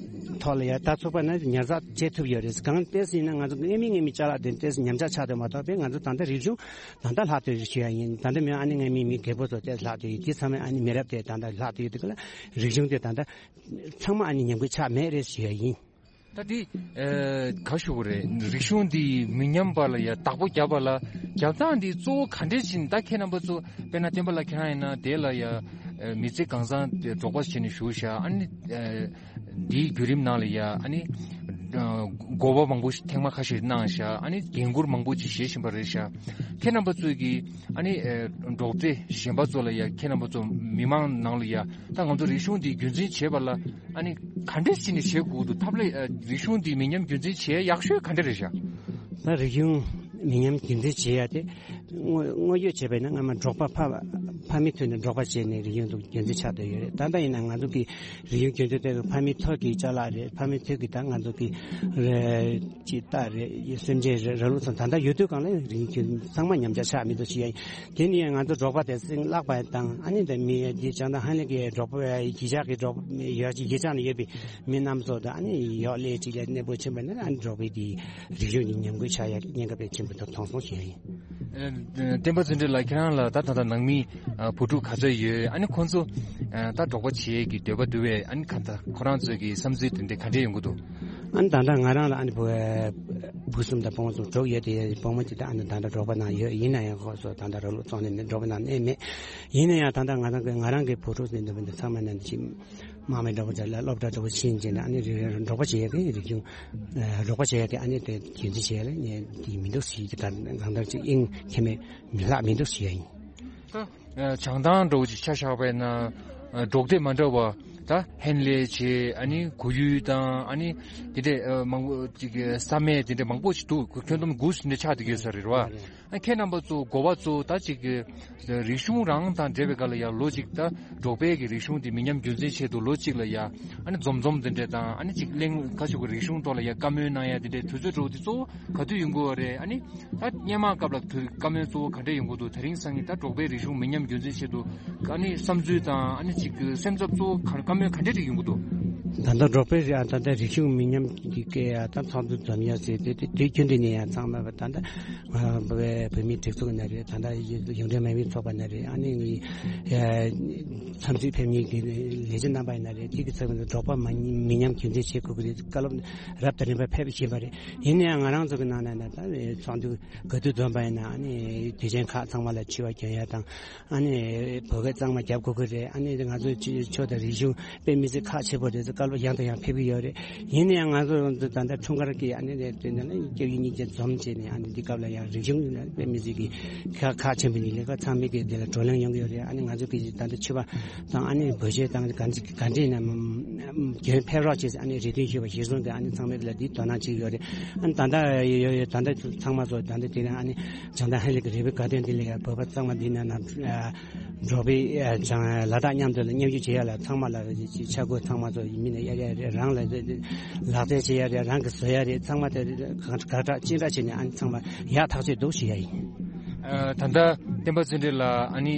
ཐོག་ལ་ཡ་ད་ཚོགས་པ་ནས་ཉར་ཚགས་བྱེད་ཐུབ་ཡོད་རེད། གང་ལྟར་ཡིན་ན་ང་ཚོ་སྔ་མའི་སྔ་མའི་ཅ་ལག་དེ་ཏོག་ཙམ་ཉམས་ཆག་ཆགས་དུ་མ་གཏོགས་པས། ང་ཚོ་ད་ལྟ་རིག་གཞུང་ད་ལྟ་ལྷག་ཏུ་ཞུ་ཡ་ཡིན། ད་ལྟ་མི་ཨ་ནི་སྔ་མའི་མི་རྒད་པོ་ཚོ་ཏོག་ཙམ་ལྷག་ཏུ་ཡོད། དེ་ཚང་མས་ཨ་ནི་མི་རབས་དེ་ད་ལྟ་ལྷག་ཏུ་ཡོད་དུས་ག་ལ་རིག་གཞུང་དེ་ད་ལྟ་ཚང་མ་ཨ་ནི་ཉམས་རྒུད་ཆགས་མེད་རེད་ཞུ་ཡ་ཡིན། ད་འདི་ཨེ་ག་ཞུ་དགོས་རེད། རིག་གཞུང་འདི་མི་ཉམས་པ་ལ་ཡ་བདག་པོ་རྒྱབ་པ་ལ་རྒྱབ་སྟངས་འདི་གཙོ་བོ་ག་འདྲས་ཅིག་ད་ཁྱེད་རྣམ་པ་ཚོ་དཔེར་ན་བསྟན་པ་ལགས་ཁྱེད་རང་ཡིན་ན་དེ་ལ་ཡ་ཨེ་མི་ཚེ་གང་བཟང་དེ་འབྲོག་པ་བྱས་ནས་བཞུགས་ཤག་ཨ་ནི་ཨེ་འདིའི་བརྒྱུད་རིམ་ནང་ལ་ཡ་ཨ་ནི་ཨེ་དགོངས་པ་མང་པོ་ཞིག་ཐེངས་མ་ཁ་ཤས་གནང་ཤག་ཨ་ནི་འགན་འཁུར་མང་པོ་ཅིག་བཞེས་བཞིན་པ་རེད་ཤག་ཁྱེད་རྣམ་པ་ཚོས་ཀྱི་ཨ་ནི་ཨེ་འབྲོག་སྡེ་གཞན་པ་ཚོ་ལ་ཡ་ཁྱེད་རྣམ་པ་ཚོ་མི་མང་ནང་ལ་ཡ་ད་ང་ཚོ་རིག་གཞུང་འདི་རྒྱུན་འཛིན་བྱེད་པ་ལ་ཨ་ནི་ག་འདྲས་བྱས་ནས་བྱེད་དགོས་འདུག་ཐབས་ལ་ཨ་རིག་གཞུང་འདི་མི་ཉམས་རྒྱུན་འཛིན་བྱེད་ཡག་ཤོས་ག་འདྲ་རེད་ཤག་ད་རིག་གཞུང་མི་ཉམས་རྒྱུན་འཛིན་བྱེད་ཡ་དེ་དངོས་དངོས་ཡོད་བྱས་པ་ཡིན་ན་སྔ་མ་འབྲོག་པ་ཕ་ཕ་མའི་དུས་ནས་འབྲོག་པ་བྱས་ནས་རིག་གཞུང་འདུག་རྒྱུན་འཛིན་ཆགས་བསྡད་ཡོད་རེད། ད་ལྟ་ཡིན་ན་ང་ཚོ་གི་རིག་གཞུང་རྒྱུན་འཛིན་དེ་ཕ་མའི་ཐོག་གི་ཅ་ལག་རེད། ཕ་མའི་ཐོག་གི་ད་ང་ཚོ་གི་རེད་ཅི་ལྟ་རེད་སེམས་ཅན་རེད་ར་ལུག་ཚང་ད་ལྟ་ཡོད་དུས་གང་ལ་རིག་གཞུང་ཚང་མ་ཉམས་ཆག་ཆགས་མི་འདུག་ཞུ་ཡ་ཡིན། དེ་ནི་ང་ཚོ་འབྲོག་པ་དེ་སྲིང་བརླག་པ་དང་ཨ་ནི་དེ་མི་དེ་ཅང་ད་ཧ་ལས་ཀྱི་འབྲོག་པ་གཞིས་ཆགས་ཀྱི་འབྲོག་ཡོད་གཞིས་ཆགས་ནས་ཡོད་པའི་མི་རྣམས་ཚོ་དང་ཨ་ནི་ཡོག་ལས་ཅིག་ལ་གནས་སྤོ་ཕྱིན་པ་ན་ཨ་ནི་འབྲོག་པའི་དེ་རིག་གཞུང་གི་ཉམས་རྒུད་ཆགས་ཡ་གི་ཉེན་ཁ་དཔེ་ཆེན་པོ་དང་མཐོང་སོང་ཞུ་ཡ་ཡིན། ཨ་བསྟན་པ་ཚེ་རིང་ལགས་ཁྱེད་རང་ལ་ད་ད་ལྟ་ནང་མི་ཨ་བུ་ཕྲུག་ག་ཚོད་ཡོད། ཨ་ནི་ཁོང་ཚོ་ཨ་ད་འབྲོག་པ་བྱེད་ཀྱི་འདོད་པ་འདུག་བས། ཨ་ནི་ག་ད་ཁོ་རང་ཚོའི་གི་བསམ་ཚུལ་དེ་འདྲ་ག་འདྲས་ཡོང་གི་འདུག་ཨ་ནི་ད་ལྟ་ང་རང་ལ་ཨ་ནི་བུ་བུ་གསུམ་དང་སྤོན་པོ་གསུམ་དྲུག་ཡོད་དེ་སྤོན་པོ་དེ་ད་ཨ་ནི་ད་ལྟ་འབྲོག་པ་ནང་ཡོད། ཡིན་ན་ཡང་ཁོ་ཚོ་ད་ལྟ་ར་ལུག་བཙོང་ནས་འབྲོག་པ་ནང་གནས་མེད། ཡིན་ན་ཡང་ད་ལྟ་ང་རང་གི་ང་རང་གི་བུ་ཕྲུག་ཟེར་འདོད་པ་འདི་ཚང་མ་ནང་འདི་ཅི་དམག་མི་འདྲ་པོ་འདྲ་ལ་སློབ་གྲྭ་འདྲ་པོ་ཕྱིན་བྱས་ནས་ཨ་ནི་རི་རི་འབྲོག་པ་བྱེད་ཡག་གི་རིག་གཞུང་ཨ་འབྲོག་པ་བྱེད་ཡག་གི་ཨ་ནི་དེ་རྒྱུན་འཛིན་བྱེད་ཡག་ལ་ནི་འདི་མི་འདུག་ཟེར་གྱི། ད་གང་ལྟར་ཅིག་དབྱིངས་ཁྱད་མེད་མི་ལྷག་མི་འདུག་ཟེར་ཡ་ཡིན། ད་ཨ་བྱང་ཐང་འདྲ་པོ་ཅིག་ཆ་བཞག་པ་ཡིན་ན་ཨ་འབྲོག་སྡེ་མ་འདྲ་བ་ད་ཧན་ལེ་བྱེད། ཨ་ནི་གོ་ཡུལ་དང་ཨ་ནི་དེ་འདྲས་ཨ་མང་པོ་ཅིག་ས་སྨད་དེ་འདྲས་མང་པོ་ཅིག་འདུག་ཁྱོན་བསྡོམས་དགུ་ཟིན་འདྲ་ཆགས་བསྡད་ཡོད་ས་རེད་བ། ཨ་ཁྱེད་རྣམ་པ་ཚོ་འགོ་པ་ཚོ་ད་ཅིག་གི་རིག་གཞུང་རང་དང་འབྲེལ་བའི་སྒང་ལ་ཡ་ལོ་གཅིག་ད་འབྲོག་པའི་གི་རིག་གཞུང་དེ་མི་ཉམས་རྒྱུན་འཛིན་ཆེད་དུ་ལོ་གཅིག་ལ་ཡ་ཨ་ནི་འཛོམས་འཛོམས་དེ་འདྲས་དང་ཨ་ནི་ཅིག་གླེང་ཁ་ཤུག་གི་རིག་གཞུང་ཐོག་ལ་ཡ་བཀའ་མོལ་གནང་ཡ་དེ་འདྲས་དུས་ཚོད་འགྲོ་དེ་གཙོ་བོ་ག་དུས་ཡོང་གི་ཡོད་རེད། ཨ་ནི་ད་སྔོན་མ་སྐབས་ལ་དུས་བཀའ་མོལ་གཙོ་བོ་ག་འདྲས་ཡོང་གི་འདུག་དེ་རིང་སང་ཉིན་ད་འབྲོག་པའི་རིག་གཞུང་མི་ཉམས་རྒྱུན་འཛིན་ཆེད་དུ་ཨ་ནི་བསམ་ཚུལ་དང་ཨ་ནི་ཅིག་གི་སེམས་འཚབ་གཙོ་བོ་ག་བཀའ་མོལ་ག་འདྲས་ཅིག་ཡོང་གི་འདུག་ད་ལྟ་འབྲོག་པའི་རིག་ཨ་ད་ལྟ་རིག་གཞུང་མི་ཉམས་ཀྱི་སྐད་ཡ་ད་ཚོགས་འདུ་འཛོམས་ཡ་ཟེར་དེ་དེ་དུས་རྒྱུན་དུ་ནས་ཡང་ཚང་མ་ད་ལྟ་ང་བོད་བོད་མིའི་སྒྲིག་འཛུགས་ཡིན་ན་རེད། ད་ལྟ་ཡུང་འབྲེལ་མ་དངུལ་ཚོགས་པ་ཡིན་ན་རེད། ཨ་ནི་ངའི་ཨ་འཚམས་གཟིགས་ཕེབས་མཁན་གྱི་ལས་བྱེད་རྣམ་པ་ཡིན་ན་རེད། དེ་གི་ཚབ་ནས་འབྲོག་པ་མ་མི་ཉམས་རྒྱུན་འཛིན་བྱེད་དགོས་ཀྱི་རེད། བཀའ་སློབ་རབ་དང་རིམ་པ་ཕེབས་བཞིན་པ་རེད། ཡིན་ན་ཡང་ང་རང་ཚོ་གི་ནང་ན་ན་ད་ཚོགས་འདུ་ག་དུས་འཛོམས་པ་ཡིན་ན་ཨ་ནི་དུས་ཆེན་ཁག་ཚང་མ་ལ་འཆི་བ་སྐྱོན་ཡ་དང་ཨ་ནི་བོད་སྐད་གཙང་མ་རྒྱབ་དགོས་ཀྱི་རེད། ཨ་ནི་ང་ཚོའི་ཆོས་དང་རིག་གཞུང་དཔེ་མི་སྲིད་ཁག་ཆེ་པོ་རེད། ལོ་ཡང་དང་ཡང་ཕེབས་ཀྱི་ཡོད་རེད། ཡིན་ན་ཡང་ང་ཚོ་ད་ལྟ་འཁྲུངས་སྐར་གྱི་ཨ་ནི་དེ་ནས་སྐྱབས་ཡུལ་གཉིས་ཀྱི་འཛོམས་བྱས་ནས་ཨ་ནི་འདི་སྐབས་ལ་ཡང་རིག་གཞུང་དཔེ་མི་སྲིད་ཀྱི་ཁག་ཁག་ཆེན་པོ་ཡིན་ལས་ཀ། ཚང་མས་ཀྱི་འདི་ལ་བགྲོ་གླེང་ཡོང་གི་ཡོད་རེད། ཨ་ནི་ང་ཚོ་གི་ད་ལྟ་ཕྱུ་པ་དང་ཨ་ནི་བོད་གཞས་དང་ག་འདྲ་ག་འདྲ་ཡིན་ན་རྒྱུན་ཕེབས་རོགས་བྱས་ཨ་ནི་རེ་འདུན་ཞུས་པ་གཞིར་བཟུང་གི་ཨ་ནི་ཚང་མས་འདི་ལ་འདི་དོ་སྣང་བྱེད་ཀྱི་ཡོད་རེད། ཨ་ནི་ད་ལྟ་ཡོད་ཡོད་ད་ལྟ་ཚང་མ་ཚོ་ད་ལྟ་དེ་རིང་ཨ་ནི་བྱང་ཐང་ཧན་ལི་གི་རི་བོའི་དགའ་སྟོན་འདི་ལ་ཡང་བོད་པ་ཚང་མ་འདི་ན་ན། འབྲོག་པའི་ལ་དྭགས་མཉམ་དུ་མཉམ་ཞུགས་བྱེད་ཡ་ལ་ཚང་མ་ལ་ཆ་བགོས་ཚང་མ་ཚོ་མི་ནས་གཡར་ཡ་རེད། རང་ལ་ལག་རྩལ་བྱེད་ཡ་རེད། རང་གི་བཟོ་ཡ་རེད། ཚང་མ་དེ་ག་དྲག་ཅི་འདྲ་བྱས་ནས་ཨ་ནི་ཚང་མ་ཡག་ཐག་ཆོད་འདུག་ཞུ་ཡ་ཡིན། ད་ལྟ་བསྟན་པ་བརྩོན་འགྲུས་ལགས་ཨ་ནི་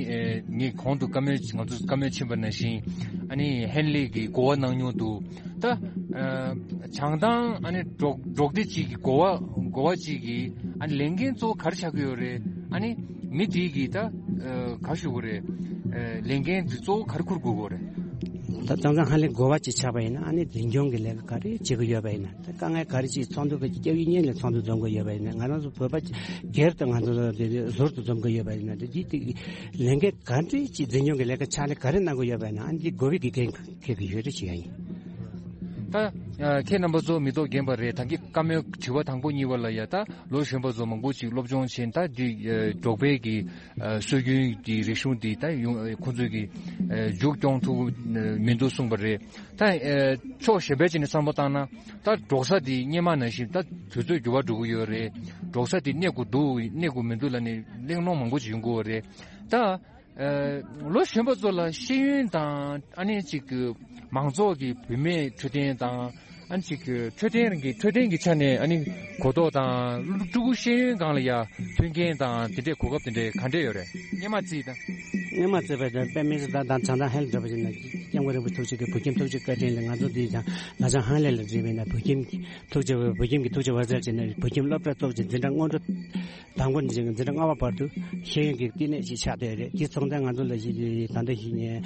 ངས་གོང་དུ་བཀའ་མོལ་ང་ཚོ་བཀའ་མོལ་ཕྱིན་པ་ནང་བཞིན་ཨ་ནི་ཧན་ལེ་གི་གོ་བ་གནང་མྱོང་འདུག་ད་བྱང་ཐང་ཨ་ནི་འབྲོག་འབྲོག་སྡེ་གཅིག་གི་གོ་བ་གོ་བ་གཅིག་གི་ཨ་ནི་ལས་འགན་གཙོ་བོ་ག་རེ་ཆགས་ཀྱི་ཡོད་རེད། ཨ་ནི་མི་དེ་གི་ད་ག་ཞུ་དགོས་རེད། ལས་འགན་དེ་གཙོ་བོ་ག་རེ་འཁུར་དགོས་ཀྱི་རེད། ད་ད་ལྟ་ཧ་ལས་གོ་བ་གཅིག་ཆགས་པ་ཡིན་ན་ཨ་ནི་འཛིན་སྐྱོང་གི་ལས་ཀ་ག་རེ་བྱེད་ཀྱི་ཡོད་པ་ཡིན་ན། ད་དཀའ་ངལ་ག་རེ་ཅིག་ཚོགས་འདུ་གི་སྐྱབས་ཡུལ་གཉིས་ལ་ཚོགས་འདུ་འཛོམས་ཀྱི་ཡོད་པ་ཡིན་ན། ང་རང་ཚོ་བོད་པ་སྒེར་དུ་ང་ཚོ་ཟུར་དུ་འཛོམས་ཀྱི་ཡོད་པ་ཡིན་ན། ད་འདི་དེ་ལས་འགན་ག་འདྲ་ཅིག་འཛིན་སྐྱོང་གི་ལས་ཀ་ཕྱག་ལས་ག་རེ་གནང་གི་ཡོད་པ་ཡིན་ན། ཨ་ནི་འདི་དགོས་པའི་གི་འགན་འཁྱེར་གྱི་ཡོད་རེད་ཅེས་ཡང་ཡིན། ད་ཁྱེད་རྣམ་པ་ཚོ་མི་ཐོག་རྒན་པ་རེད། ད་གིན་བཀའ་མོལ་དྲི་བ་དང་པོ་གཉིས་པ་ལ་ཡ་ད་ལོ་གཞོན་པ་ཚོ་མང་པོ་ཅིག་སློབ་སྦྱོང་བྱས། ད་འདི་འབྲོག་པའི་གི་སྲོལ་རྒྱུན་གྱི་རིག་གཞུང་འདི་ད་ཡོང་ཁོང་ཚོས་གི་མཇུག་སྐྱོང་ཐུབ་མི་འདུག་གསུངས་པ་རེད། ད་ཕྱོགས་གཞན་པའི་ཅིག་ནས་བསམ་བློ་བཏང་ན་ད་འབྲོག་ས་འདི་སྔོན་མ་ནང་བཞིན་ད་དུས་ཚོད་འགྱུར་བ་འགྲོ་གི་ཡོད་རེད། འབྲོག་ས་འདི་གནས་དགོས་འདུག་གནས་དགོས་མི་འདུག་ལབ་ནས་གླེང་སློང་མང་པོ་ཅིག་ཡོང་གི་ཡོད་རེད། ད་ལོ་གཞོན་པ་ཚོ་ལ་ཤེས་ཡོན་དང་ཨ་ནི་ཅིག་གི་མང་ཚོགས་ཀྱི་བུད་མེད་འཕྲོད་བསྟེན་དང་ཨ་ནི་ཅིག་གི་འཕྲོད་བསྟེན་རང་གི་འཕྲོད་བསྟེན་གྱི་ཆ་ནས་ཨ་ནི་གོ་རྟོགས་དང་ཕྲུ་གུ་ཤེས་ཡོན་སྒང་ལ་ཡ་མཐུན་རྐྱེན་དང་དེ་འདྲའི་གོ་སྐབས་དེ་འདྲའི་ག་འདྲས་ཡོད་རེད། སྔོན་མ་རྩིས་དང་། སྔོན་མ་རྩིས་པ་དང་དཔེ་མི་སྲིད་ད་དང་བྱང་ཐང་ཧན་ལ་འགྲོ་བ་ཞིག་ན་སྐྱབས་མགོན་རིན་པོ་ཆེ་ཐུགས་རྗེ་གི་བོད་ཁྱིམ་ཐུགས་རྗེ་བཀའ་དྲིན་ལ་ང་ཚོ་འདི་དང་ལ་བྱང་ཧན་ལེ་ལ་འགྲིམས་པས་ན་བོད་ཁྱིམ་ཐུགས་རྗེ་བོད་ཁྱིམ་གྱི་ཐུགས་རྗེ་བ་ཟེར་བྱས་ནས་བོད་ཁྱིམ་སློབ་གྲྭ་གཙོ་བོ་ཅིག་འཛིན་གྲྭ་སྔོན་འགྲོ། དང་པོ་ནས་འཛིན་གྲྭ་ལྔ་པ་བར་དུ་ཤེས་ཡོན་གྱི་བསྟི་གནས་ཤིག་ཆགས་བསྡད་ཡོད་རེད། དེ་སོང་ཙང་ང་ཚོ་ལ་ཞིག་ད་ལྟ་ཞིག་ནས་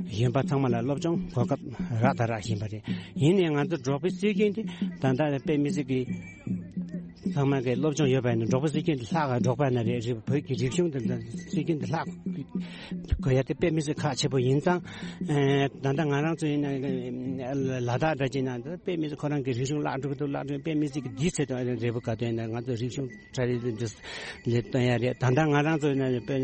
གཞོན་པ་ཚང་མ་ལ་སློབ་སྦྱོང་གོ་སྐབས་རག་དང་རག་བཞིན་པ་རེད། ཡིན་ནའི་ང་ཚོ་འབྲོག་པའི་སྲོལ་རྒྱུན་དེ་ད་ལྟ་དཔེ་མི་སྲིད་ཀྱི་ཚང་མ་གི་སློབ་སྦྱོང་ཡོད་པ་ཡིན་ན། འབྲོག་པའི་སྲོལ་རྒྱུན་དེ་ལྷག་ག་འབྲོག་པ་ན་རེད། རེད། བོད་ཀྱི་རིག་གཞུང་དེ་སྲོལ་རྒྱུན་དེ་ལྷག་དགོས་ཡ་དེ་དཔེ་མི་སྲིད་ཁག་ཆེ་པོ་ཡིན་ཙང་། ད་ལྟ་ང་རང་ཚོ་ཡིན་ན་ལ་དྭགས་འདྲ་ཅིག་ན་དཔེ་མི་སྲིད་ཁོ་རང་གི་རིག་གཞུང་བརླག་འགྲོ་གི་འདུག་བརླག་འགྲོ། དཔེ་མི་སྲིད་ཀྱི་འདིའི་ཚེ་དང་རེ་བོ་ག་དོན་ན་ང་ཚོ་རིག་གཞུང་གྲ་རེ་འདི་ལས་སྟོན་ཡ་རེད། ད་ལྟ་ང་རང་ཚོ་ནས་དཔེ་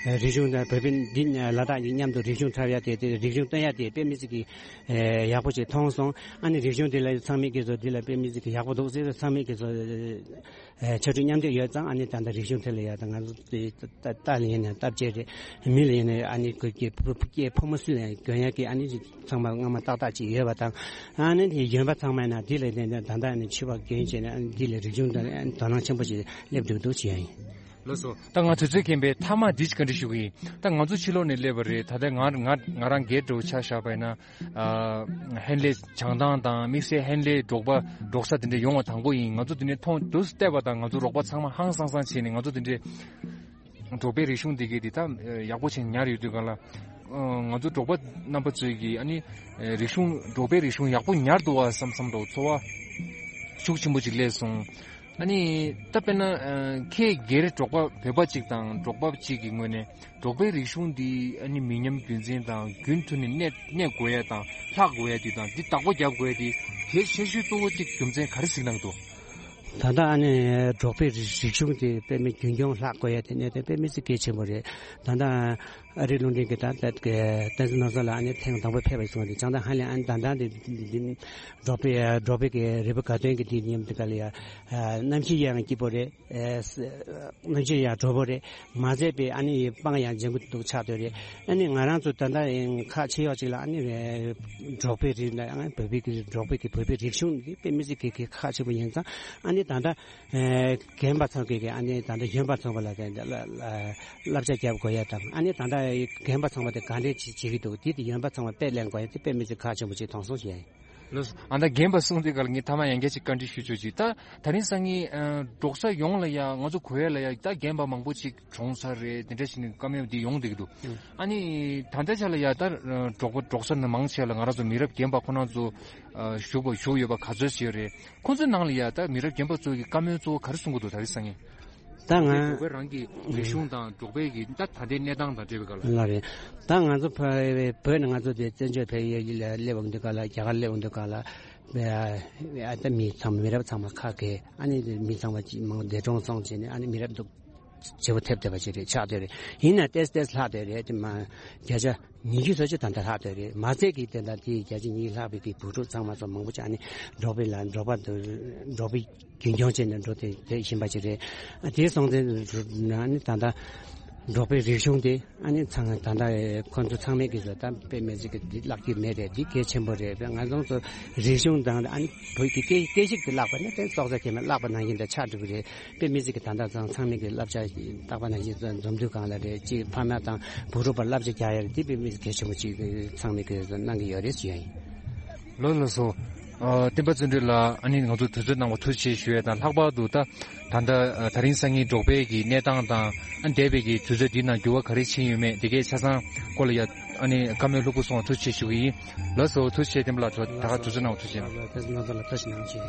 རིག་གཞུང་དང་བོད་པའི་འདི་ལ་དྭགས་ཀྱི་མཉམ་དུ་རིག་གཞུང་འཁྲབ་ཡ་དེ་དེ་རིག་གཞུང་སྟོན་ཡ་དེ་དཔེ་མི་སྲིད་ཀྱི་ཡག་པོ་ཞིག་མཐོང་སོང་། ཨ་ནི་རིག་གཞུང་དེ་ལ་ཚང་མས་ཀྱི་བཟོ་འདི་ལ་དཔེ་མི་སྲིད་ཀྱི་ཡག་པོ་འདུག་ཟེར། ཚང་མས་ཀྱི་བཟོ་ཕྱར་གྲུ་མཉམ་འདེགས་ཡོད་ཙང་། ཨ་ནི་ད་ལྟ་རིག་གཞུང་ཐད་ལ་ཡ་ད་ང་ཚོ་རྟ་ལ་ཡིན་ན་སྟབས་བཅས་རེད། མི་ལ་ཡིན་ན་ཨ་ནི་གོ་སྐྱེ་ཕོ་མོ་སུ་ལ་ཡང་གྱོན་ཡ་གི་ཨ་ནི་ཚང་མ་སྔ་མ་ཏག་ཏག་ཅིག་ཡོད་པ་དང་། ཨ་ནི་དེ་གཞོན་པ་ཚང་མ་ན་འདི་ལ་ནི་ད་ལྟ་ནི་ཕྱུ་པ་གྱོན་བྱས་ནས་ཨ་ནི་འདི་ལ་རིག་གཞུང་དང་དོ་སྣང་ཆེན་པོ་ཞིག་སླེབས་འདུག་འདུག་བྱེད་ཡ་ཡིན། ལགས་སོ། ད་ང་དུས་ཚོད་རྐྱེན་པས་མཐའ་མ་འདི་ཅིག་བཀའ་འདྲི་ཞུ་གི་ཡིན། ད་ང་ཚོ་ཕྱི་ལོགས་ནས་སླེབས་པ་རེད། ད་ལྟ་ང་ང་ང་རང་སྒེར་འདྲ་བོ་ཆ་བཞག་པ་ཡིན་ན། ཨ་ཧན་ལེ་བྱང་ཐང་དང་དམིགས་བསལ་ཧན་ལེ་འབྲོག་པ་འབྲོག་ས་དེ་འདྲ་ཡོང་བ་དང་པོ་ཡིན། ང་ཚོ་དེ་ནས་མཐོང་དུས་བལྟས་པ་དང་ང་ཚོ་རོགས་པ་ཚང་མ་ཧང་སང་སང་བྱས་ནས་ང་ཚོ་དེ་འདྲའི་འབྲོག་པའི་རིག་གཞུང་འདི་གའི་འདི་ད་ཡག་པོ་བྱས་ནས་ཉར་ཡོད་དུས་ག་ལ། ང་ཚོ་འབྲོག་པ་རྣམ་པ་ཚོས་ཀྱིས་ཨ་ནི་རིག་གཞུང་འབྲོག་པའི་རིག་གཞུང་ཡག་པོ་ཉར་འདུག་བ་བསམ་བསམ་འདྲ་བོ་ཚོར་བ་ཤུགས་ཆེན་པོ་ཅིག་སླེབས་སོང་། ཨ་ནི་ད་དཔེར་ན་ཁྱེད་སྒེར་འབྲོག་པ་བོད་པ་གཅིག་དང་འབྲོག་པ་གཅིག་གི་ངོས་ནས་འབྲོག་པའི་རིག་གཞུང་འདི་ཨ་ནི་མི་ཉམས་རྒྱུན་འཛིན་དང་རྒྱུན་མཐུད་ནས་གནས་གནས་དགོས་ཡ་དང་ལྷག་དགོས་ཡ་འདི་དང་འདི་བདག་པོ་རྒྱབ་དགོས་ཡ་འདི་གལ་ཆེ་ཤོས་གཙོ་བོ་གཅིག་རྒྱུ་མཚན་ག་རེ་གཟིགས་གནང་འདུག་ད་ལྟ་ཨ་ནི་འབྲོག་པའི་རིག་རིག་གཞུང་དེ་དཔེ་མི་རྒྱུན་སྐྱོང་ལྷག་དགོས་ཡ་དེ་གནད་དོན་དཔེ་མི་སྲིད་གལ་ཆེན་པོ་རེད། ད་ལྟ་ཨ་རི་ལུང་འདྲེན་གྱི་ད་ལྟ་གི་བསྟན་འཛིན་ནོར་བཟང་ལགས་ཨ་ནི་ཐེངས་དང་པོ་ཕེབས་པ་སོང་སྟེ་བྱང་ཐང་ཧན་ལེ་ཨ་ནི་ད་ལྟ་འདི་འདི་འདི་འབྲོག་པའི་འབྲོག་པའི་གི་རི་བོ་དགའ་སྟོན་གྱི་དེ་མཉམ་དུ་ག་ལ་ཡ་གནམ་གཤིས་ཡང་སྐྱིད་པོ་རེད། གནམ་གཤིས་ཡང་དྲོ་པོ་རེད། མ་ཟད་པའི་ཨ་ནི་སྤང་ཡང་ལྗང་གུ་འདུག་ཆགས་སྡོད་རེད། ཨ་ནི་ང་རང་ཚོ་ད་ལྟ་ཁག་ཆེ་ཡོད་ཅིག་ལ་ཨ་ནི་འབྲོག་པའི་རིགས་ལ་ཨ་བོད་པའི་གི་འབྲོག་པའི་གི་བོད་པའི་རིག་གཞུང་འདི་དཔེ་མི་སྲིད་གི་གི་ཁག་ཆེན་པོ་ཡིན་ཙང་། ཨ་ནི་ད་ལྟ་རྒན་པ་ཚང་གི་གི་ཨ་ནི་ད་ལྟ་གཞོན་པ་ཚང་པ་ལ་དེ་བསླབ་བྱ་རྒྱབ་དགོས་ཡ་དང་། ཨ་ནི་ད་ལྟ་རྒན་པ་ཚང་པ་དེ་ག་འདྲས་བྱེད་བྱེད་ཀྱི་འདུག་དེ་དེ་གཞོན་པ་ཚང་པ་དཔེ་ལེན་དགོས་ཡ་དེ་དཔེ་མི་སྲིད་ཁག་ཆེན་པོ་ཅིག་མཐོང་སོང་ཞེས་ཡ་ཡིན། ལགས་སོ། ཨ་ད་རྒན་པ་གསུངས་དུས་ག་ལ་ངས་ཐ་མ་ཡང་བསྐྱར་ཅིག་བཀའ་འདྲི་ཞུ་ཆོག་ཅིག་ད་ད་རིང་སང་ཉིན་འབྲོག་ས་ཡོངས་ལ་ཡ་ང་ཚོ་གོ་ཡ་ལ་ཡ་ད་རྒན་པ་མང་པོ་ཅིག་གྲོངས་ཚར་རེད། དེ་འདྲ་ཞིག་ནས་བཀའ་མོལ་འདི་ཡོང་བསྡད་ཀྱི་འདུག་ཨ་ནི་ད་ལྟའི་ཆ་ལ་ཡ་ད་འབྲོག་པ་འབྲོག་ས་ནང་མང་ཆེ་ལ་ང་རང་ཚོ་མི་རབས་རྒན་པ་ཁོ་རང་ཚོ་བཞུགས་པ་བཞུགས་ཡོད་པ་ག་ཚོད་ཅིག་ཡོད་རེད། ཁོང་ཚོའི་ནང་ལ་ཡ་ད་མི་རབས་རྒན་པ་ཚོ་གི་བཀའ་མོལ་གཙོ་བོ་ག་རེ་གསུང་གི་འདུག་ད་རིང་སང་ཉིན། ད་ང་འབྲོག་པའི་རང་གི་རིག་གཞུང་དང་འབྲོག་པའི་གི་ད་ད་ལྟའི་གནས་སྟངས་དང་འབྲེལ་བའི་སྐོར་ལ། ལགས་རེད། ད་ང་ཚོ་བོད་བོད་ནས་ང་ཚོ་དེ་བཙན་བྱོལ་བོད་ཡུལ་ལ་སླེབས་པ་འདི་ག་ལ་རྒྱ་གར་སླེབས་པ་འདི་ག་ལ་ཨ་ད་མི་ཚང་མི་རབས་ཚང་མ་ཁ་གས། ཨ་ནི་མི་ཚང་མ་ཅིག་མང་འདས་གྲོངས་སོང་བྱས་ནས། ཨ་ནི་མི་རབས་འདུག་བརྗེ་པོ་ཐེབས་བསྡད་པ་ཅིག་རེད། ཆགས་བསྡད་རེད། ཡིན་ན་ཏེས་ཏེས་ལྷག་བསྡད་རེད། དེ་མ་བརྒྱ་ཆ་ཉི་ཤུ་སོ་གཅིག་ད་ལྟ་ལྷག་བསྡད་རེད། མ་ཚད་ཀྱི་དེ་འདྲ་དེ་བརྒྱ་ཆ་ཉི་ཤུ་ལྷག་པའི་གི་བུ་ཕྲུག་ཚང་མ་ཚོ་མང་པོ་ཅིག་ཨ་ནི་འབྲོག་པའི་ལ་འབྲོག་པ་དུ་འབྲོག་པའི་རྒྱུན་སྐྱོང་བྱས་ནས་འགྲོ་དེ་དེ་བཞིན་པ་ཅིག་རེད། དེ་སོང་ཙང་ཨ་ནི་ད་ལྟ་འབྲོག་པའི་རིག་གཞུང་དེ་ཨ་ནི་ཚང་ད་ལྟ་ཁོ་ཚོ་ཚང་མས་ཀྱི་བཟོ་ལྟ་དཔེ་མི་སྲིད་ཀྱི་འདི་བརླག་རྒྱུ་མེད་རེད། འདི་གལ་ཆེན་པོ་རེད། དཔེ་ང་ཚོ་ཚོ་རིག་གཞུང་དང་ཨ་ནི་བོད་ཀྱི་སྐད་སྐད་ཡིག་དེ་བརླག་པ་ནི་དེ་སྲོག་རྩ་ཁེལ་མ་བརླག་པ་ནང་བཞིན་དུ་ཆགས་འགྲོ་གི་རེད། དཔེ་མི་སྲིད་ཀྱི་ད་ལྟ་ཚང་ཚང་མས་ཀྱི་བསླབ་བྱ་བཏགས་པ་ནང་བཞིན་འཛོམས་འདུ་སྒང་ལ་རེད། གཅིག་ཕ་མ་དང་བུ་ཕྲུག་བར་བསླབ་བྱ་རྒྱག་ཡ་རེད། དེ་དཔེ་མི་སྲིད་གལ་ཆེན་པོ་ཅིག་ཚང་མས་ཀྱི་གནང་གི་ཡོད་རེད་ཞུ་ཡ་ཡིན། ལགས་ལགས་སོ། ཨ་བསྟན་པ་བརྩོན་འགྲུས་ལགས། ཨ་ནི་ང་ཚོ་དུས་ཚོད་གནང་བ་ཐུགས་རྗེ་ཆེ་ཞུ་ཡ་དང་། ལྷག་པར་དུ་ད་ད་ལྟ་ཨ་ད་རིང་སང་ཉིན་འབྲོག་པའི་གི་གནས་སྟངས་དང་། ཨ་འདས་པའི་གི་དུས་ཚོད་འདིའི་ནང་འགྱུར་བ་ག་རེ་ཕྱིན་ཡོད་མེད་འདི་གའི་ཆ་ཚང་སྐོར་ལ་ཡ་ཨ་ནི་བཀའ་མོལ་ལྷུག་པོ་གསུངས་བ་ཐུགས་རྗེ་ཆེ་ཞུ་གི་ཡིན། ལགས་སོ། ཐུགས་རྗེ་ཆེ། བསྟན་པ་ལགས། ད་ད་ག་དུས་ཚོད་གནང་བ་ཐུགས་རྗེ་ཆེ། ལགས་སོ། ང་ཚོ་ལ་བཀྲ་ཤིས་གནང་ཞུ།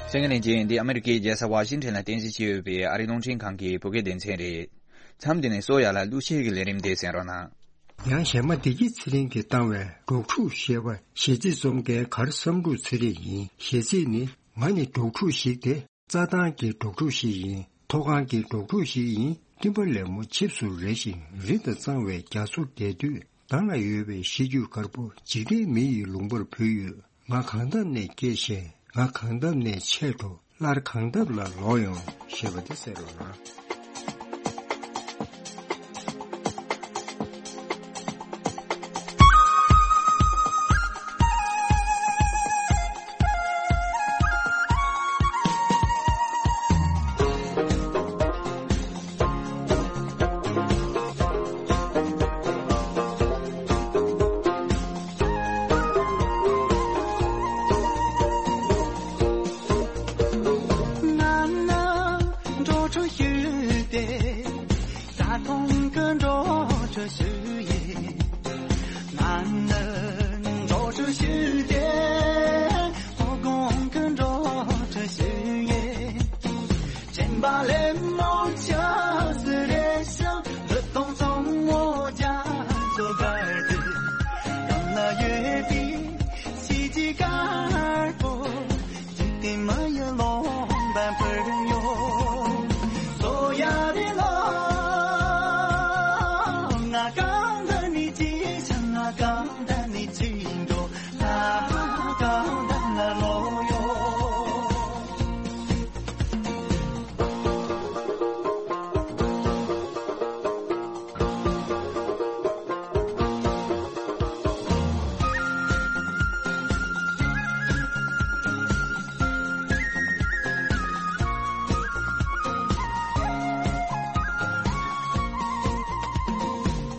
གསན་མཁན་ལྷན་རྒྱས། འདི་ཨ་མི་རི་ཀའི་རྒྱལ་ས་ཝ་ཤིང་ཊོན་ལ་རྟེན་གཞི་བྱས་ཡོད་པའི་ཨ་རིའི་རླུང་འཕྲིན་ཁང་གི་བོད་སྐད་སྡེ་ཚན་རེད། མཚམས་འདི་ནས་བསོད་ཡར་ལ་གླུ་གཞས་ཀྱི་ལས་རིམ་དེ་གསན་རོགས་གནང་། ཡང་གཞས་མ་བདེ་སྐྱིད་ཚེ་རིང་གིས་བཏང་བའི་འབྲོག་ཕྲུག་ཞེས་པ་གཞས་ཚིག་རྩོམ་མཁན་གར་བསམ་འགྲུབ་ཚེ་རིང་ཡིན། གཞས་ཚིག་ནི། ང་ནི་འབྲོག་ཕྲུག་ཞིག་སྟེ། རྩྭ་ཐང་གི་འབྲོག་ཕྲུག་ཞིག་ཡིན། མཐོ་སྒང་གི་འབྲོག་ཕྲུག་ཞིག་ཡིན། སྤྲིན་པ་ལེབ་མོ་ཆིབས་སུ་རེ་ཞིང་རི་དང་གཙང་བའི་རྒྱ་མཚོར་བསྡད་དུས། མདང་ལ་ཡོད་པའི་གཞི་རྒྱུ་དཀར་པོ་འཇིག་རྟེན་མི་ཡི་ལུང་པར་བུད་ཡོད། ང་གང་འདབས་ནས་སྐྱེས་ཤིང་། ང་གང་འདབས་ནས་ཆད་འགྲོ། སླར་གང་འདབས་ལ་ལོག་ཡོང་། ཞེས་པ་དེ་གསན་རོགས་གནང་། ང་ནི་འབྲོག་ཕྲུག་ཞིག་སྟེ། རྩྭ་ཐང་གི་འབྲོག་ཕྲུག་ཞིག་ཡིན། ང་ནི་འབྲོག་ཕྲུག་ཞིག་སྟེ། མཐོ་སྒང་གི་འབྲོག་ཕྲུག་ཞིག་ཡིན། སྤྲིན་པ་ལེབ་མོ་ཆིབས་སུ་རེ་ཞིང་། རི་དྭགས་གཙང་བོ་རྒྱ་མཚོ་བརྒལ་ཏེ། གང་ན་ཡོད་པའི་གཞི་རྒྱུ་དཀར་པོ། འཇིག་རྟེན་མི་ཡི་ལུང་པར་བུད་ཡོད། བསོད་ཡར་ལ། ང་གང་འདྲ་ནས་སྐྱེས་ཤིང་། ང་གང་འདྲ་ནས་འཆི་འགྲོ། ད་གང་འདྲ་ན་ལོག་ཡོང་།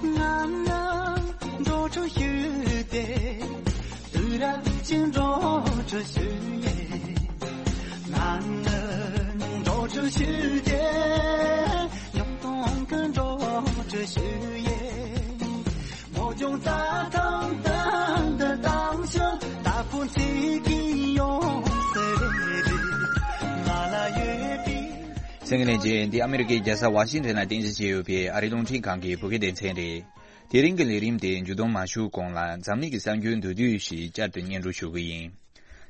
ང་ནི་འབྲོག་ཕྲུག་ཞིག་སྟེ། དུས་རབས་ཀྱི་འབྲོག་ཕྲུག་ཞིག་ཡིན། ང་ནི་འབྲོག་ཕྲུག་ཞིག་སྟེ། ཉམ་ཐག་གི་འབྲོག་ཕྲུག་ཞིག་ཡིན། མོ་ལྗོངས་རྩྭ་ཐང་སྟེང་དུ་བཏང་ཞིང་། ད་ཕོ་ཚེ་གི་ཡོང་སྲིད་རེད། ང་ལ་ཡོད་པའི། གསན་མཁན་ལྷན་རྒྱས། འདི་ཨ་མི་རི་ཀའི་རྒྱལ་ས་ཝ་ཤིང་ཊོན་ལ་རྟེན་གཞི་བྱས་ཡོད་པའི་ཨ་རིའི་རླུང་འཕྲིན་ཁང་གི་བོད་སྐད་སྡེ་ཚན་རེད། དེ་རིང་གི་ལས་རིམ་དེ་མཇུག་བསྡོམས་མ་ཞུ་གོང་ལ། འཛམ་གླིང་གི་གསར་འགྱུར་མདོར་བསྡུས་ཤིག་བསྐྱར་དུ་སྙན་སྒྲོན་ཞུ་གི་ཡིན།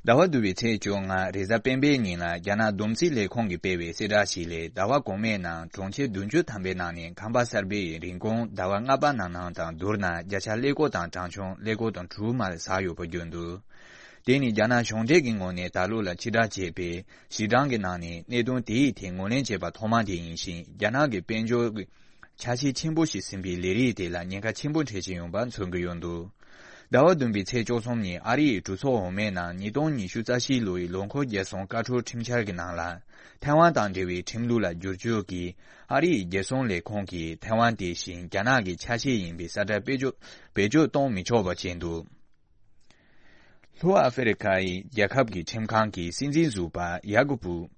ཟླ་བ་བདུན་པའི་ཚེས་བཅོ་ལྔ་རེས་གཟའ་སྤེན་པའི་ཉིན་ལ། རྒྱ་ནག་བསྡོམས་རྩིས་ལས་ཁུངས་ཀྱིས་སྤེལ་བའི་གསལ་བསྒྲགས་ཤིག་ལས། ཟླ་བ་གོང་མའི་ནང་གྲོང་ཁྱེར་བདུན་ཅུ་ཐམ་པའི་ནང་ནས་ཁང་པ་གསར་པའི་རིན་གོང་ཟླ་བ་ལྔ་པ་ནང་ནང་དང་བསྡུར་ན། བརྒྱ་ཆ་ཀླད་ཀོར་དང་གྲངས་ཆུང་ཀླད་ཀོར་དང་དྲུག་མར་ཟག་ཡོད་པ་བརྗོད་འདུག་དེ་ནི་རྒྱ་ནག་གཞུང་འབྲེལ་གྱི་ངོས་ནས་ད་ལོ་ལ་ཕྱིར་བསྒྲགས་བྱས་པའི་གཞི་གྲངས་ཀྱི་ནང་ནས་གནད་དོན་དེའི་ཐད་ངོས་ལེན་བྱས་པ་ཐོག་མ་དེ་ཡིན་ཞིང་། རྒྱ་ནག་གི་དཔལ་འབྱོར་གྱི་ཆ་ཤས་ཆེན་པོ་ཞིག་ཟིན་པའི་ལས་རིགས་དེ་ལ་ཉེན་ཁ་ཆེན་པོ་འཕྲད་བཞིན་ཡོད་པ་མཚོན་གྱི་ཡོད་འདུག་ཟླ་བ་བདུན་པའི་ཚེས་བཅུ་གསུམ་ཉིན་ཨ་རི་ཡི་གྲོས་ཚོགས་འོག་མའི་ནང་ཉིས་སྟོང་ཉི་ཤུ་རྩ་བཞི་ལོའི་ལོ་འཁོར་རྒྱལ་སྲུང་བཀའ་འཁྲོལ་ཁྲིམས་འཆར་གྱི་ནང་ལ། ཐའེ་ཝན་དང་འབྲེལ་བའི་ཁྲིམས་ལུགས་ལ་བསྒྱུར་བཅོས་ཀྱིས། ཨ་རི་ཡི་རྒྱལ་སྲུང་ལས་ཁུངས་ཀྱིས་ཐའེ་ཝན་དེ་བཞིན་རྒྱ་ནག་གི་ཆ་ཤས་ཡིན་པའི་ས་ཁྲ་བེད་སྤྱོད་བེད་སྤྱོད་གཏོང་མི་ཆོག་པ་བྱས་འདུག་ལྷོ་ཨ་ཧྥེ་རི་ཁ་ཡི་རྒྱལ་ཁབ་ཀྱི་ཁྲིམས་ཁང་གི་སྲིད་འཛིན་ཟུར་པ་ཡ་ཀུ་པུ་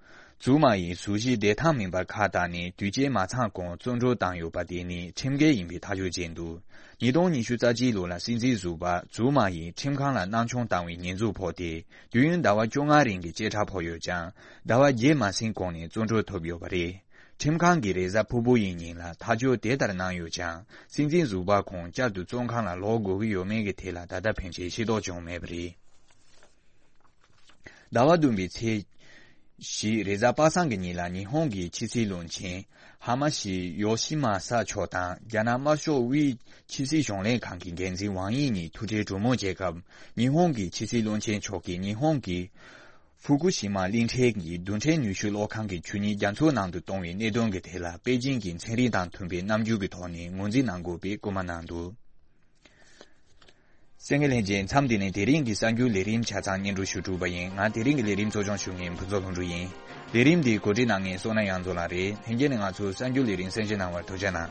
ཙུའུ་མ་ཡིས་ཟུར་བཞི་བདེ་ཐང་མིན་པར་ཁ་བཏགས་ནས་དུས་བཅད་མ་ཚང་གོང་བཙོན་གྲོལ་བཏང་ཡོད་པ་དེ་ནི་ཁྲིམས་འགལ་ཡིན་པའི་ཐག་གཅོད་བྱས་འདུག་ཉིས་སྟོང་ཉི་ཤུ་རྩ་གཅིག་ལོ་ལ་སྲིད་འཛིན་ཟུར་པ་ཙུའུ་མ་ཡིས་ཁྲིམས་ཁང་ལ་སྣང་ཆུང་བཏང་བའི་ཉེས་འཛུགས་ཕོག་སྟེ། དུས་ཡུན་ཟླ་བ་བཅོ་ལྔ་རིང་གི་བཅད་ཁྲ་ཕོག་ཡོད་ཀྱང་། ཟླ་བ་བརྒྱད་མ་ཟིན་གོང་ནས་བཙོན་གྲོལ་ཐོབ་ཡོད་པ་རེད། ཁྲིམས་ཁང་གིས་རེས་གཟའ་ཕུར་བུ་ཡི་ཉིན་ལ་ཐག་གཅོད་དེ་ལྟར་གནང་ཡོད་ཀྱང་། སྲིད་འཛིན་ཟུར་པ་ཁོང་བསྐྱར་དུ་བཙོན་ཁང་ལ་ལོག་དགོས་ཀྱི་ཡོད་མེད་ཀྱི་ཐད་ལ་ད་ལྟ་ཕན་ཆད་ཤེས་རྟོགས་བྱུང་མེད་པ་རེད། ཟླ་བ་བདུན་པའི་ཚེས་བཞི་རེས་གཟའ་པ་སངས་ཀྱི་ཉིན་ལ་ཉི་ཧོང་གི་ཕྱི་སྲིད་བློན་ཆེན་ཧ་མ་ཤི་ཡོ་ཤི་མ་ས་མཆོག་དང་རྒྱ་ནག་དམར་ཤོག་དབུས་ཕྱི་སྲིད་གཞུང་ལས་ཁང་གི་འགན་འཛིན་ཝང་དབྱི་གཉིས་ཐུག་འཕྲད་གྲོས་མོལ་བྱས་སྐབས། ཉི་ཧོང་གི་ཕྱི་སྲིད་བློན་ཆེན་མཆོག་གིས་ཉི་ཧོང་གི་ཧྥུ་ཀུ་ཤི་མ་གླིང་ཕྲན་གྱི་རྡུལ་ཕྲན་ནུས་ཤུགས་གློག་ཁང་གི་ཆུ་གཉིས་རྒྱ་མཚོའི་ནང་དུ་གཏོང་བའི་གནད་དོན་གྱི་ཐད་ལ་པེ་ཅིང་གི་ཚན་རིག་དང་མཐུན་པའི་རྣམ་འགྱུར་གྱི་ཐོག་ནས་ངོས་འཛིན་གནང་དགོས་པའི་སྐུལ་མ་གནང་འདུག་གསན་མཁན་ལྷན་རྒྱས། མཚམས་འདི་ནས་དེ་རིང་གི་གསར་འགྱུར་ལས་རིམ་ཆ་ཚང་སྙན་སྒྲོན་ཞུ་གྲུབ་པ་ཡིན། ང་དེ་རིང་གི་ལས་རིམ་གཙོ་སྐྱོང་ཞུ་མཁན་ཕུན་ཚོགས་ལྷུན་གྲུབ་ཡིན། ལས་རིམ་འདི་གོ་སྒྲིག་གནང་མཁན་བསོད་ནམས་དབྱངས་མཚོ་ལགས་རེད། ལྷན་རྒྱས་ནས་ང་ཚོའི་གསར་འགྱུར་ལས་རིམ་གསན་བཞེས་གནང་བར་ཐུགས་རྗེ་གནང་།